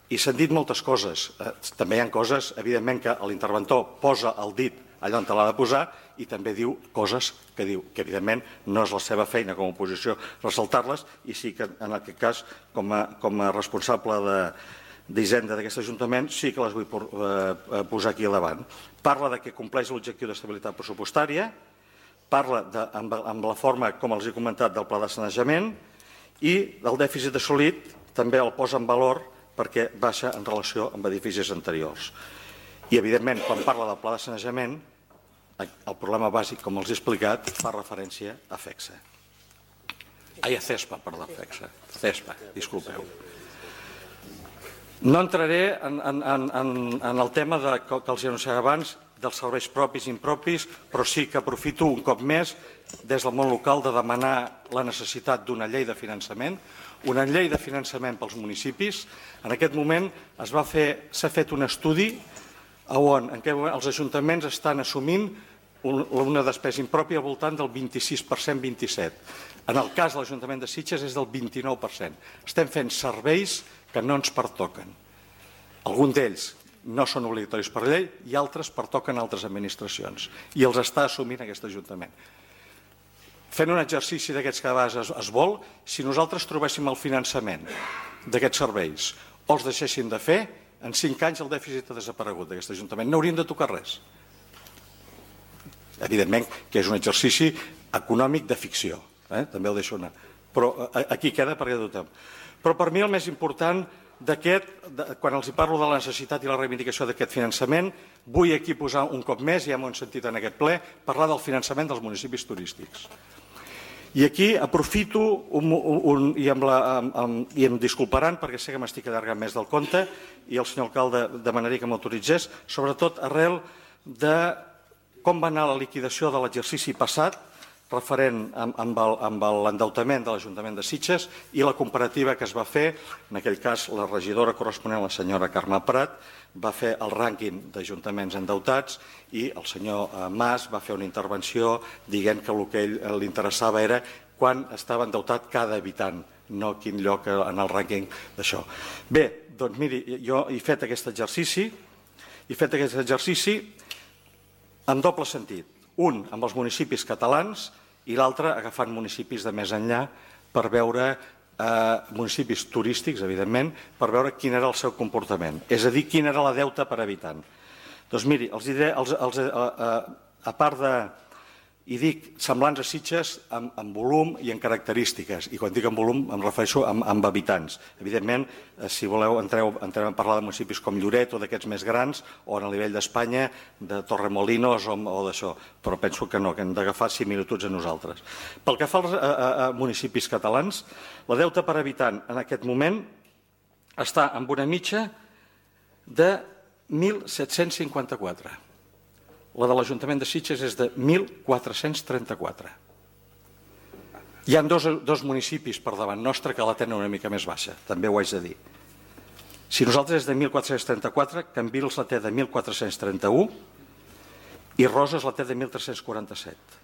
i s'han dit moltes coses. Eh, també hi ha coses, evidentment, que l'interventor posa el dit allà on te l'ha de posar i també diu coses que diu que, evidentment, no és la seva feina com a oposició ressaltar-les, i sí que, en aquest cas, com a, com a responsable d'Hisenda d'aquest Ajuntament, sí que les vull por, eh, posar aquí al davant. Parla de que compleix l'objectiu d'estabilitat pressupostària, parla de, amb, amb la forma, com els he comentat, del pla de sanejament, i el dèficit assolit també el posa en valor perquè baixa en relació amb edificis anteriors. I, evidentment, quan parla del pla de sanejament, el problema bàsic, com els he explicat, fa referència a FECSA. Ai, a CESPA, perdó, FECSA. CESPA, disculpeu. No entraré en, en, en, en el tema de, que els anunciava abans, dels serveis propis i impropis, però sí que aprofito un cop més des del món local de demanar la necessitat d'una llei de finançament, una llei de finançament pels municipis. En aquest moment s'ha fet un estudi on en què els ajuntaments estan assumint una despesa impròpia al voltant del vint-i-sis per cent, vint-i-set per cent. En el cas de l'Ajuntament de Sitges és del vint-i-nou per cent. Estem fent serveis que no ens pertoquen. Alguns d'ells no són obligatoris per llei i altres pertoquen a altres administracions. I els està assumint aquest Ajuntament. Fent un exercici d'aquests que a vegades es vol, si nosaltres trobéssim el finançament d'aquests serveis o els deixéssim de fer, en cinc anys el dèficit ha desaparegut d'aquest Ajuntament. No hauríem de tocar res. Evidentment que és un exercici econòmic de ficció. També el deixo anar. Però aquí queda perquè tothom. Però per mi el més important d'aquest, quan els parlo de la necessitat i la reivindicació d'aquest finançament, vull aquí posar un cop més, ja m'ho hem sentit en aquest ple, parlar del finançament dels municipis turístics. I aquí aprofito, un, un, i, amb la, amb, i em disculparan perquè sé que m'estic allargant més del compte, i el senyor alcalde demanaria que m'autoritzés, sobretot arrel de com va anar la liquidació de l'exercici passat, referent amb l'endeutament de l'Ajuntament de Sitges i la comparativa que es va fer, en aquell cas la regidora corresponent, la senyora Carme Prat, va fer el rànquing d'ajuntaments endeutats i el senyor Mas va fer una intervenció dient que el que li interessava era quan estava endeutat cada habitant, no quin lloc en el rànquing d'això. Bé, doncs miri, jo he fet aquest exercici, he fet aquest exercici en doble sentit. Un amb els municipis catalans i l'altre agafant municipis de més enllà per veure, municipis turístics, evidentment, per veure quin era el seu comportament. És a dir, quina era la deuta per habitant. Doncs miri, els diré, a part de, i dic, semblants a Sitges en volum i en característiques. I quan dic en volum em refereixo amb habitants. Evidentment, si voleu, entrem a parlar de municipis com Lloret o d'aquests més grans, o a nivell d'Espanya, de Torremolinos o d'això. Però penso que no, que hem d'agafar similituds a nosaltres. Pel que fa als municipis catalans, la deuta per habitant en aquest moment està amb una mitja de mil set-cents cinquanta-quatre. La de l'Ajuntament de Sitges és de mil quatre-cents trenta-quatre. Hi ha dos, dos municipis per davant nostre que la tenen una mica més baixa, també ho haig de dir. Si nosaltres és de mil quatre-cents trenta-quatre, Cambrils la té de mil quatre-cents trenta-u i Roses la té de mil tres-cents quaranta-set.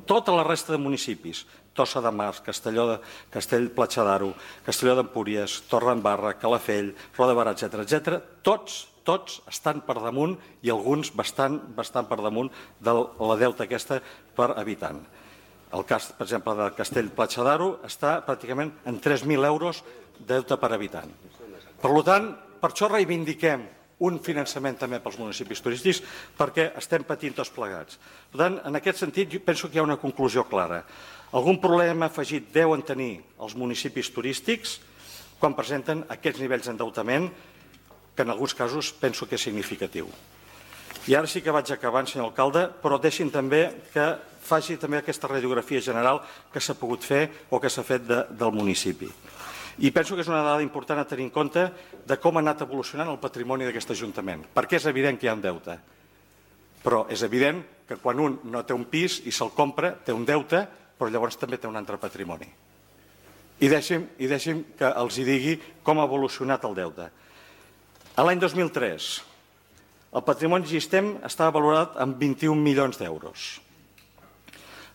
Tota la resta de municipis, Tossa de Mar, Castelló de Castell Platja d'Aro, Castelló d'Empúries, Torredembarra, Calafell, Roda de Barà, etcètera, etcètera, tots tots estan per damunt i alguns bastant, bastant per damunt de la deuta aquesta per habitant. El cas, per exemple, de Castell Platja d'Aro està pràcticament en tres mil euros de deute per habitant. Per tant, per això reivindiquem un finançament també pels municipis turístics perquè estem patint tots plegats. Per tant, en aquest sentit, jo penso que hi ha una conclusió clara. Algun problema afegit deuen tenir els municipis turístics quan presenten aquests nivells d'endeutament que en alguns casos penso que és significatiu. I ara sí que vaig acabant, senyor alcalde, però deixin també que faci també aquesta radiografia general que s'ha pogut fer o que s'ha fet del municipi. I penso que és una dada important a tenir en compte de com ha anat evolucionant el patrimoni d'aquest Ajuntament, perquè és evident que hi ha un deute. Però és evident que quan un no té un pis i se'l compra, té un deute, però llavors també té un altre patrimoni. I deixi'm que els hi digui com ha evolucionat el deute. A l'any dos mil tres, el patrimoni existent estava valorat en vint-i-un milions d'euros.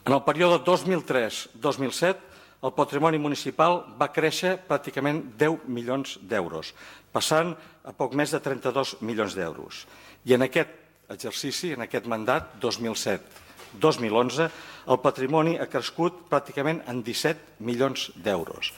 En el període dos mil tres dos mil set, el patrimoni municipal va créixer pràcticament deu milions d'euros, passant a poc més de trenta-dos milions d'euros. I en aquest exercici, en aquest mandat, dos mil set dos mil onze, el patrimoni ha crescut pràcticament en disset milions d'euros.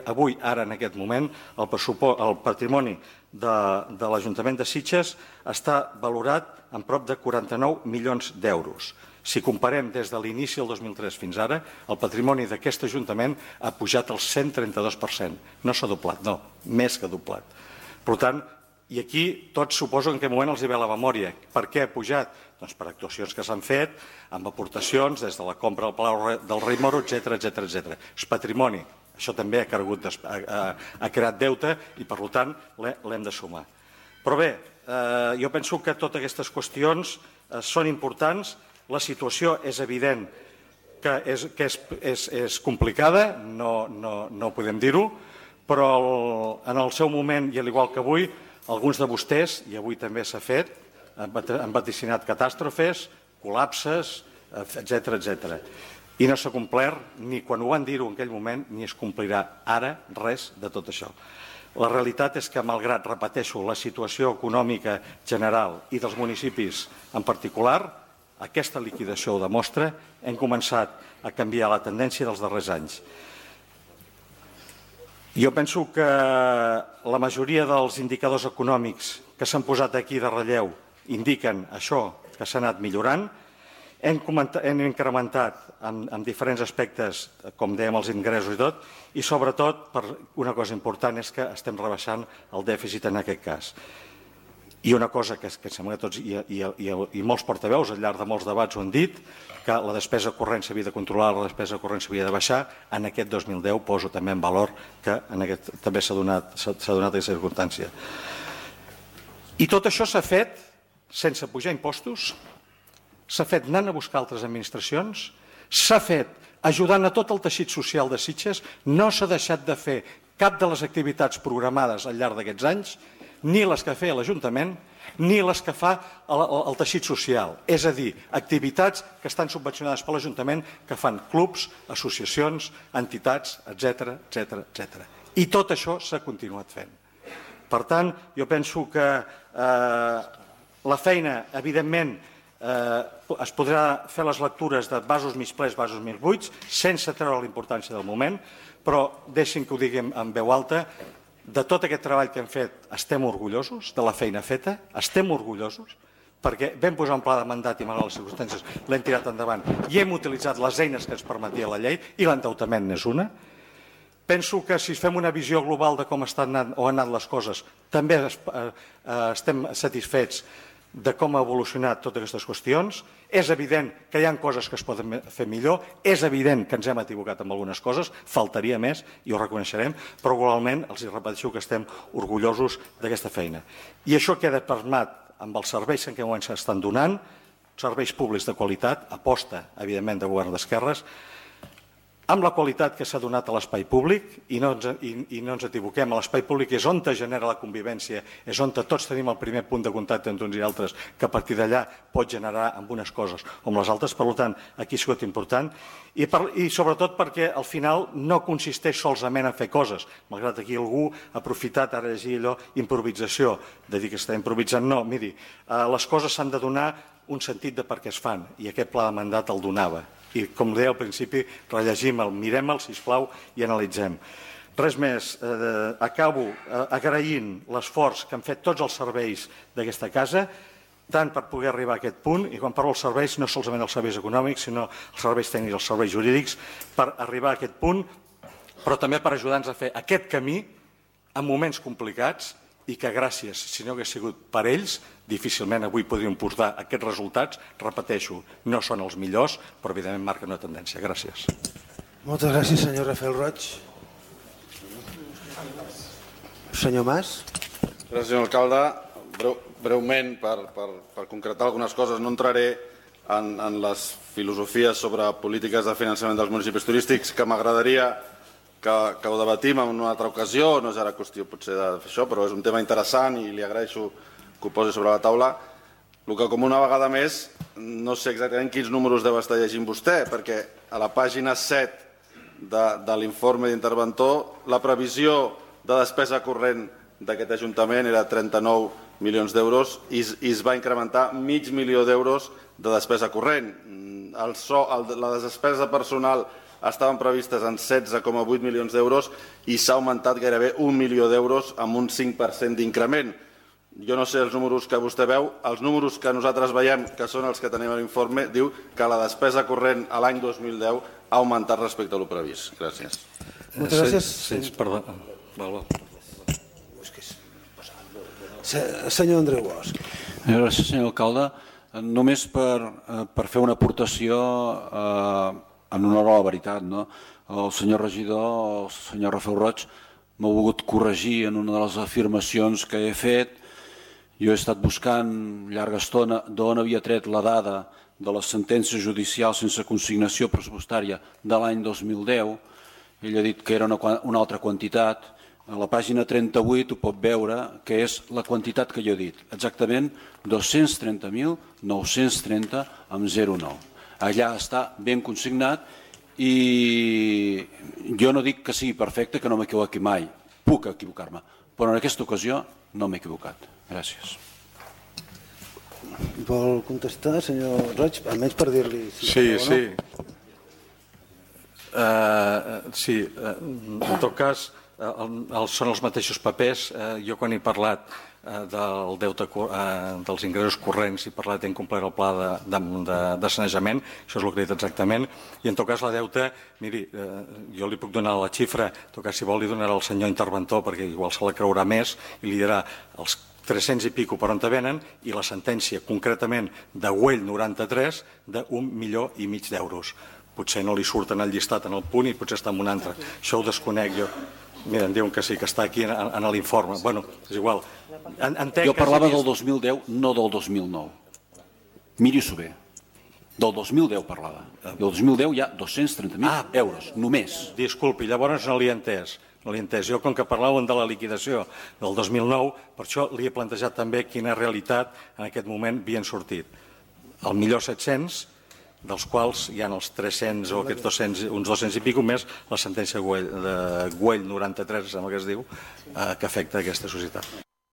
Avui, ara, en aquest moment, el patrimoni de l'Ajuntament de Sitges està valorat en prop de quaranta-nou milions d'euros. Si comparem des de l'inici del dos mil tres fins ara, el patrimoni d'aquest Ajuntament ha pujat al cent trenta-dos per cent. No s'ha doblat, no, més que doblat. Per tant, i aquí tots suposo en què moment els hi ve la memòria. Per què ha pujat? Doncs per actuacions que s'han fet, amb aportacions des de la compra del Palau del Rei Moro, etcètera, etcètera, etcètera. És patrimoni. Això també ha, cregut, ha, ha creat deute i, per tant, l'hem de sumar. Però bé, eh, jo penso que totes aquestes qüestions eh, són importants. La situació és evident que és, que és, és, és complicada, no, no, no podem dir-ho, però en el seu moment, i al igual que avui, alguns de vostès, i avui també s'ha fet, han vaticinat catàstrofes, col·lapses, etcètera, etcètera. I no s'ha complert, ni quan ho van dir-ho en aquell moment, ni es complirà ara res de tot això. La realitat és que, malgrat, repeteixo, la situació econòmica general i dels municipis en particular, aquesta liquidació ho demostra, hem començat a canviar la tendència dels darrers anys. Jo penso que la majoria dels indicadors econòmics que s'han posat aquí de relleu indiquen això, que s'ha anat millorant. Hem, hem incrementat en, en diferents aspectes, com dèiem, els ingressos i tot, i sobretot, per una cosa important, és que estem rebaixant el dèficit en aquest cas. I una cosa que, que sembla que tots i, i, i, i molts portaveus al llarg de molts debats ho han dit, que la despesa corrent s'havia de controlar, la despesa corrent s'havia de baixar. En aquest dos mil deu poso també en valor que en aquest, també s'ha donat, s'ha donat aquesta circumstància. I tot això s'ha fet sense pujar impostos, s'ha fet anant a buscar altres administracions, s'ha fet ajudant a tot el teixit social de Sitges, no s'ha deixat de fer cap de les activitats programades al llarg d'aquests anys, ni les que feia l'Ajuntament, ni les que fa el, el, el teixit social. És a dir, activitats que estan subvencionades per l'Ajuntament, que fan clubs, associacions, entitats, etcètera, etcètera, etcètera. I tot això s'ha continuat fent. Per tant, jo penso que eh, la feina, evidentment, eh, es podrà fer les lectures de vasos mig plens, vasos mig buits, sense treure la importància del moment, però deixin que ho diguem en veu alta, de tot aquest treball que hem fet estem orgullosos, de la feina feta, estem orgullosos, perquè vam posar un pla de mandat i malgrat les circumstàncies l'hem tirat endavant i hem utilitzat les eines que ens permetia la llei i l'endeutament n'és una. Penso que si fem una visió global de com estan anant, o han anat les coses, també estem satisfets de com ha evolucionat totes aquestes qüestions. És evident que hi ha coses que es poden fer millor, és evident que ens hem equivocat amb algunes coses, faltaria més i ho reconeixerem, però globalment els repeteixo que estem orgullosos d'aquesta feina. I això queda permet amb els serveis que ens estan donant, serveis públics de qualitat, aposta, evidentment, de govern d'esquerres, amb la qualitat que s'ha donat a l'espai públic, i no ens, i, i no ens equivoquem, l'espai públic és on es genera la convivència, és on tots tenim el primer punt de contacte entre uns i altres, que a partir d'allà pot generar amb unes coses o amb les altres, per tant, aquí ha sigut important, i, per, i sobretot perquè al final no consisteix solament en fer coses, malgrat aquí algú ha aprofitat ara llegir allò, improvisació, de dir que està improvisant, no, miri, eh, les coses s'han de donar un sentit de per què es fan, i aquest pla de mandat el donava. I, com deia al principi, rellegim-el, mirem-el, sisplau, i analitzem. Res més, eh, acabo eh, agraint l'esforç que han fet tots els serveis d'aquesta casa, tant per poder arribar a aquest punt, i quan parlo dels serveis, no solament els serveis econòmics, sinó els serveis tècnics, els serveis jurídics, per arribar a aquest punt, però també per ajudar-nos a fer aquest camí en moments complicats, i que gràcies, si no hagués sigut per ells, difícilment avui podríem portar aquests resultats. Repeteixo, no són els millors, però evidentment marquen una tendència. Gràcies. Moltes gràcies, senyor Rafael Roig. Senyor Mas. Gràcies, senyor alcalde. Breu, breument, per, per, per concretar algunes coses, no entraré en, en les filosofies sobre polítiques de finançament dels municipis turístics, que m'agradaria Que, que ho debatim en una altra ocasió, no és ara qüestió potser de fer això, però és un tema interessant i li agraeixo que ho posi sobre la taula. El que com una vegada més, no sé exactament quins números deu estar llegint vostè, perquè a la pàgina set de, de l'informe d'interventor la previsió de despesa corrent d'aquest Ajuntament era trenta-nou milions d'euros i, i es va incrementar mig milió d'euros de despesa corrent. El so, el, la despesa personal estaven previstes en setze coma vuit milions d'euros i s'ha augmentat gairebé un milió d'euros amb un cinc per cent d'increment. Jo no sé els números que vostè veu, els números que nosaltres veiem, que són els que tenim a l'informe, diu que la despesa corrent a l'any dos mil deu ha augmentat respecte a lo previst. Gràcies. Moltes gràcies. Sí, sí, perdó. Val, val. Senyor Andreu Bosch. Gràcies, senyor alcalde. Només per, per fer una aportació eh, en honor a la veritat, no? El senyor regidor, el senyor Rafael Roig, m'ha volgut corregir en una de les afirmacions que he fet. Jo he estat buscant llarga estona d'on havia tret la dada de les sentències judicials sense consignació pressupostària de l'any dos mil deu. Ell ha dit que era una, una altra quantitat. a la pàgina trenta-vuit ho pot veure, que és la quantitat que jo he dit, exactament dos-cents trenta mil nou-cents trenta amb zero coma nou. Allà està ben consignat i jo no dic que sigui perfecte, que no m'equivoqui mai, puc equivocar-me, però en aquesta ocasió no m'he equivocat. Gràcies. Vol contestar, senyor Roig? Almenys per dir-li... Sí, sí. Sí, en tot cas, són els mateixos papers. Jo quan he parlat del deute, dels ingressos corrents, he parlat d'incomplir el pla de sanejament, això és el que he dit exactament, i en tot cas la deuta, miri, jo li puc donar la xifra, en tot cas si vol li donarà al senyor interventor, perquè igual se la creurà més, i li dirà els tres-cents i pico per on te venen, i la sentència concretament de Güell noranta-tres d'un milió i mig d'euros. Potser no li surten el llistat en el punt i potser està en un altre. Això ho desconec jo. Mira, em diuen que sí, que està aquí en l'informe. Bueno, és igual. Jo parlava del dos mil deu, no del dos mil nou. Miri-s'ho bé. Del dos mil deu parlava. Del dos mil deu hi ha dos-cents trenta mil euros, només. Disculpi, llavors no l'he entès. No l'he entès. Jo, com que parlàvem de la liquidació del dos mil nou, per això li he plantejat també quina realitat en aquest moment havien sortit. El millor set-cents, dels quals hi ha els tres-cents o aquests dos-cents, uns dos-cents i pico més la sentència de Güell noranta-tres, sembla que es diu, que afecta aquesta societat.